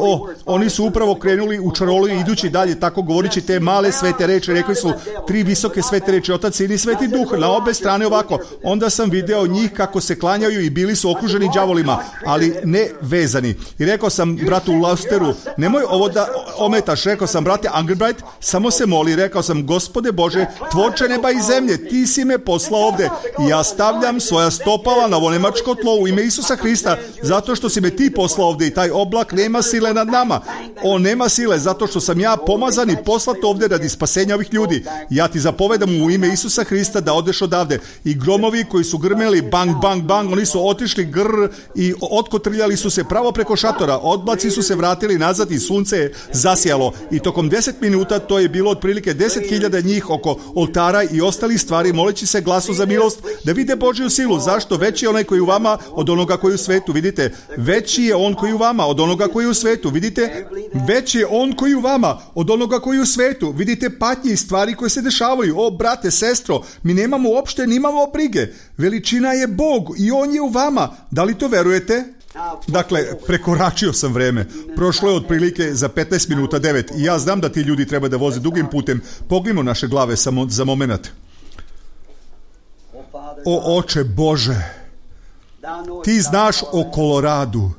oni su upravo krenuli u čaroliju idući dalje tako govorići te male svete reči. Rekli su 3 visoke svete reči, Otac, Sin i Sveti Duh, na obe strane ovako. Onda sam video njih kako se klanjaju i bili su okruženi đavolima, ali ne vezani. I rekao sam bratu Lausteru, nemoj ovo da ometaš. Rekao sam, brate Angelbright, samo se moli. Rekao sam, Gospode Bože, tvorče neba i zemlje, ti si me poslao ovde i ja stavljam svoja stopala na ovo nemačko tlo u ime Isusa Hrista, zato što si me ti poslao ovde i taj oblak nema sile nad nama. On nema sile zato što sam ja pomazan i poslat ovde radi spasenja ovih ljudi. Ja ti zapovedam u ime Isusa Hrista da odeš odavde. I gromovi koji su grmeli bang, bang, bang, oni su otišli grr i otkotrljali su se pravo preko šatora. Odblaci su se vratili nazad i sunce je zasijalo. I tokom 10 minuta to je bilo otprilike 10.000 njih oko oltara i ostalih stvari, moleći se glasu za milost da vide Božju silu. Zašto? Veći je onaj koji je u vama od onoga koji je u svetu. Vidite, veći je on koji je u vama od onoga koji je u svetu. Vidite, veći je on koji je u vama od onoga koji je u svetu. Vidite patnje i stvari koje se dešavaju. O, brate, sestro, mi nemamo uopšte, nimamo brige. Veličina je Bog i on je u vama. Da li to verujete? Dakle, prekoračio sam vreme. Prošlo je otprilike za 15 minuta 9 i ja znam da ti ljudi treba da voze dugim putem. Pognimo naše glave samo za moment. O, Oče Bože, ti znaš o Koloradu.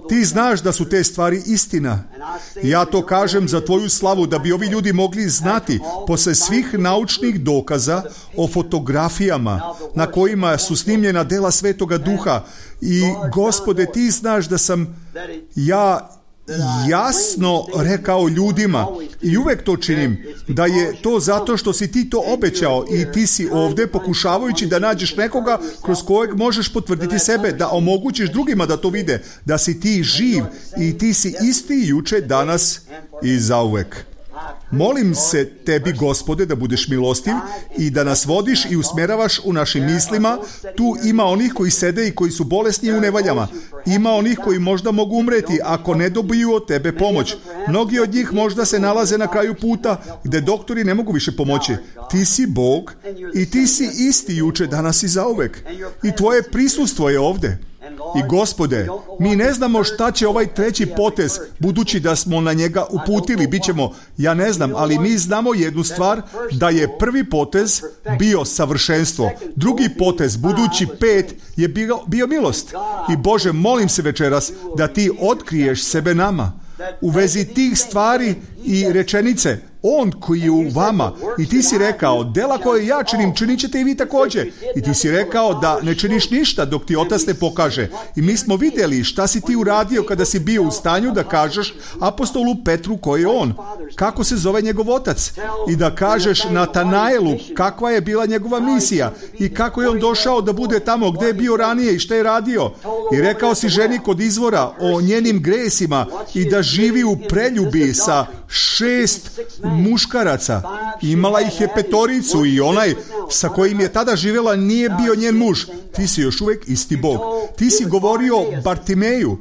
Ti znaš da su te stvari istina. Ja to kažem za tvoju slavu, da bi ovi ljudi mogli znati posle svih naučnih dokaza o fotografijama na kojima su snimljena dela Svetoga Duha. I Gospode, ti znaš da sam ja jasno rekao ljudima i uvek to činim, da je to zato što si ti to obećao i ti si ovde pokušavajući da nađeš nekoga kroz kojeg možeš potvrditi sebe, da omogućiš drugima da to vide, da si ti živ i ti si isti juče, danas i zauvek. Molim se tebi, Gospode, da budeš milostiv i da nas vodiš i usmjeravaš u našim mislima. Tu ima onih koji sede i koji su bolesni i u nevaljama. Ima onih koji možda mogu umreti ako ne dobiju od tebe pomoć. Mnogi od njih možda se nalaze na kraju puta gdje doktori ne mogu više pomoći. Ti si Bog i ti si isti juče, danas i zauvek. I tvoje prisustvo je ovdje. I Gospode, mi ne znamo šta će ovaj treći potez, budući da smo na njega uputili, bit ćemo, ja ne znam, ali mi znamo jednu stvar, da je prvi potez bio savršenstvo, drugi potez, budući 5, je bio milost. I Bože, molim se večeras da ti otkriješ sebe nama u vezi tih stvari i rečenice. On koji je u vama, i ti si rekao, dela koje ja činim, činit ćete i vi također. I ti si rekao da ne činiš ništa dok ti Otac ne pokaže. I mi smo vidjeli šta si ti uradio kada si bio u stanju da kažeš apostolu Petru ko je on, kako se zove njegov otac, i da kažeš Natanaelu kakva je bila njegova misija i kako je on došao da bude tamo gdje je bio ranije i šta je radio. I rekao si ženi kod izvora o njenim gresima i da živi u preljubi sa 6 muškaraca. Imala ih je 5 i onaj sa kojim je tada živjela nije bio njen muž. Ti si još uvijek isti Bog. Ti si govorio Bartimeju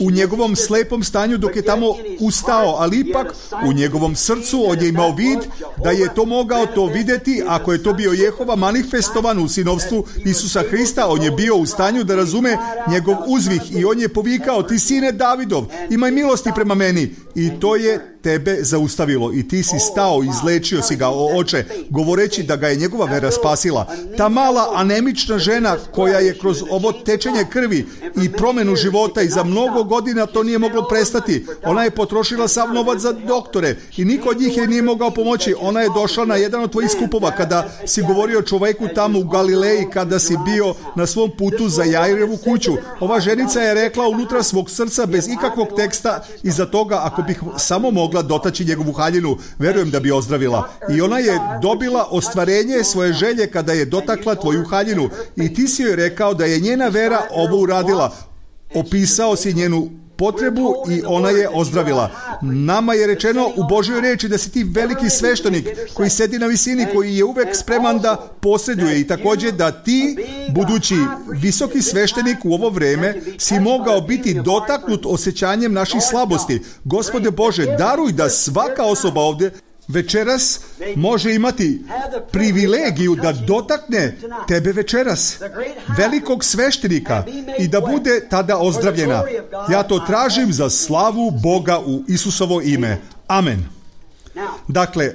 u njegovom slepom stanju dok je tamo ustao, ali ipak u njegovom srcu on je imao vid da je to mogao to vidjeti. Ako je to bio Jehova manifestovan u sinovstvu Isusa Hrista, on je bio u stanju da razume njegov uzvih i on je povikao, ti sine Davidov, imaj milosti prema meni. I to je tebe zaustavilo i ti si stao, izlečio si ga, o oče, govoreći da ga je njegova vera spasila. Ta mala anemična žena koja je kroz ovo tečenje krvi i promjenu života i za mnogo godina to nije moglo prestati. Ona je potrošila sav novac za doktore i niko od njih je nije mogao pomoći. Ona je došla na jedan od tvojih skupova kada si govorio čovjeku tamo u Galileji, kada si bio na svom putu za Jairevu kuću. Ova ženica je rekla unutra svog srca bez ikakvog teksta iza toga, ako bih samo mogla dotaći njegovu haljinu, verujem da bi ozdravila. I ona je dobila ostvarenje svoje želje kada je dotakla tvoju haljinu. I ti si joj rekao da je njena vera ovo uradila. Opisao si njenu potrebu i ona je ozdravila. Nama je rečeno u Božjoj riječi da si ti veliki sveštenik koji sedi na visini, koji je uvek spreman da posreduje, i također da ti, budući visoki sveštenik u ovo vrijeme, si mogao biti dotaknut osjećanjem naših slabosti. Gospode Bože, daruj da svaka osoba ovdje večeras može imati privilegiju da dotakne tebe večeras, velikog sveštenika, i da bude tada ozdravljena. Ja to tražim za slavu Boga u Isusovo ime. Amen. Dakle,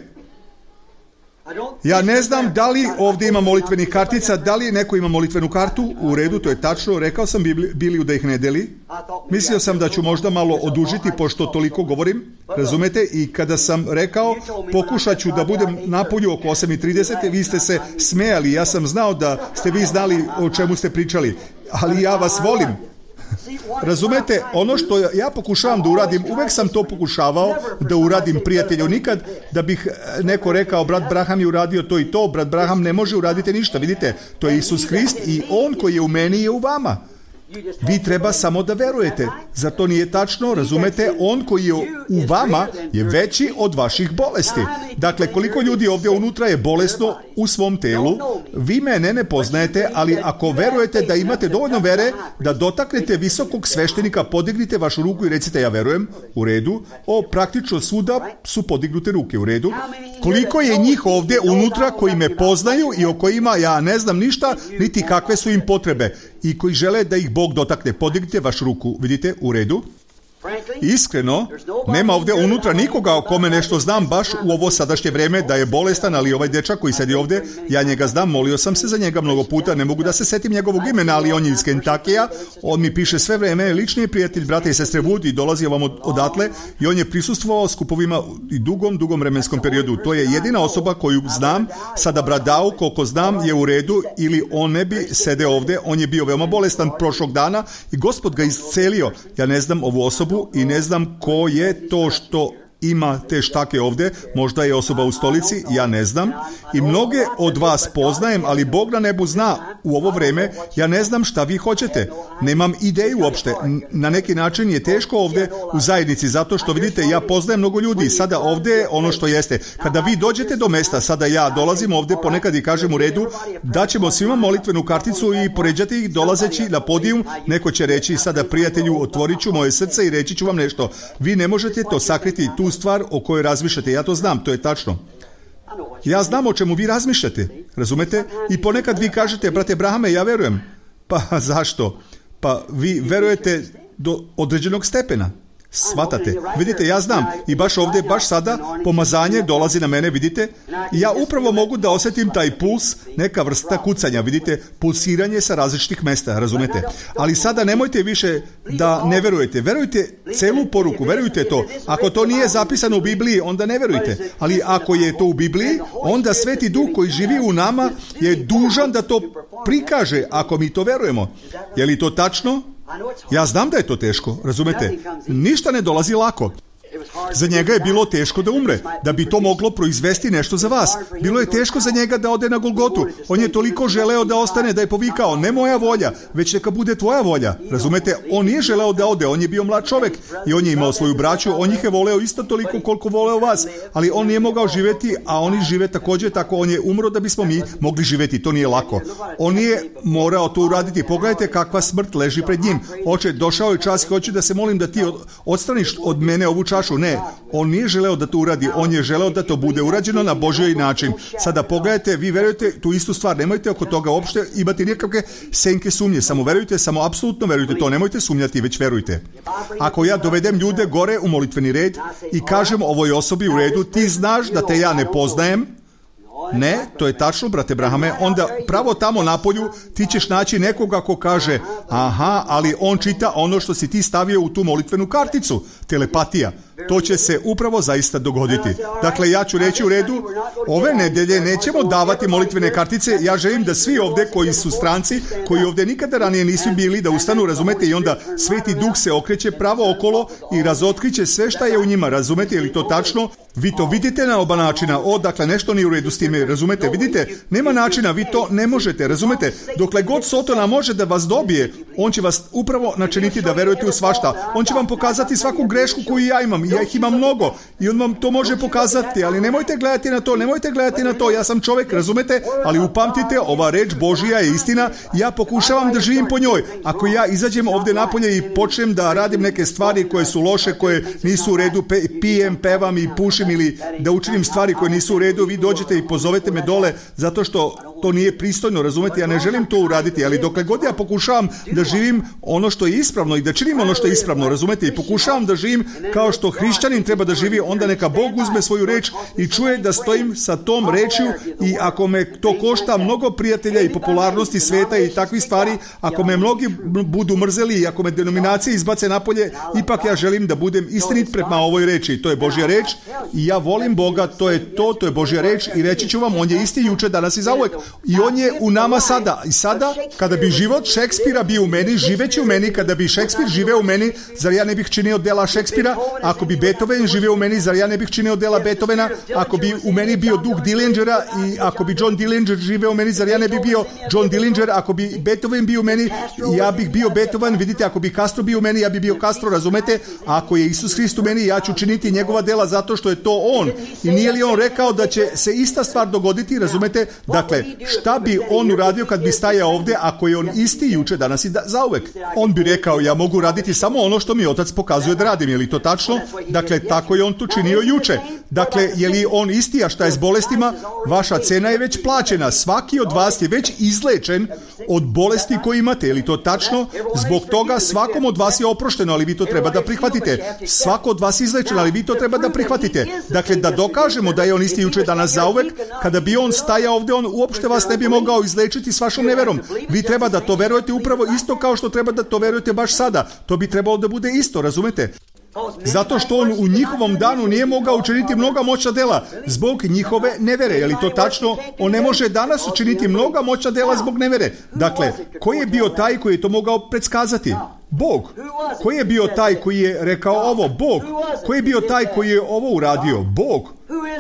ja ne znam da li ovdje ima molitvenih kartica, da li neko ima molitvenu kartu, u redu, to je tačno, rekao sam Biliju da ih ne deli. Mislio sam da ću možda malo odužiti pošto toliko govorim, razumete, i kada sam rekao pokušat ću da budem napolju oko 8:30, vi ste se smejali, ja sam znao da ste vi znali o čemu ste pričali, ali ja vas volim. Razumete, ono što ja pokušavam da uradim, uvek sam to pokušavao da uradim, prijatelju, nikad da bih neko rekao brat Braham je uradio to i to, brat Braham ne može uraditi ništa, vidite, to je Isus Hrist i on koji je u meni je u vama. Vi treba samo da verujete. Za to nije tačno, razumete, on koji je u vama je veći od vaših bolesti. Dakle, koliko ljudi ovdje unutra je bolesno u svom telu, vi mene ne poznajete, ali ako verujete da imate dovoljno vere da dotaknete visokog sveštenika, podignite vašu ruku i recite ja verujem, u redu. Praktično svuda su podignute ruke, u redu. Koliko je njih ovdje unutra koji me poznaju i o kojima ja ne znam ništa, niti kakve su im potrebe i koji žele da ih Bog dotakne, podignite vašu ruku, vidite, u redu. Iskreno, nema ovdje unutra nikoga o kome nešto znam baš u ovo sadašnje vrijeme da je bolestan, ali ovaj dečak koji sedi ovdje, ja njega znam, molio sam se za njega mnogo puta, ne mogu da se setim njegovog imena, ali on je iz Kentakija, on mi piše sve vrijeme, lični je prijatelj brata i sestre Wood i dolazi vam odatle i on je prisustvovao skupovima i dugom vremenskom periodu. To je jedina osoba koju znam, sada brat Dau, koliko znam, je u redu ili on ne bi sede ovdje, on je bio veoma bolestan prošlog dana i Gospod ga iscelio. Ja ne znam ovu osobu i ne znam ko je to što ima te štake ovdje, možda je osoba u stolici, ja ne znam. I mnoge od vas poznajem, ali Bog na nebu zna u ovo vrijeme, ja ne znam šta vi hoćete. Nemam ideju uopšte. Na neki način je teško ovdje u zajednici, zato što vidite, ja poznajem mnogo ljudi. Sada ovdje ono što jeste. Kada vi dođete do mesta, sada ja dolazim ovdje ponekad i kažem u redu, da ćemo svima molitvenu karticu i poređati ih dolazeći na podijum. Neko će reći, sada prijatelju, otvorit ću moje srce i reći ću vam nešto. Vi ne možete to sakriti, tu stvar o kojoj razmišljate. Ja to znam, to je tačno. Ja znam o čemu vi razmišljate, razumete? I ponekad vi kažete, brate Brahame, ja verujem. Pa zašto? Pa vi verujete do određenog stepena. Svatate. Vidite, ja znam i baš ovdje, baš sada pomazanje dolazi na mene, vidite? I ja upravo mogu da osjetim taj puls, neka vrsta kucanja, vidite? Pulsiranje sa različitih mesta, razumete? Ali sada nemojte više da ne verujete. Verujte celu poruku, verujte to. Ako to nije zapisano u Bibliji, onda ne verujte. Ali ako je to u Bibliji, onda Sveti Duh koji živi u nama je dužan da to prikaže, ako mi to verujemo. Je li to tačno? Ja znam da je to teško, razumete? Ništa ne dolazi lako. Za njega je bilo teško da umre, da bi to moglo proizvesti nešto za vas. Bilo je teško za njega da ode na Golgotu. On je toliko želeo da ostane, da je povikao, ne moja volja, već neka bude tvoja volja. Razumete? On nije želeo da ode, on je bio mlad čovjek i on je imao svoju braću, on ih je voleo isto toliko koliko voleo vas, ali on nije mogao živjeti, a oni žive također tako, on je umro da bismo mi mogli živjeti, to nije lako. On je morao to uraditi. Pogledajte kakva smrt leži pred njim. Oče, došao je čas, hoću da se molim da ti odstraniš od mene ovu čašu. Ne, on nije želeo da to uradi, on je želeo da to bude urađeno na Božji način. Sada pogledajte, vi verujete tu istu stvar, nemojte oko toga uopšte imati nikakve senke sumnje, samo verujte, samo apsolutno verujte to, nemojte sumnjati, već verujte. Ako ja dovedem ljude gore u molitveni red i kažem ovoj osobi u redu, ti znaš da te ja ne poznajem, ne, to je tačno, brate Brahame, onda pravo tamo na polju ti ćeš naći nekoga ko kaže, aha, ali on čita ono što si ti stavio u tu molitvenu karticu, telepatija. To će se upravo zaista dogoditi. Dakle, ja ću reći u redu, ove nedelje nećemo davati molitvene kartice, ja želim da svi ovdje koji su stranci, koji ovdje nikada ranije nisu bili, da ustanu, razumete, i onda Sveti Duh se okreće pravo okolo i razotkriće sve šta je u njima, razumete, je li to tačno? Vi to vidite na oba načina, dakle, nešto nije u redu s time, razumete, vidite, nema načina, vi to ne možete, razumete, dokle god Sotona može da vas dobije, on će vas upravo načiniti da verujete u svašta, on će vam pokazati svaku grešku koju ja imam, ja ih imam mnogo i on vam to može pokazati, ali nemojte gledati na to, ja sam čovjek, razumete, ali upamtite, ova reč Božija je istina, ja pokušavam da živim po njoj. Ako ja izađem ovdje napolje i počnem da radim neke stvari koje su loše, koje nisu u redu, pijem, pevam i pušim ili da učinim stvari koje nisu u redu, vi dođete i pozovete me dole zato što to nije pristojno, razumete, ja ne želim to uraditi, ali dokle god ja pokušavam da živim ono što je ispravno i da činim ono što je ispravno, razumete, i pokušavam da živim kao što hrišćanin treba da živi, onda neka Bog uzme svoju reč i čuje da stojim sa tom rečju i ako me to košta mnogo prijatelja i popularnosti sveta i takvih stvari, ako me mnogi budu mrzeli i ako me denominacije izbace napolje, ipak ja želim da budem istinit prema ovoj reči. To je Božja reč i ja volim Boga, to je Božja reč i reći ću vam, on je isti juče, danas i zauvek. I on je u nama sada. I sada, kada bi život Šekspira bio u meni, živeći u meni, kada bi Šekspir živeo u meni, zar ja ne bih činio dela Šekspira? Ako bi Beethoven živeo u meni, zar ja ne bih činio dela Beethovena? Ako bi u meni bio duh Dillingera i ako bi John Dillinger živeo u meni, zar ja ne bih bio John Dillinger? Ako bi Beethoven bio u meni, ja bih bio Beethoven. Vidite, ako bi Castro bio u meni, ja bih bio Castro, razumete? Ako je Isus Hrist u meni, ja ću činiti njegova dela zato što je to on. I nije li on rekao da će se ista stvar dogoditi, razumete? Dakle, šta bi on uradio kad bi stajao ovdje ako je on isti juče, danas i zauvek? On bi rekao, ja mogu raditi samo ono što mi Otac pokazuje da radim, je li to tačno? Dakle, tako je on to činio juče. Dakle, je li on isti, a šta je s bolestima? Vaša cena je već plaćena. Svaki od vas je već izlečen od bolesti koje imate, je li to tačno? Zbog toga svakom od vas je oprošteno, ali vi to treba da prihvatite. Svako od vas je izlečen, ali vi to treba da prihvatite. Dakle, da dokažemo da je on isti juče, danas, zauvek, kada bi on stajao ovdje, on uopšte vas ne bi mogao izlečiti s vašom neverom. Vi treba da to verujete upravo isto kao što treba da to verujete baš sada. To bi trebalo da bude isto, razumete? Zato što on u njihovom danu nije mogao učiniti mnoga moćna dela zbog njihove nevere. Je li to tačno? On ne može danas učiniti mnoga moćna dela zbog nevere. Dakle, koji je bio taj koji je to mogao predskazati? Bog. Koji je bio taj koji je rekao ovo? Bog. Koji je bio taj koji je ovo uradio? Bog.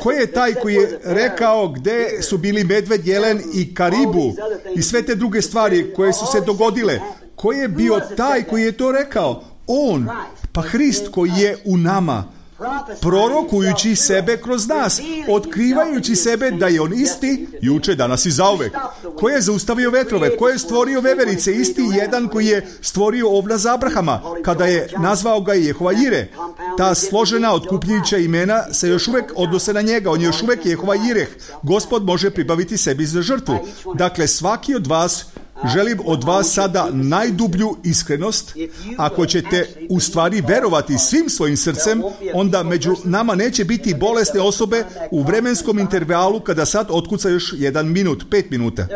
Koji je taj koji je rekao gde su bili medved, jelen i karibu i sve te druge stvari koje su se dogodile? Koji je bio taj koji je to rekao? On. Pa Hrist koji je u nama, prorokujući sebe kroz nas, otkrivajući sebe da je on isti juče, danas i zauvek. Ko je zaustavio vetrove? Ko je stvorio veverice? Isti jedan koji je stvorio ovna za Abrahama, kada je nazvao ga Jehova Jire. Ta složena otkupljujuća imena se još uvek odnose na njega. On je još uvek Jehova Jireh. Gospod može pribaviti sebi za žrtvu. Dakle, svaki od vas, želim od vas sada najdublju iskrenost. Ako ćete u stvari verovati svim svojim srcem, onda među nama neće biti bolesne osobe u vremenskom intervalu kada sad otkuca još 1 minut, 5 minuta.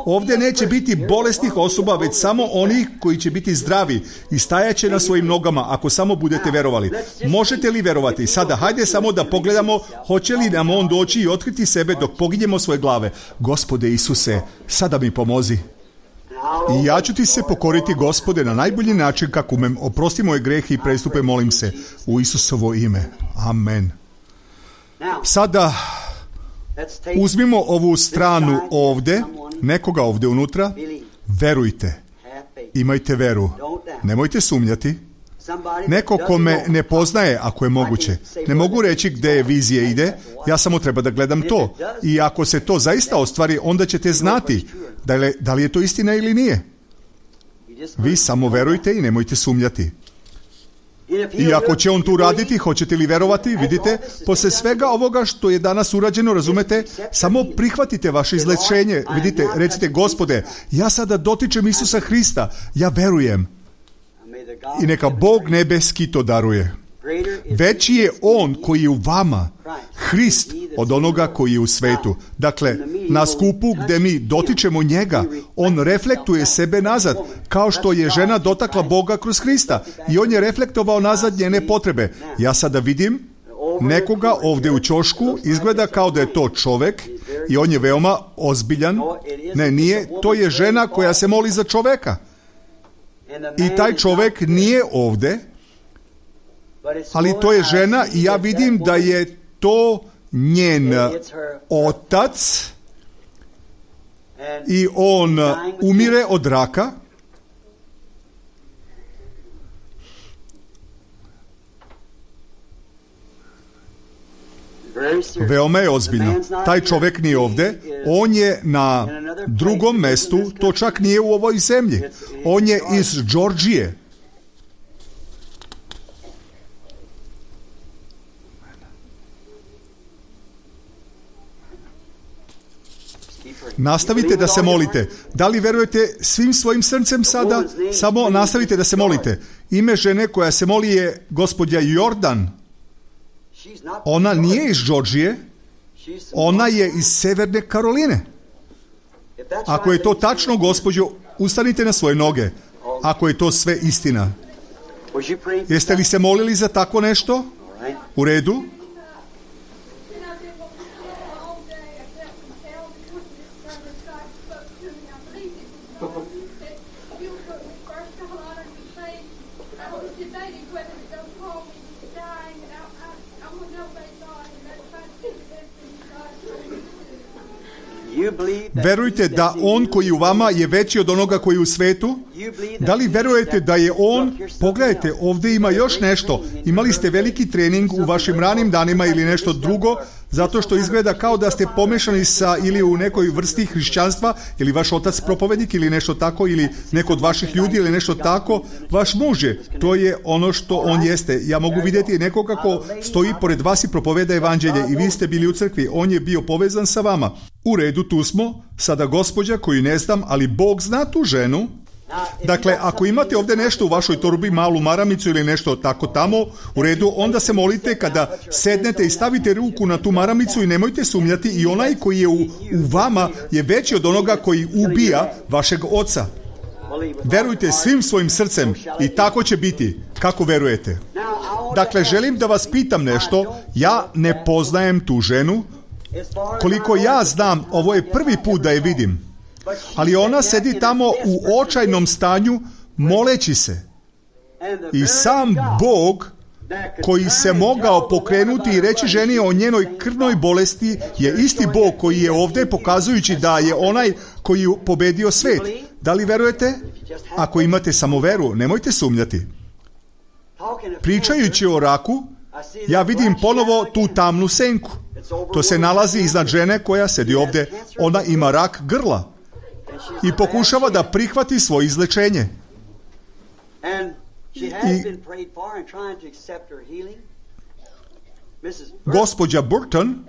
Ovdje neće biti bolesnih osoba, već samo onih koji će biti zdravi i stajaće na svojim nogama ako samo budete verovali. Možete li verovati? Sada, hajde samo da pogledamo hoće li nam on doći i otkriti sebe dok poginjemo svoje glave. Gospode Isuse, sada mi pomozi. I ja ću ti se pokoriti, Gospode, na najbolji način kako umem. Oprosti moje grehe i prestupe, molim se, u Isusovo ime. Amen. Sada uzmimo ovu stranu ovdje, nekoga ovdje unutra. Verujte. Imajte veru. Nemojte sumnjati. Neko ko me ne poznaje, ako je moguće. Ne mogu reći gdje je vizija ide, ja samo treba da gledam to. I ako se to zaista ostvari, onda ćete znati da li je to istina ili nije. Vi samo verujte i nemojte sumnjati. I ako će on tu raditi, hoćete li verovati? Vidite, posle svega ovoga što je danas urađeno, razumete, samo prihvatite vaše izlečenje. Vidite, recite, Gospode, ja sada dotičem Isusa Hrista, ja verujem. I neka Bog nebeski to daruje. Veći je on koji je u vama, Hrist, od onoga koji je u svetu. Dakle, na skupu gde mi dotičemo njega, on reflektuje sebe nazad, kao što je žena dotakla Boga kroz Hrista i on je reflektovao nazad njene potrebe. Ja sada vidim nekoga ovdje u ćošku, izgleda kao da je to čovek i on je veoma ozbiljan. Ne, nije, to je žena koja se moli za čoveka. I taj čovek nije ovdje, ali to je žena i ja vidim da je to njen otac i on umire od raka. Veoma je ozbiljno. Taj čovjek nije ovdje, on je na drugom mestu, to čak nije u ovoj zemlji. On je iz Džordžije. Nastavite da se molite. Da li verujete svim svojim srcem sada? Samo nastavite da se molite. Ime žene koja se moli je gospođa Jordan. Ona nije iz Džordžije, ona je iz Severne Karoline. Ako je to tačno, gospođo, ustanite na svoje noge. Ako je to sve istina. Jeste li se molili za tako nešto? U redu? Verujte da on koji u vama je veći od onoga koji je u svetu? Da li verujete da je on? Pogledajte, ovdje ima još nešto. Imali ste veliki trening u vašim ranim danima ili nešto drugo, zato što izgleda kao da ste pomešani sa ili u nekoj vrsti hrišćanstva, ili vaš otac propovednik ili nešto tako, ili neko od vaših ljudi ili nešto tako. Vaš muž je, to je ono što on jeste. Ja mogu vidjeti nekoga ko stoji pored vas i propoveda evanđelje i vi ste bili u crkvi. On je bio povezan sa vama. U redu, tu smo. Sada gospođa koju ne znam, ali Bog zna tu ženu. Dakle, ako imate ovdje nešto u vašoj torbi, malu maramicu ili nešto tako tamo, u redu, onda se molite kada sednete i stavite ruku na tu maramicu i nemojte sumnjati, i onaj koji je u vama je veći od onoga koji ubija vašeg oca. Verujte svim svojim srcem i tako će biti, kako verujete. Dakle, želim da vas pitam nešto. Ja ne poznajem tu ženu. Koliko ja znam, ovo je prvi put da je vidim. Ali ona sedi tamo u očajnom stanju, moleći se. I sam Bog koji se mogao pokrenuti i reći ženi o njenoj krvnoj bolesti je isti Bog koji je ovdje pokazujući da je onaj koji je pobedio svet. Da li verujete? Ako imate samo veru, nemojte sumnjati. Pričajući o raku, ja vidim ponovo tu tamnu senku. To se nalazi iznad žene koja sedi ovdje. Ona ima rak grla i pokušava da prihvati svoje izlečenje. Gospođa Burton,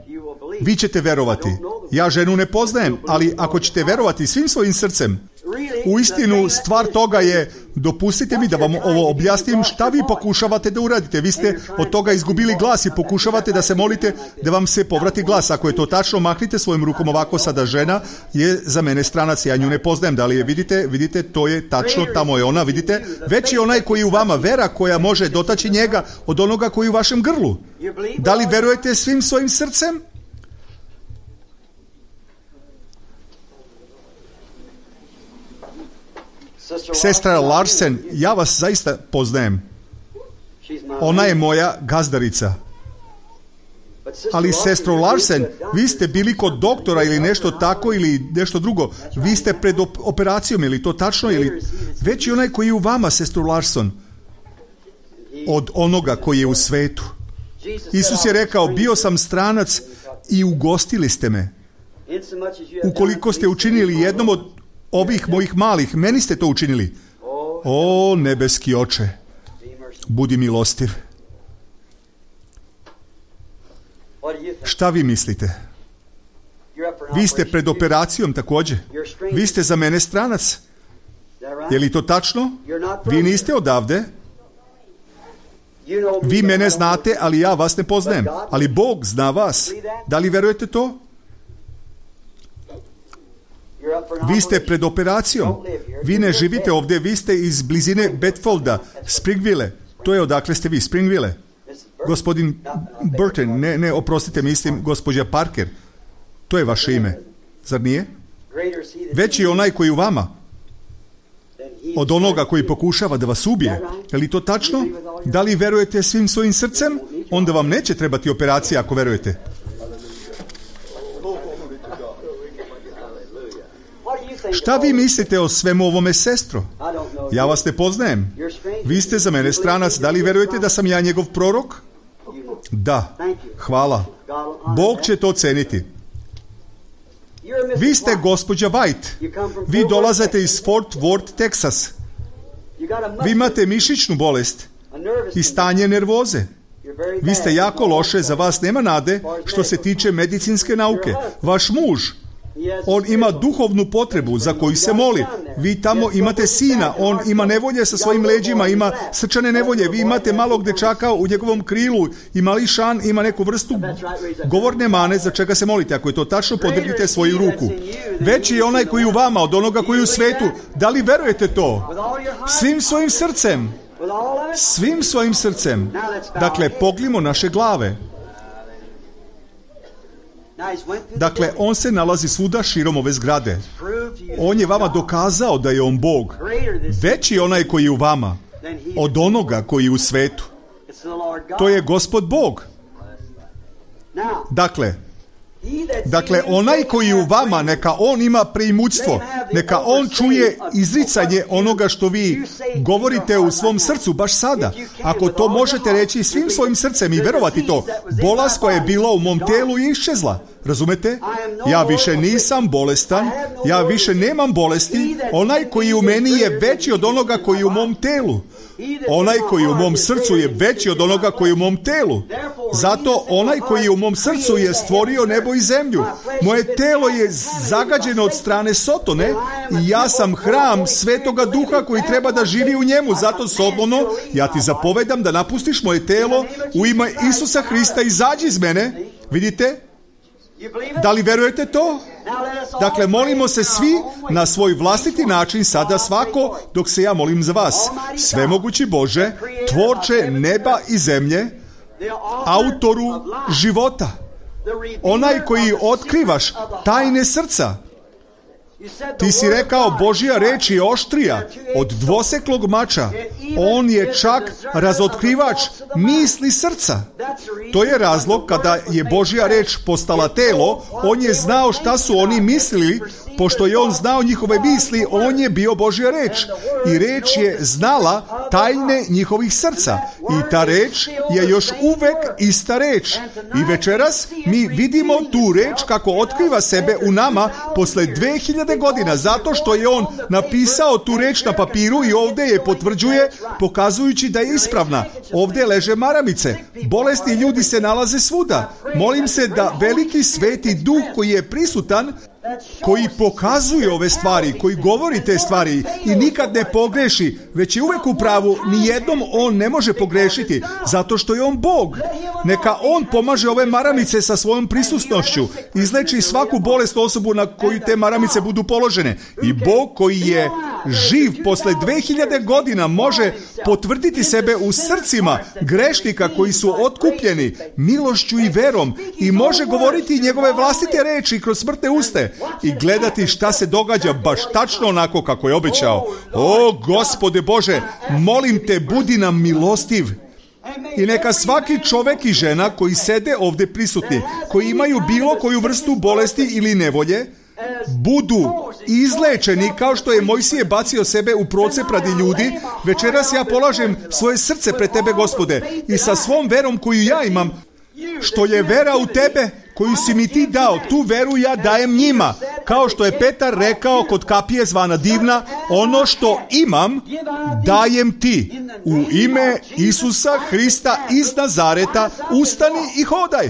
vi ćete verovati. Ja ženu ne poznajem, ali ako ćete verovati svim svojim srcem, uistinu stvar toga je, dopustite mi da vam ovo objasnim, šta vi pokušavate da uradite. Vi ste od toga izgubili glas i pokušavate da se molite da vam se povrati glas. Ako je to tačno, mahnite svojim rukom ovako. Sada žena je za mene stranac, ja nju ne poznajem. Da li je vidite, to je tačno, tamo je ona, vidite. Već je onaj koji u vama, vera koja može dotaći njega od onoga koji u vašem grlu. Da li verujete svim svojim srcem? Sestra Larsen, ja vas zaista poznajem. Ona je moja gazdarica. Ali sestro Larsen, vi ste bili kod doktora ili nešto tako ili nešto drugo. Vi ste pred operacijom, ili to tačno? Ili... Već je onaj koji je u vama, sestro Larsen, od onoga koji je u svetu. Isus je rekao, bio sam stranac i ugostili ste me. Ukoliko ste učinili jednom od ovih mojih malih, meni ste to učinili. O, nebeski oče, budi milostiv. Šta vi mislite? Vi ste pred operacijom također. Vi ste za mene stranac. Je li to tačno? Vi niste odavde. Vi mene znate, ali ja vas ne poznajem. Ali Bog zna vas. Da li verujete to? Vi ste pred operacijom. Vi ne živite ovdje, vi ste iz blizine Bedfolda, Springville. To je odakle ste vi, Springville. Gospodin Burton, ne, oprostite, mislim, gospođa Parker. To je vaše ime, zar nije? Veći je onaj koji u vama od onoga koji pokušava da vas ubije. Je li to tačno? Da li verujete svim svojim srcem? Onda vam neće trebati operacija ako verujete. Šta vi mislite o svemu ovome, sestro? Ja vas ne poznajem. Vi ste za mene stranac. Da li verujete da sam ja njegov prorok? Da. Hvala. Bog će to ceniti. Vi ste gospođa White. Vi dolazite iz Fort Worth, Texas. Vi imate mišićnu bolest i stanje nervoze. Vi ste jako loše, za vas nema nade što se tiče medicinske nauke. Vaš muž, on ima duhovnu potrebu za koju se moli. Vi tamo imate sina, on ima nevolje sa svojim leđima, ima srčane nevolje. Vi imate malog dečaka u njegovom krilu i mališan ima neku vrstu govorne mane za čega se molite. Ako je to tačno, podignite svoju ruku. Veći je onaj koji u vama od onoga koji je u svetu. Da li verujete to? Svim svojim srcem. Svim svojim srcem. Dakle, pognimo naše glave. Dakle, on se nalazi svuda širom ove zgrade. On je vama dokazao da je on Bog. Veći je onaj koji je u vama od onoga koji je u svetu. To je Gospod Bog. Dakle, onaj koji je u vama, neka on ima preimućstvo, neka on čuje izricanje onoga što vi govorite u svom srcu baš sada. Ako to možete reći svim svojim srcem i verovati to, bolest koja je bila u mom telu je iščezla. Razumete? Ja više nisam bolestan, ja više nemam bolesti, onaj koji u meni je veći od onoga koji je u mom telu. Onaj koji je u mom srcu je veći od onoga koji je u mom telu. Zato onaj koji je u mom srcu je stvorio nebo i zemlju. Moje telo je zagađeno od strane Sotone i ja sam hram Svetoga Duha koji treba da živi u njemu. Zato slobodno ja ti zapovedam da napustiš moje telo u ime Isusa Hrista, izađi iz mene. Vidite? Da li verujete to? Dakle, molimo se svi na svoj vlastiti način, sada svako, dok se ja molim za vas. Svemogući Bože, tvorče neba i zemlje, autoru života, onaj koji otkrivaš tajne srca. Ti si rekao, Božja reč je oštrija od dvoseklog mača. On je čak razotkrivač misli srca. To je razlog kada je Božja reč postala telo, on je znao šta su oni mislili, pošto je on znao njihove misli, on je bio Božja reč. I reč je znala tajne njihovih srca. I ta reč je još uvek ista reč. I večeras mi vidimo tu reč kako otkriva sebe u nama posle 2000 godina, zato što je on napisao tu reč na papiru i ovdje je potvrđuje, pokazujući da je ispravna. Ovdje leže maramice. Bolesni ljudi se nalaze svuda. Molim se da veliki sveti duh koji je prisutan, koji pokazuje ove stvari, koji govori te stvari i nikad ne pogreši, već je uvek u pravu, nijednom on ne može pogrešiti, zato što je on Bog. Neka on pomaže ove maramice sa svojom prisutnošću, izleči svaku bolest osobu na koju te maramice budu položene. I Bog koji je živ posle 2000 godina može potvrditi sebe u srcima grešnika koji su otkupljeni milošću i verom i može govoriti njegove vlastite reči kroz smrtne uste i gledati šta se događa baš tačno onako kako je obećao. O, Gospode Bože, molim te, budi nam milostiv. I neka svaki čovek i žena koji sede ovdje prisutni, koji imaju bilo koju vrstu bolesti ili nevolje, budu izlečeni kao što je Mojsije bacio sebe u procep radi ljudi. Večeras ja polažem svoje srce pred tebe, Gospode, i sa svom verom koju ja imam, što je vera u tebe, koju si mi ti dao, tu veru ja dajem njima. Kao što je Petar rekao kod kapije zvana Divna, ono što imam, dajem ti. U ime Isusa Hrista iz Nazareta, ustani i hodaj.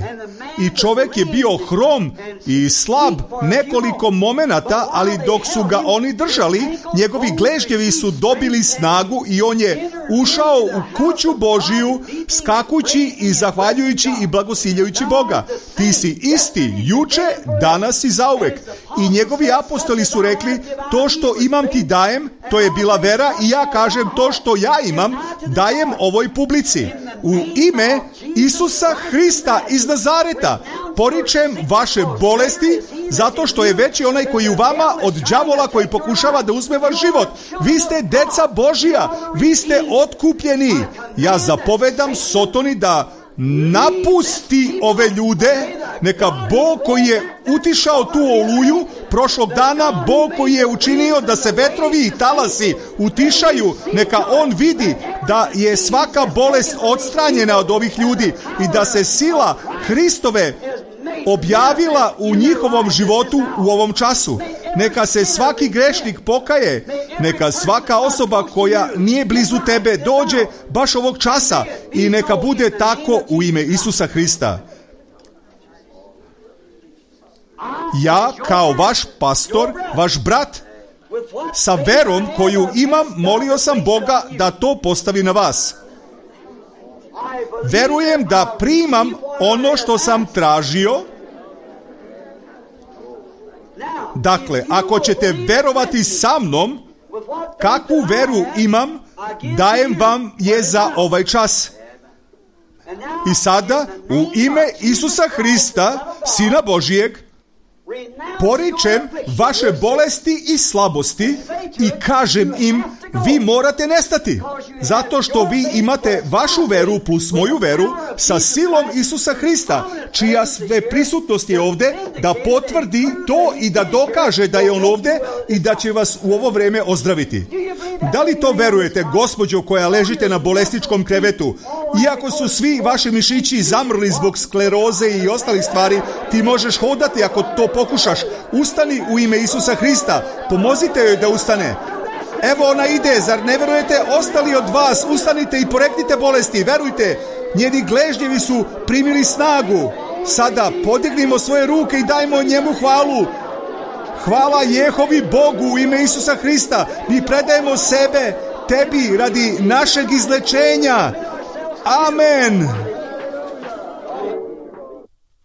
I čovjek je bio hrom i slab nekoliko momenata, ali dok su ga oni držali, njegovi gležnjevi su dobili snagu i on je ušao u kuću Božiju, skakući i zahvaljujući i blagosiljajući Boga. Ti si isti juče, danas i zauvek. I njegovi apostoli su rekli, to što imam ti dajem, to je bila vera, i ja kažem, to što ja imam dajem ovoj publici. U ime Isusa Hrista iz Nazareta poričem vaše bolesti, zato što je veći onaj koji u vama od đavola koji pokušava da uzme vaš život. Vi ste deca Božija, vi ste otkupljeni. Ja zapovedam Sotoni da napusti ove ljude. Neka Bog koji je utišao tu oluju prošlog dana, Bog koji je učinio da se vetrovi i talasi utišaju, neka on vidi da je svaka bolest odstranjena od ovih ljudi i da se sila Hristove objavila u njihovom životu u ovom času. Neka se svaki grešnik pokaje, neka svaka osoba koja nije blizu tebe dođe baš ovog časa i neka bude tako u ime Isusa Hrista. Ja kao vaš pastor, vaš brat, sa verom koju imam, molio sam Boga da to postavi na vas. Verujem da primam ono što sam tražio. Dakle, ako ćete verovati sa mnom, kakvu veru imam, dajem vam je za ovaj čas. I sada, u ime Isusa Hrista, Sina Božijeg, poričem vaše bolesti i slabosti i kažem im, vi morate nestati, zato što vi imate vašu veru plus moju veru sa silom Isusa Hrista, čija sve prisutnost je ovdje da potvrdi to i da dokaže da je on ovdje i da će vas u ovo vrijeme ozdraviti. Da li to verujete, gospođo koja ležite na bolesničkom krevetu? Iako su svi vaši mišići zamrli zbog skleroze i ostalih stvari, ti možeš hodati ako to pokušaš. Ustani u ime Isusa Hrista, pomozite joj da ustane. Evo ona ide, zar ne verujete? Ostali od vas, ustanite i poreknite bolesti, verujte, njeni gležnjevi su primili snagu. Sada podignimo svoje ruke i dajmo njemu hvalu. Hvala Jehovi Bogu u ime Isusa Hrista. Mi predajemo sebe tebi radi našeg izlečenja. Amen.